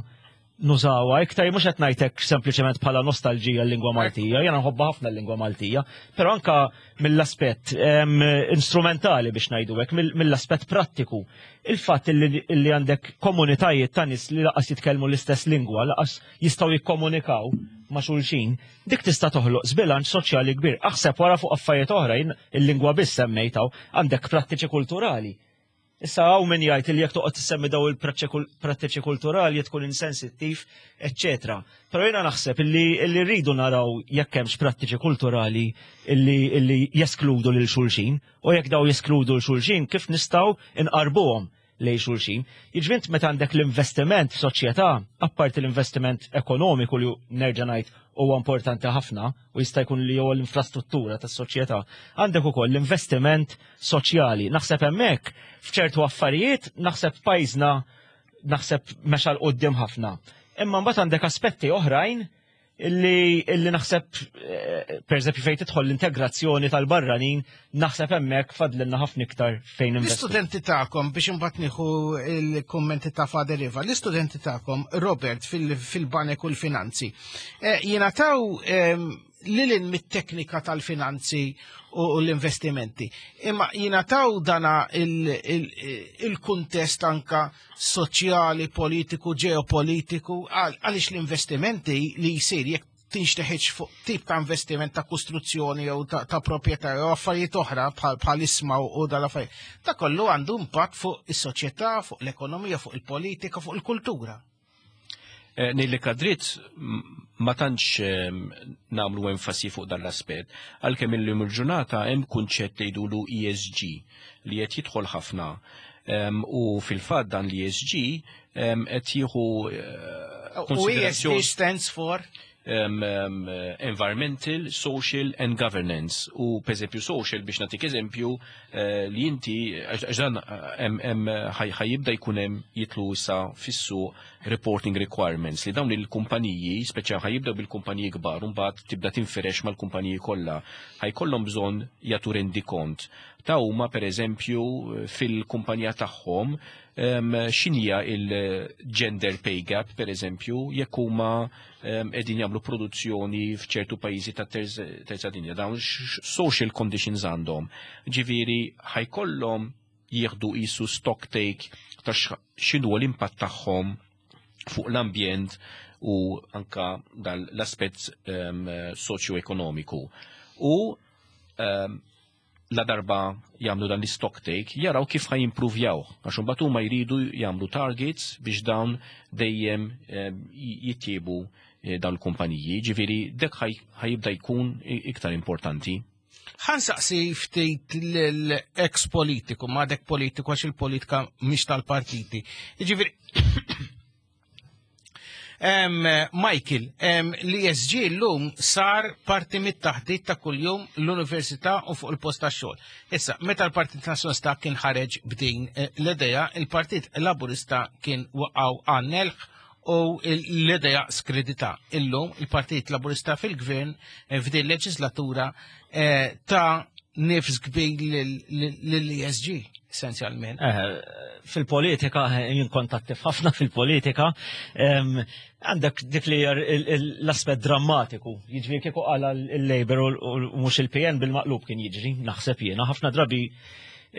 nużawha iktar mhux qed ngħidlek sempliċement bħala nostalġija l-lingwa Maltija, jiena nħobbha ħafna l-lingwa Maltija, però anka mill-aspett instrumentali biex ngħidu hekk, mill-aspett prattiku. Il-fatt li għandek komunitajiet ta' nies li laqas jitkellmu l-istess lingwa, laqas jistgħu jikkomunikaw ma' xulxin, dik tista' toħloq żbilanċ soċjali kbir. Aħseb wara fuq affarijiet oħra, il-lingwa biss semmejtaw, għandek prattiċi kulturali. Issa hawn min jgħid li jekk toqgħod tissemmi daw il-prattiċi kulturali tkun insensittiv, eċċetera. Però jiena naħseb illi rridu naraw jekk hemmx prattiċi kulturali illi jeskludu lil xulxin u jekk daw jeskludu lil xulxin kif nistgħu nqarbuhom lejn xulxin. Jiġifieri meta għandek l-investiment f'soċjetà, apparti l-investiment ekonomiku li nerġa' ngħid huwa importanti ħafna u jista' jkun li huwa l-infrastruttura tas-soċjetà, għandek ukoll l-investiment soċjali. Naħseb hemmhekk f'ċertu affarijiet naħseb pajjiżna naħseb mexa 'l quddiem ħafna. Imma mbagħad għandek aspetti oħrajn illi, illi naħseb eh, per eżempju fejn tidħol l-integrazzjoni tal-barranin naħseb hemmhekk fadlilna ħafna iktar fejn investu. L-istudenti tagħkom biex imbagħad nieħu l-kummenti ta' Father Iva, l-istudenti tagħkom Robert fil-banek u l-finanzi, eh, jingħataw ehm, lilin mit-teknika tal-finanzi u l-investimenti. Imma jingħataw dana il-kuntest anka soċjali, politiku, ġeopolitiku, għaliex l-investimenti li jsir jekk tinxteħiġ fuq tip ta' investiment ta' kostruzzjoni jew ta' proprjetà jew affarijiet oħra bħal isma u dal-affarijiet. Ta' kollu għandu impatt fuq is-soċjetà, fuq l-ekonomija, fuq il-politika, fuq il-kultura. Eh, Ngħidlek għad-dritt ma tantx ehm, nagħmlu enfasi fuq dan l-aspett, għalkemm illum il-ġurnata hemm kunċett li jgħidulu ESG li qed jidħol ħafna. Ehm, u fil-fatt dan l-ESG ehm, qed jieħu eh, U ESG stands for? um, environmental, social and governance. U per eżempju social biex nagħtik eżempju eh, li inti għax dan eh, ħajibda jkun hemm jitlu issa fis-suq reporting requirements li dawn il-kumpaniji, speċjal ħajibdew bil-kumpaniji kbar u mbagħad tibda tinfirex mal-kumpaniji kollha, ħajkollhom bżonn jagħtu rendikont ta' huma pereżempju fil-kumpanija tagħhom x'inhija il-gender pay gap pereżempju jekk huma qegħdin jagħmlu produzzjoni f'ċertu pajjiżi ta' terza dinja dawn social conditions għandhom. Ġifieri ħajkollhom jieħdu qisu stock take ta' x'inhu l-impatt tagħhom fuq l-ambjent u anka dal-aspett ehm, soċjo-ekonomiku. U ehm, la darba jagħmlu dan l-stock take, jaraw kif ħa jimpruvjaw, għax imbagħad huma jridu jagħmlu targets biex dawn dejjem ehm, jittiebu eh, dawn il-kumpaniji, ġifieri dek ħajibda jkun iktar importanti. Ħansaqsi ftit l-ex politiku, ma dek politiku għax il-politika mhix tal-partiti. Ġifieri Michael, l-ESG l-lum sar parti mit-taħdit ta' kuljum l-università u fuq il-post ta' xogħol. Issa, meta l-Partit Nazzjonalista kien ħareġ b'din eh, l-idea, il-Partit Laburista kien waqgħu għannelħ u l-idea skredita. Illum il-Partit Laburista fil-Gvern eh, f'din leġislatura eh, ta' nifs kbir lill-ESG, essenzjalment. Eh, fil-politika, jien kont attiv ħafna fil-politika, għandek dik li l-aspett drammatiku, jiġri kieku qala l-Labour u mhux il-PN bil-maqlub kien jiġri, naħseb jiena, ħafna drabi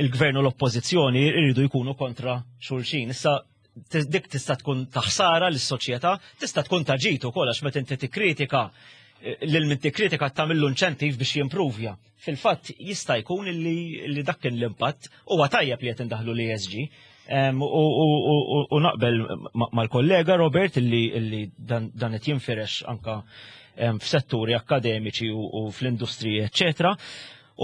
il-gvern u l-oppożizzjoni jridu jkunu kontra xulxin. Issa dik tista' tkun ta' ħsara lis-soċjetà, tista' tkun ta' ġid ukoll għax meta inti tikkritika eh, lil min tikkritika tagħmillu inċentiv biex jimpruvja. Fil-fatt jista' jkun li dak kien l-impatt huwa tajjeb li qed indaħlu l-ESG. U naqbel mal-kollega Robert li dan qed jinfirex anka f'setturi akademiċi u fl-industriji, eċċetera.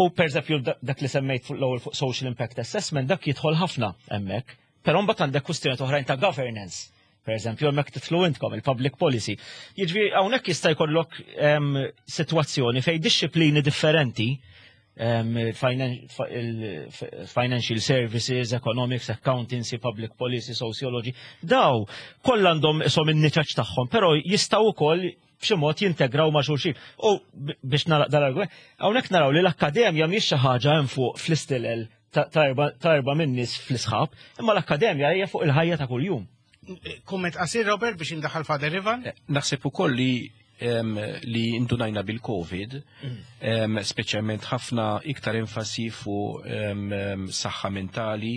U per dak li semmejt fuq l-ewwel fuq social impact assessment dak jidħol ħafna hemmhekk. Però mbagħad għandek kwistjonijiet oħrajn ta' governance. Per eżempju, hemmhekk titlu intkom il-public policy. Jiġifieri hawnhekk jista' jkollok ehm, sitwazzjoni fejn dixxiplini differenti ehm, financial services, economics, accountancy, public policy, sociology, daw kollha għandhom isom in-niċaċ tagħhom, però jistgħu wkoll b'xi mod jintegraw ma' xulxin. U biex nagħlaq dal-argument, hawnhekk naraw li l-akkademja mhix xi ħaġa hemm fuq fl-istilel ta' erba' min-nies fl-isħab, imma l-akkademja hija fuq il-ħajja ta' kuljum. Kumment qasir Robert biex indaħal Father Ivan? Eh, naħseb ukoll li li indunajna bil-Covid, mm. speċjalment ħafna iktar enfasi fuq saħħa mentali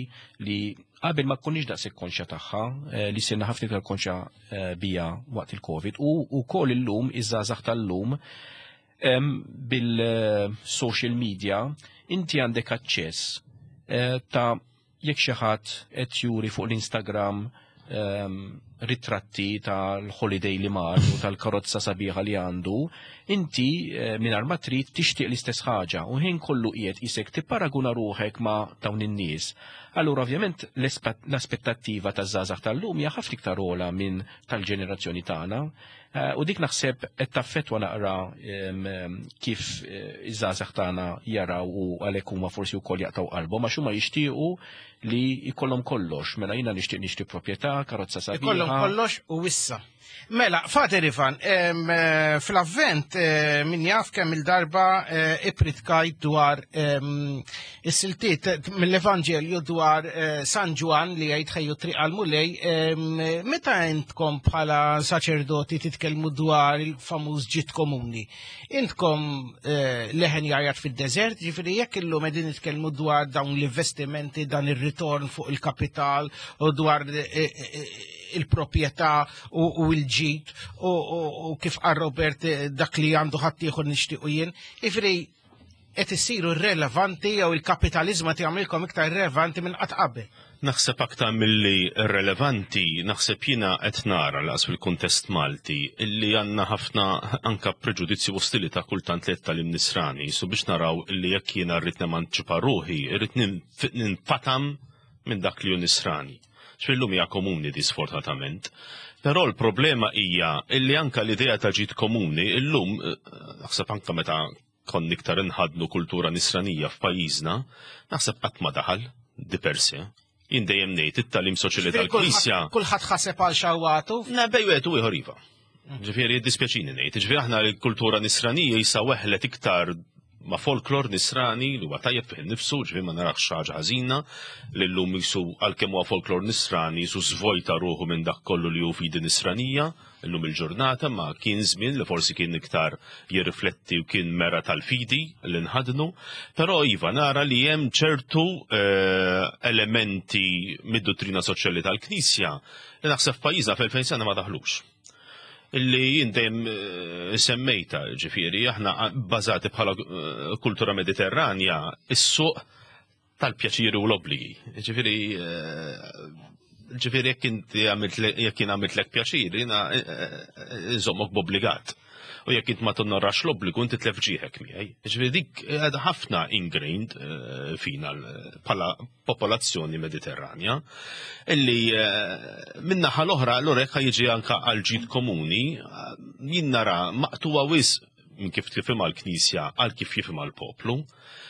li qabel ma konniex daqshekk konxja tagħha, eh, li sirna ħafna iktar konxja eh, bija waqt il-Covid u wkoll illum iż-żgħażagħ tal-lum bil-social media inti għandek aċċess eh, ta' jekk xi ħadd qed juri fuq l-Instagram ritratti tal-holiday li mar u tal-karozza sabiħa li għandu, inti eh, mingħajr ma trid tixtieq l-istess ħaġa u ħin kollu qiegħed isek tipparaguna ruħek ma' dawn in-nies. Allura ovvjament l-aspettattiva taż-żgħażagħ tal-lum hija ħafna iktar ogħla minn tal-ġenerazzjoni tagħna. Eh, u dik naħseb qed taffettwa naqra kif eh, iż-żgħażagħ tagħna jaraw u għalhekk huma forsi wkoll jaqtaw qalbhom għax huma jixtiequ li jkollhom kollox. Mela jiena nixtieq nixtri proprjetà, karozza sabiħa. Ikollhom kollox u issa. Mela, Fader Ivan, eh, fl-avvent min jaf kemm il-darba ipritkajt dwar Is-siltiet mill-Evanġelju dwar eh, San Ġwann li jgħid ħejju triq għall-Mulej, meta intkom bħala saċerdoti titkellmu dwar il-famuż ġid komuni, intkom eh, leħen jgħajat fid-deżert, ġifieri jekk illum qegħdin nitkellmu dwar dawn l-investimenti, dan ir-ritorn fuq il-kapital u dwar eh, il-proprjetà u l-ġid u kif qal Robert dak li għandu ħaddieħor nixtiequ jien, jiġifieri qed issiru relevanti jew il-kapitaliżmu qed jagħmilkom iktar irrelevanti minn qatt qabel. Naħseb aktar milli relevanti, naħseb jiena qed nara laqas fil-kuntest Malti illi għandna ħafna anka preġudizzju u ostilità kultant li tagħlim nisrani, su biex naraw illi jekk jiena rrid nemanċipa ruħi, irrid ninfatam minn dak li hu nisrani. X'fillum hija komuni di sfortunatament. Però l-problema hija illi anka l-idea ta' ġid komuni illum eh, naħseb anka meta konna iktar inħaddnu kultura nisranija f'pajjiżna, naħseb qatt ma daħal di per se. Jien dejjem ngħid it-tagħlim soċjali tal-Knisja. Kulħadd ħaseb għal xawatu. Na bej wieħed u ieħor iva. Ġifieri dispjaċini ngħid, ġifieri aħna l-kultura nisranija jisa weħlet iktar ma' folklor nisrani li huwa tajjeb fih innifsu, ġifieri ma narax ħaġa ħażina li llum jisu għalkemm huwa folklor nisrani jisu żvojta ruħu minn dak kollu li hu fidi nisranija. Illum il-ġurnata ma kien żmien li forsi kien iktar jirrifletti u kien mera tal-fidi li nħadnu, però iva nara li hemm ċertu eh, elementi mid-dottrina soċjali tal-Knisja li naħseb f'pajjiżna fl-2000 sena ma daħlux. Illi jien dejjem eh, semmejta, ġifieri, aħna bbażati bħala eh, kultura mediterranja, is-suq tal-pjaċiri u l-obbligi. Ġifieri, eh, ġifieri jekk inti għamilt jekk jien għamiltlek pjaċir, jiena nżommok b'obbligat. U jekk int ma tonnorax l-obbligu inti tlef ġieħek miegħi. Ġifieri dik għadha ħafna ingrained eh, fina bħala popolazzjoni Mediterranja illi eh, min-naħa l-oħra allura jekk jiġi anka għal ġid komuni eh, jien nara maqtuwa wisq minn kif tifhimha l-Knisja għal kif jifhimha l-poplu.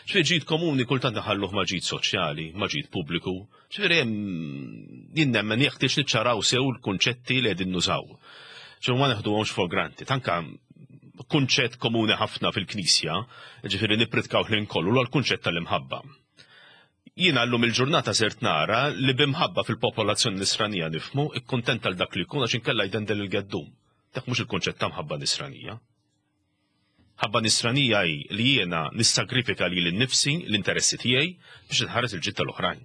Ġifieri ġid komuni kultant naħalluh ma' ġid soċjali, ma' ġid pubbliku. Ġifieri jien nemmen jeħtieġ niċċaraw sew l-kunċetti li qegħdin nużaw. Ġifieri ma neħduhomx for granted. Anka kunċett komuni ħafna fil-Knisja, ġifieri nippritkaw ħin kollu l-kunċett tal-imħabba. Jiena llum il-ġurnata sirt nara li b'imħabba fil-popolazzjoni nisranija nifhmu ikkuntenta għal dak li jkun għax inkella jdendel il-geddum. Dak mhux il-kunċett ta' mħabba nisranija. Ħabba nisranija hi li jiena nissagrifika lili nnifsi, l-interessi tiegħi, biex inħares il-ġid tal-oħrajn.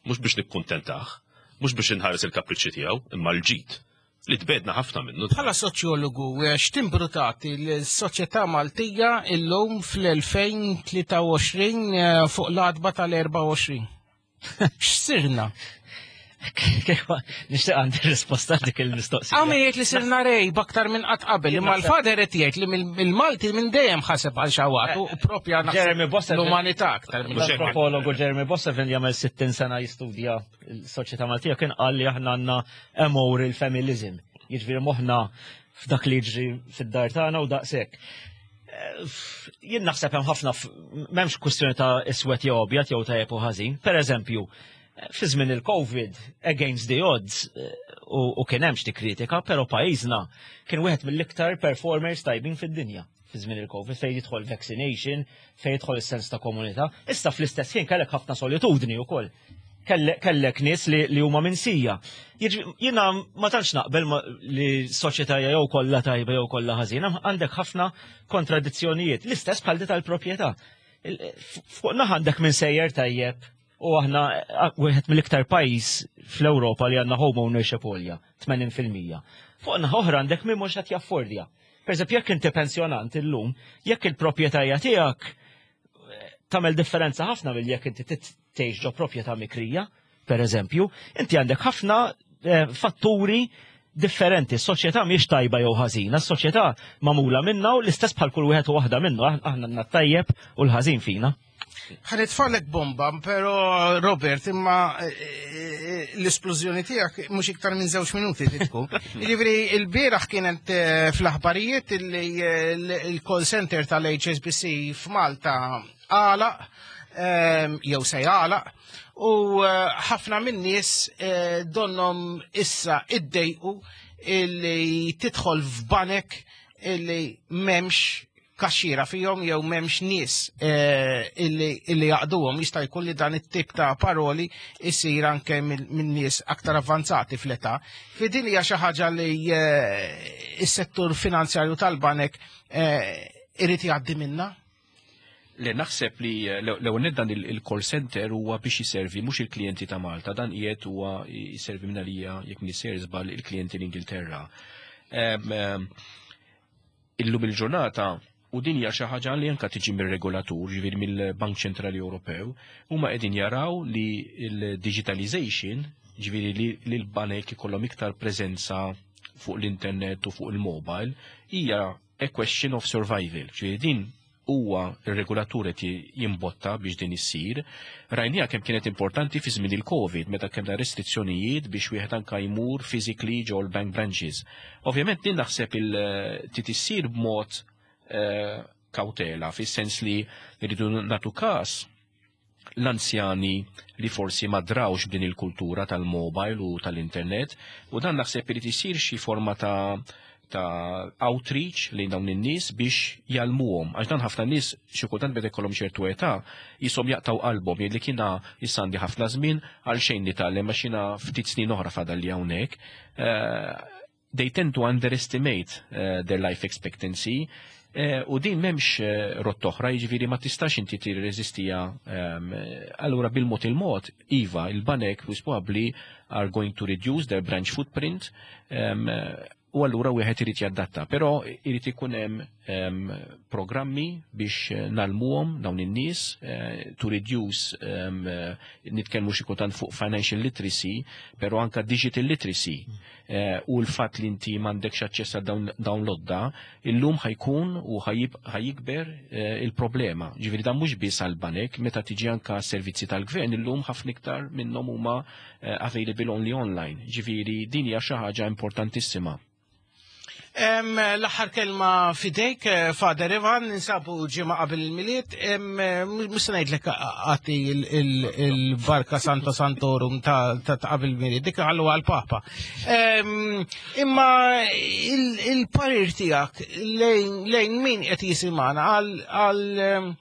Mhux biex nikkuntentah, mhux biex inħares il-kapriċċi tiegħu, imma l-ġid, li tbegħdna ħafna minnu. Bħala soċjologu, x'timbru tagħti lis-soċjetà Maltija illum fl-2023 eh, fuq l-għatba tal-24? X'sirna? Nixtieq għandi risposta dik il-mistoqsija. Għamil jgħid li sirna rej baktar minn qatt qabel, imma l-fader qed jgħid li mill-Malti minn dejjem ħaseb għal xawat u propja Jeremy Bossevin l-umanità aktar minn L-antropologu Jeremy Bossevin li jagħmel 60 sena jistudja l-soċjetà Maltija kien qal li aħna għandna amoral familism. Jiġifieri moħħna f'dak li jiġri fid-dar tagħna u daqshekk. Jien naħseb hemm ħafna m'hemmx kwistjoni ta' iswed jew abjad jew tajjeb u ħażin. Per eżempju, fi żmien il-Covid, against the odds, u kien hemm xi kritika, però pajjiżna kien wieħed mill-iktar performers tajbin fid-dinja fi żmien il-Covid fejn jidħol vaccination, fejn jidħol is-sens ta' komunità. Issa fl-istess ħin kellek ħafna solitudni wkoll. Kellek nies li huma minsija. Jiena ma tantx naqbel li soċjetà jew kollha tajba jew kollha ħażina, għandek ħafna kontradizzjonijiet. L-istess bħal tal-proprjetà. Fuq naħa għandek minn sejjer tajjeb u aħna wieħed mill-iktar pajjiż fl-Ewropa li għandna home ownership għolja, 80%. Fuq naħa oħra għandek min mhux qed jaffordja. Per eżempju, jekk inti pensjonant illum, jekk il-proprjetà tiegħek eh, tagħmel differenza ħafna mill jekk inti tgħix ġo proprjetà mikrija, per eżempju, inti għandek ħafna eh, fatturi differenti. S-soċjetà mhijiex tajba jew ħażina, s-soċjetà magħmula minna u l-istess bħal kull wieħed u waħda minnu, aħna għandna tajjeb u l-ħażin fina. Ħanitfalek bomba, pero Robert, imma eh, eh, l-esplużjoni tiegħek mhux iktar minn żewġ minuti tkun. Jiġifieri l-bieraħ kienet eh, fl-aħbarijiet li l-call center tal-HSBC f'Malta għalaq ehm, jew se jagħlaq u ħafna min-nies donhom issa iddejqu illi tidħol f'banek illi m'hemmx kaxxiera fihom jew m'hemmx nies eh, illi jaqduhom jista' jkun li dan it-tip ta' paroli jsir anke minn nies aktar avvanzati fl-età. Fi din hija xi ħaġa li eh, s-settur finanzjarju tal-banek eh, irid jgħaddi minna? Le naħseb li l-ewwel dan il-call center huwa biex jiservi mhux il-klijenti ta' Malta, dan qiegħed huwa jiservi minn għalija jekk m'iniex żball il-klijenti l-Ingilterra. Illum il-ġurnata, u din hija xi ħaġa li anke tiġi mir-regolatur, ġifieri mill-Bank Ċentrali Ewropew, huma qegħdin jaraw li l-digitalization, ġifieri li l-banek ikollhom iktar preżenza fuq l-internet u fuq il-mobile, hija a question of survival. Ġifieri din huwa r-regulatur qed jimbotta biex din issir. Rajniha kemm kienet importanti fi żmien il-Covid meta kellna restrizzjonijiet biex wieħed anka jmur physically ġol bank branches. Ovvjament din naħseb il trid issir b'mod eh, kawtela fis-sens li rridu nagħtu każ l-anzjani li forsi ma drawx b'din il-kultura tal-mobile u tal-internet u dan naħseb irid isir xi forma ta' ta' outreach lejn dawn in-nies biex jgħallmuhom għax dan ħafna nies xi kultant meta jkollhom ċertu età jisom jaqtaw qalbhom jgħidlek jiena issa għandi ħafna żmien għal xejn nitgħallem għax jiena ftit snin oħra fadal li hawnhekk. Eh, they tend to underestimate eh, their life expectancy eh, u din memx eh, rott oħra, jiġifieri ma tistax inti tirreżistija ehm, allura bil-mod il-mod, iva, il-banek probably are going to reduce their branch footprint ehm, U allura wieħed irid jadatta, però irid ikun hemm programmi biex eh, nalmuhom dawn in-nies eh, to reduce nitkellmu xi kultant fuq financial literacy, però anka digital literacy eh, u l-fatt li inti m'għandekx aċċess għal dawn l-odda, illum ħajkun u ħajikber il-problema. Ġifieri dan mhux biss għall-banek, meta tiġi anka servizzi tal-gvern illum ħafna iktar minnhom huma Eh, available only online. Ġifieri din hija xi ħaġa importantissima. L-aħħar kelma fidejk, eh, Father Ivan, ninsabu ġimgħa qabel il-miliet, mhux se ngħidlek għati il-barka Santo Santorum ta' qabel il-miliet, dik għallu għal-Papa. Imma il-parir tiegħek lejn min qed jisimgħana għal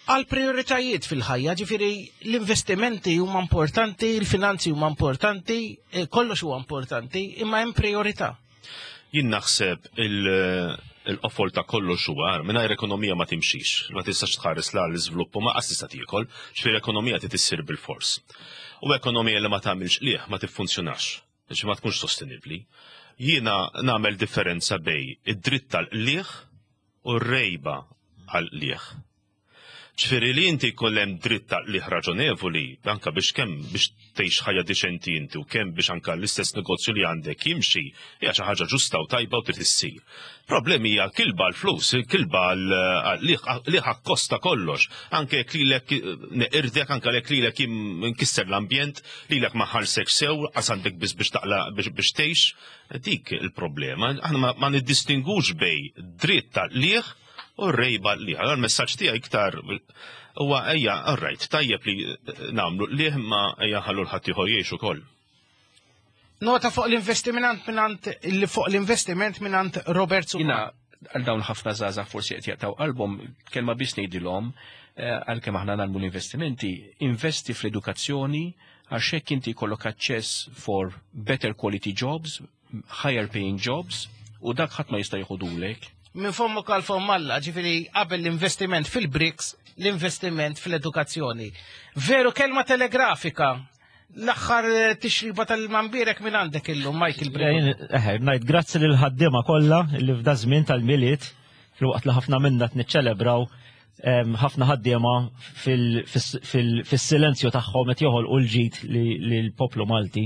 għal prioritajiet fil-ħajja, ġifiri l-investimenti huma importanti, il-finanzi huma importanti, eh, kollox huwa importanti, imma hemm priorità. Jien naħseb il-qofol ta' kollox huwa mingħajr ekonomija ma timxix, ma tistax tħares la l-iżvilupp u ma qas tista' tiekol, ġifieri ekonomija trid issir bil-fors. U ekonomija li ma tagħmilx qligħ ma tiffunzjonax, ġifieri ma tkunx sostenibbli. Jiena nagħmel differenza bej id-dritt tal-qligħ u r-rejba għall-qligħ. Ġifieri li inti jkun hemm dritt ta' qligħ raġonevoli anke biex kemm biex tgħix ħajja diċenti inti u kemm biex anke l-istess negozju li għandek jimxi hija xi ħaġa ġusta u tajba u trid issir. Problemi hija kilba l-flus, kilba l-qligħ akkosta kollox. Anke jekk lilek neqirdek, anke jekk lilek nkisser l-ambjent, lilek ma ħallsekx sew, qas għandek biss biex taqla biex tgħix. Dik il-problema, aħna ma niddistingux bej dritt tal-qligħ u r-rejba l-qligħ. Allora l-messaġġ tiegħi iktar huwa ejja, all right, tajjeb li nagħmlu qligħ imma ejja nħallu l-ħadd ieħor jgħix ukoll. Nota fuq l-investiment minant fuq l-investiment minant Robert Supa. Jina għal dawn ħafna żgħażagħ forsi qed jaqtaw qalbhom, kelma biss ngħidilhom eh, għalkemm aħna nagħmlu l-investimenti, investi fl-edukazzjoni, Għax hekk inti jkollok aċċess for better quality jobs, higher paying jobs, u dak ħadd ma jista' jieħudulek. Minn fommok għal fomm Alla, ġifieri qabel l-investiment fil-BRICS, l-investiment fl-edukazzjoni. Veru kelma telegrafika, l-aħħar eh, tixriba tal-mambirek minn għandek illum, Michael Briggs. Eh, ngħid grazzi lil ħaddiema kollha li f'da żmien tal-miliet, filwaqt li ħafna minna qed niċċelebraw ħafna ħaddiema fis-silenzju tagħhom qed joħolqu l-ġid li l-poplu Malti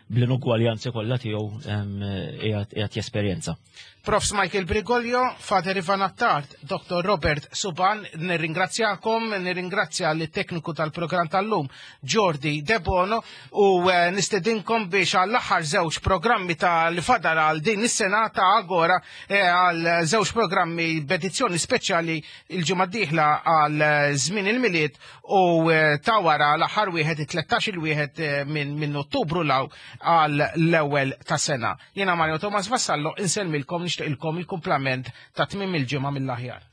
bl-inugwaljanzi kollha tiegħu qiegħed jesperjenza. Profs Michael Brigolio, Father Ivan Attard, Dr. Robert Suban, nirringrazzjakom, nirringrazzja l tekniku tal-programm tal-lum, Jordi Debono, u eh, nistedinkom biex għall-aħħar żewġ programmi ta' li fadal għal din is-sena ta' Agora eh, għal żewġ programmi b'edizzjoni speċjali il-ġimgħa d-dieħla għal żmien il-Milied u eh, ta' wara l-aħħar wieħed it-13 il wieħed eh, minn min Ottubru law għal l-ewwel ta' sena. Jiena Mario Thomas Vassallo insellmilkom nixtieqilkom il-kumplament ta' tmiem il-ġimgħa mill-aħjar.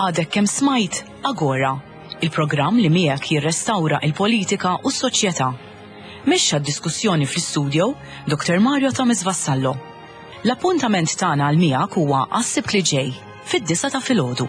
Għadek kemm smajt Agora, il-programm li miegħek jirrestawra il-politika u s-soċjetà. Mexxa d-diskussjoni fl-istudio Dr. Mario Thomas Vassallo. L-appuntament tagħna għal miegħek huwa għas-Sibt li ġej, fid-disgħa ta' filgħodu.